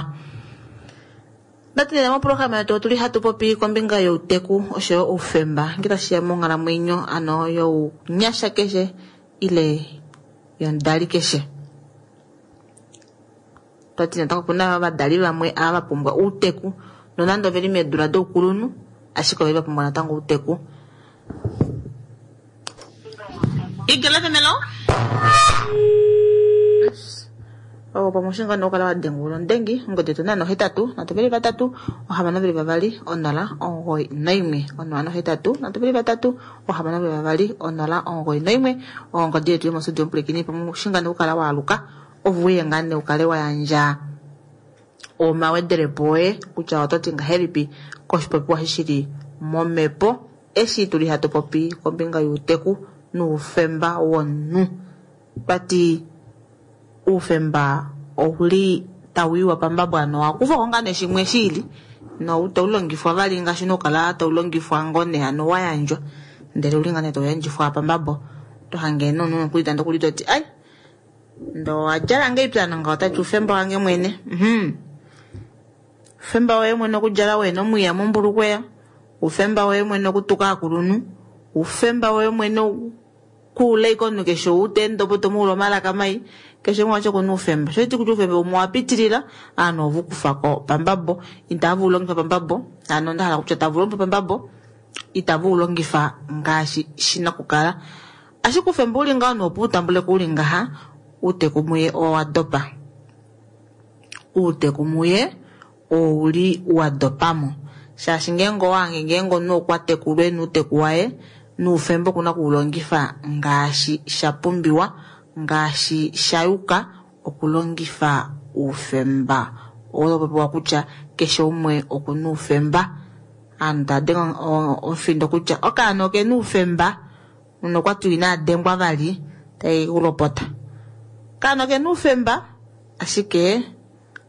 Ndati nena moprograma yetu otuli hatu popi kombinga youteku oshoyo oufemba nge tashiya monghalamwenyo ano younyasha keshe ile yomudali keshe. Twati natango opuna ovadali vamwe ava va pumbwa outeku nonande oveli meedula doukulunhu ashike oveli va pumbwa natango outeku. Eagle FM, hello? Oh, pamushinga no kala wadengula ondengi ongodi yetu nano 8 3 6 2 0 9 1 0 8 3 6 2 0 9 1 ongodi yetu yomostudio omupulikini pamushinga no kala waaluka ovuye ngaa nee ukale wa yandja omawedelepo oye kutya oto ti ngahelipi koshipopiwa shi shili momhepo eshi tuli hatu popi kombinga youteku noufemba womunhu. Twati oufemba ouli tau iwa pambabo ano owakufwako ngaa nee shimwe shiili noitaulongifwa vali ngaashi nokukala taulongifwa ngoo nee hano wa yandjwa ndele ouli ngaa nee tauyandjifwa pambabo tohange nomunhu nokuli tande okuli toti ai ndo wadjala ngahelipi ano ngaho otati oufemba wange mwene. Oufemba woye mwene okudjala wena omwiya mombulukweya, oufemba woye mwene okutuka aakulunhu, oufemba woye mwene kuula ashike omunhu keshe ou ta ende opo tomuula omalaka mai, keshe umwe vati okuna oufemba. Shoiti kutya oufemba umwe owa pitilila, ovanhu ove ukufako pambabo, itava ulongifa pambabo, hano onda hala kutya tava ulongifa pambabo, itava ulongifa ngaashi shina okukala. Ashike oufemba uli ngaho opo utambuleko uli ngaha, outeku muye owa dopa. Outeku muye ouli wa dopamo. Shaashi ngeenge owahange ngeenge omunhu okwa tekulwa ena outeku waye, noufemba okuna okuulongifa ngaashi sha pumbiwa, ngaashi sha yuka okulongifa oufemba. Oo popiwa kutya keshe umwe okuna oufemba. Aanhu tava denge omufindo kutya okaana okena oufemba, munhu okwati ina dengwa vali tai kulopota. Okaana okena oufemba ashike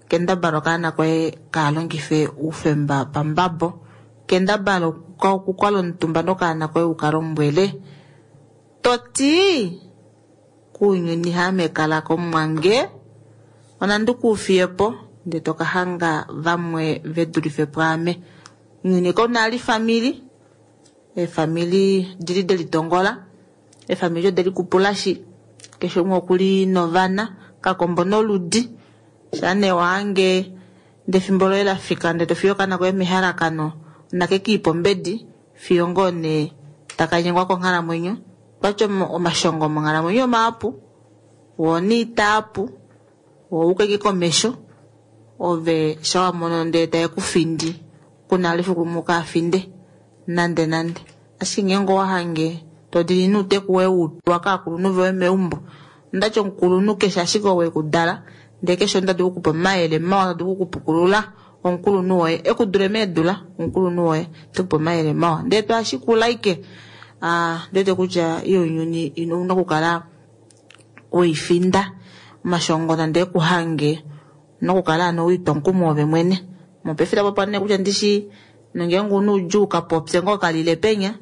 kendabala okaana koye kalongife oufemba pambabo. Kendabala okukala omutumba nokaana koye ukalombwele toti kuunyuni haame kala komwange onandi kuufiyepo ndee tokahanga vamwe vedulife pwaame. Ounyuni kauna vali efamili, eefamili dili delitongola, eefamili ode likupulashi, keshe umwe okuli novana, kakombo noludi. Shaa nee wahange ndee efimbo loye lafika ndee tofiye okaana koye mehalakano nake kiipa ombedi fiyo ngoo nee taka nyengwa konghalamwenyo. Twati omashongo monghalamwenyo omahapu, woo niitaapu, woo ukeke komesho, ove shawamono ndee tae kufindi kuna vali efiku limwe ukafinde nande nande. Ashike ngeenge owahange todili nouteku woye waupewa kaakulunhu voye meumbo, ondati omukulunhu keshe ashike ou ekudala ndee keshe omunhu tadulu okukupa omayele mawa, tadulu okukupukulula omukulunhu woye ekudule meedula, omukulunhu woye tekupe omayele mawa ndee twashikula ashike ondiwete kutya ounyuni ouna okukala weifinda omashongo nande ekuhange ouna okukala hano wiitwa omukumo ove mwene. Mopaife tapopiwa nee kutya ndishi nongeenge ouna oudjuu kapopye ngoo kalile penya,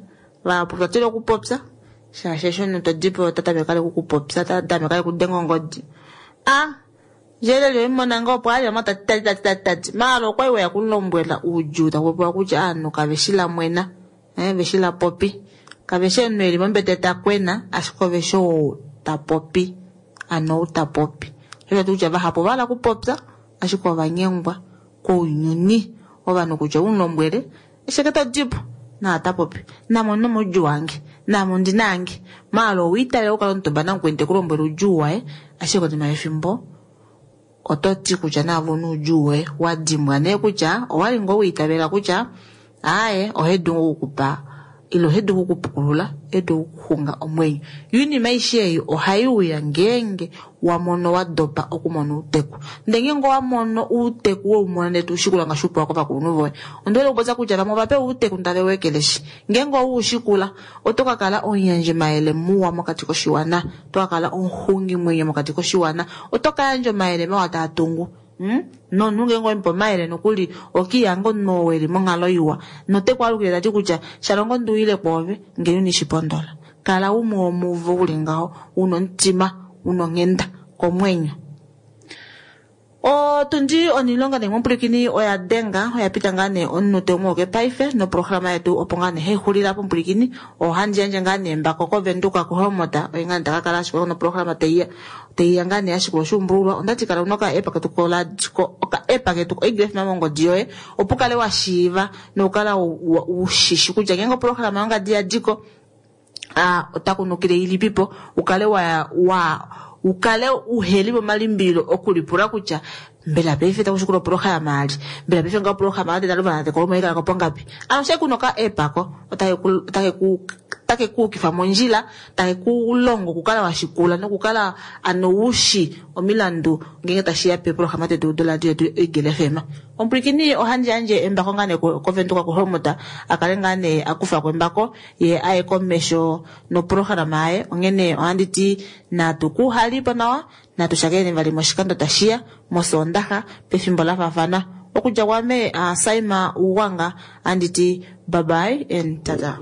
vahapu otwa tila okupopya shaashi eshi omunhu todipo ota tameke vali okukupopya, ota tameke vali okudenga ongodi. Djeleli oimona ngoo opo ali tati tati tati tati tati maala okwali weya kumulombwela oudjuu takupopiwa kutya ovanhu kave shi lamwena, veshi lapopi, kave shi omunhu eli mombete ta kwena ashike ove shi ou ta popi, ano ou ta popi. Osho kutya vahapu ovahala okupopya ashike ovanyengwa kounyuni ovanhu kutya umulombwele esheke todipo naa ta popi name ondina omaudjuu ange, naame ondina ange, maala owiitavela okukala omutumba namukweni tekulombwele oudjuu waye ashike konima yefimbo oto ti kutya naave ouna oudjuu woye wadimbwa nee kutya owali ngoo wiitavela kutya aaye ohe dulu okukupa ile ohe dulu okukupukulula, ohe dulu okukuxunga omwenyo. Yo oinima aishe ei ohai uya ngeenge wamono wadopa okumona outeku. Ndee ngeenge owamono outeku weumona ndee toushikula ngaashi upewa kovakulunhu voye, ondihole okupopya kutya vamwe ovapewa outeku ndee tave weekeleshi. Ngeenge oweushikula oto kakala omuyandjimayele muwa mokati koshiwana, oto kakala omuxungimwenyo mokati koshiwana, oto kayandja omayele mawa taa tungu. Hmm? Nomunhu ngeenge owemupe omayele nokuli okiihanga omunhu oo eli monghalo iwa note ku alukile tati kutya shalongo ndi uyile kwoove ngeno ine shipondola. Kala umwe womuvo uli ngaho una omutima una onghenda komwenyo. Otundi onilonga nee mupwilikini oya denga oya pita ngaa nee omunute umwe woke paife noprograma yetu opo ngaa nee haixulila po mupwilikini ohandi yandje ngaa nee embako kovenduka kuhelmota oye ngaa nee takakala ashikula noprograma taiya taiya ngaa nee ashikula oshuumbululwa ondati kala una oka-app ketu oka-app ketu koEagle FM mongodi yoye opo ukale wa shiiva nokukala ushishi kutya ngeenge oprograma yongadi yadiko ota kunukile ilipipo ukale wa wa ukale uheli momalimbililo okulipula kutya mbela paife takushikula oprograma ali mbela paife nga oprograma ade taluvana tekolomo ikala kopongapi ano she kuna oka-app ako otake kuukifa mondjila take kulongo okukala washikula nokukala ano ushi omilandu ngenge tashiya peprograma tetu doradio yetu Eagle FM. Omupwilikini ohandi yandje embako ngaa nee kovenduka kuholmota akale ngaa nee akufako embako ye aye komesho noprograma yaye onghene ohandi ti natu kuhalipo nawa natu shakene vali moshikando tashiya mosoondaxa pefimbo la faafana okudja kwame Saima Ugwanga anditi bye bye and tata.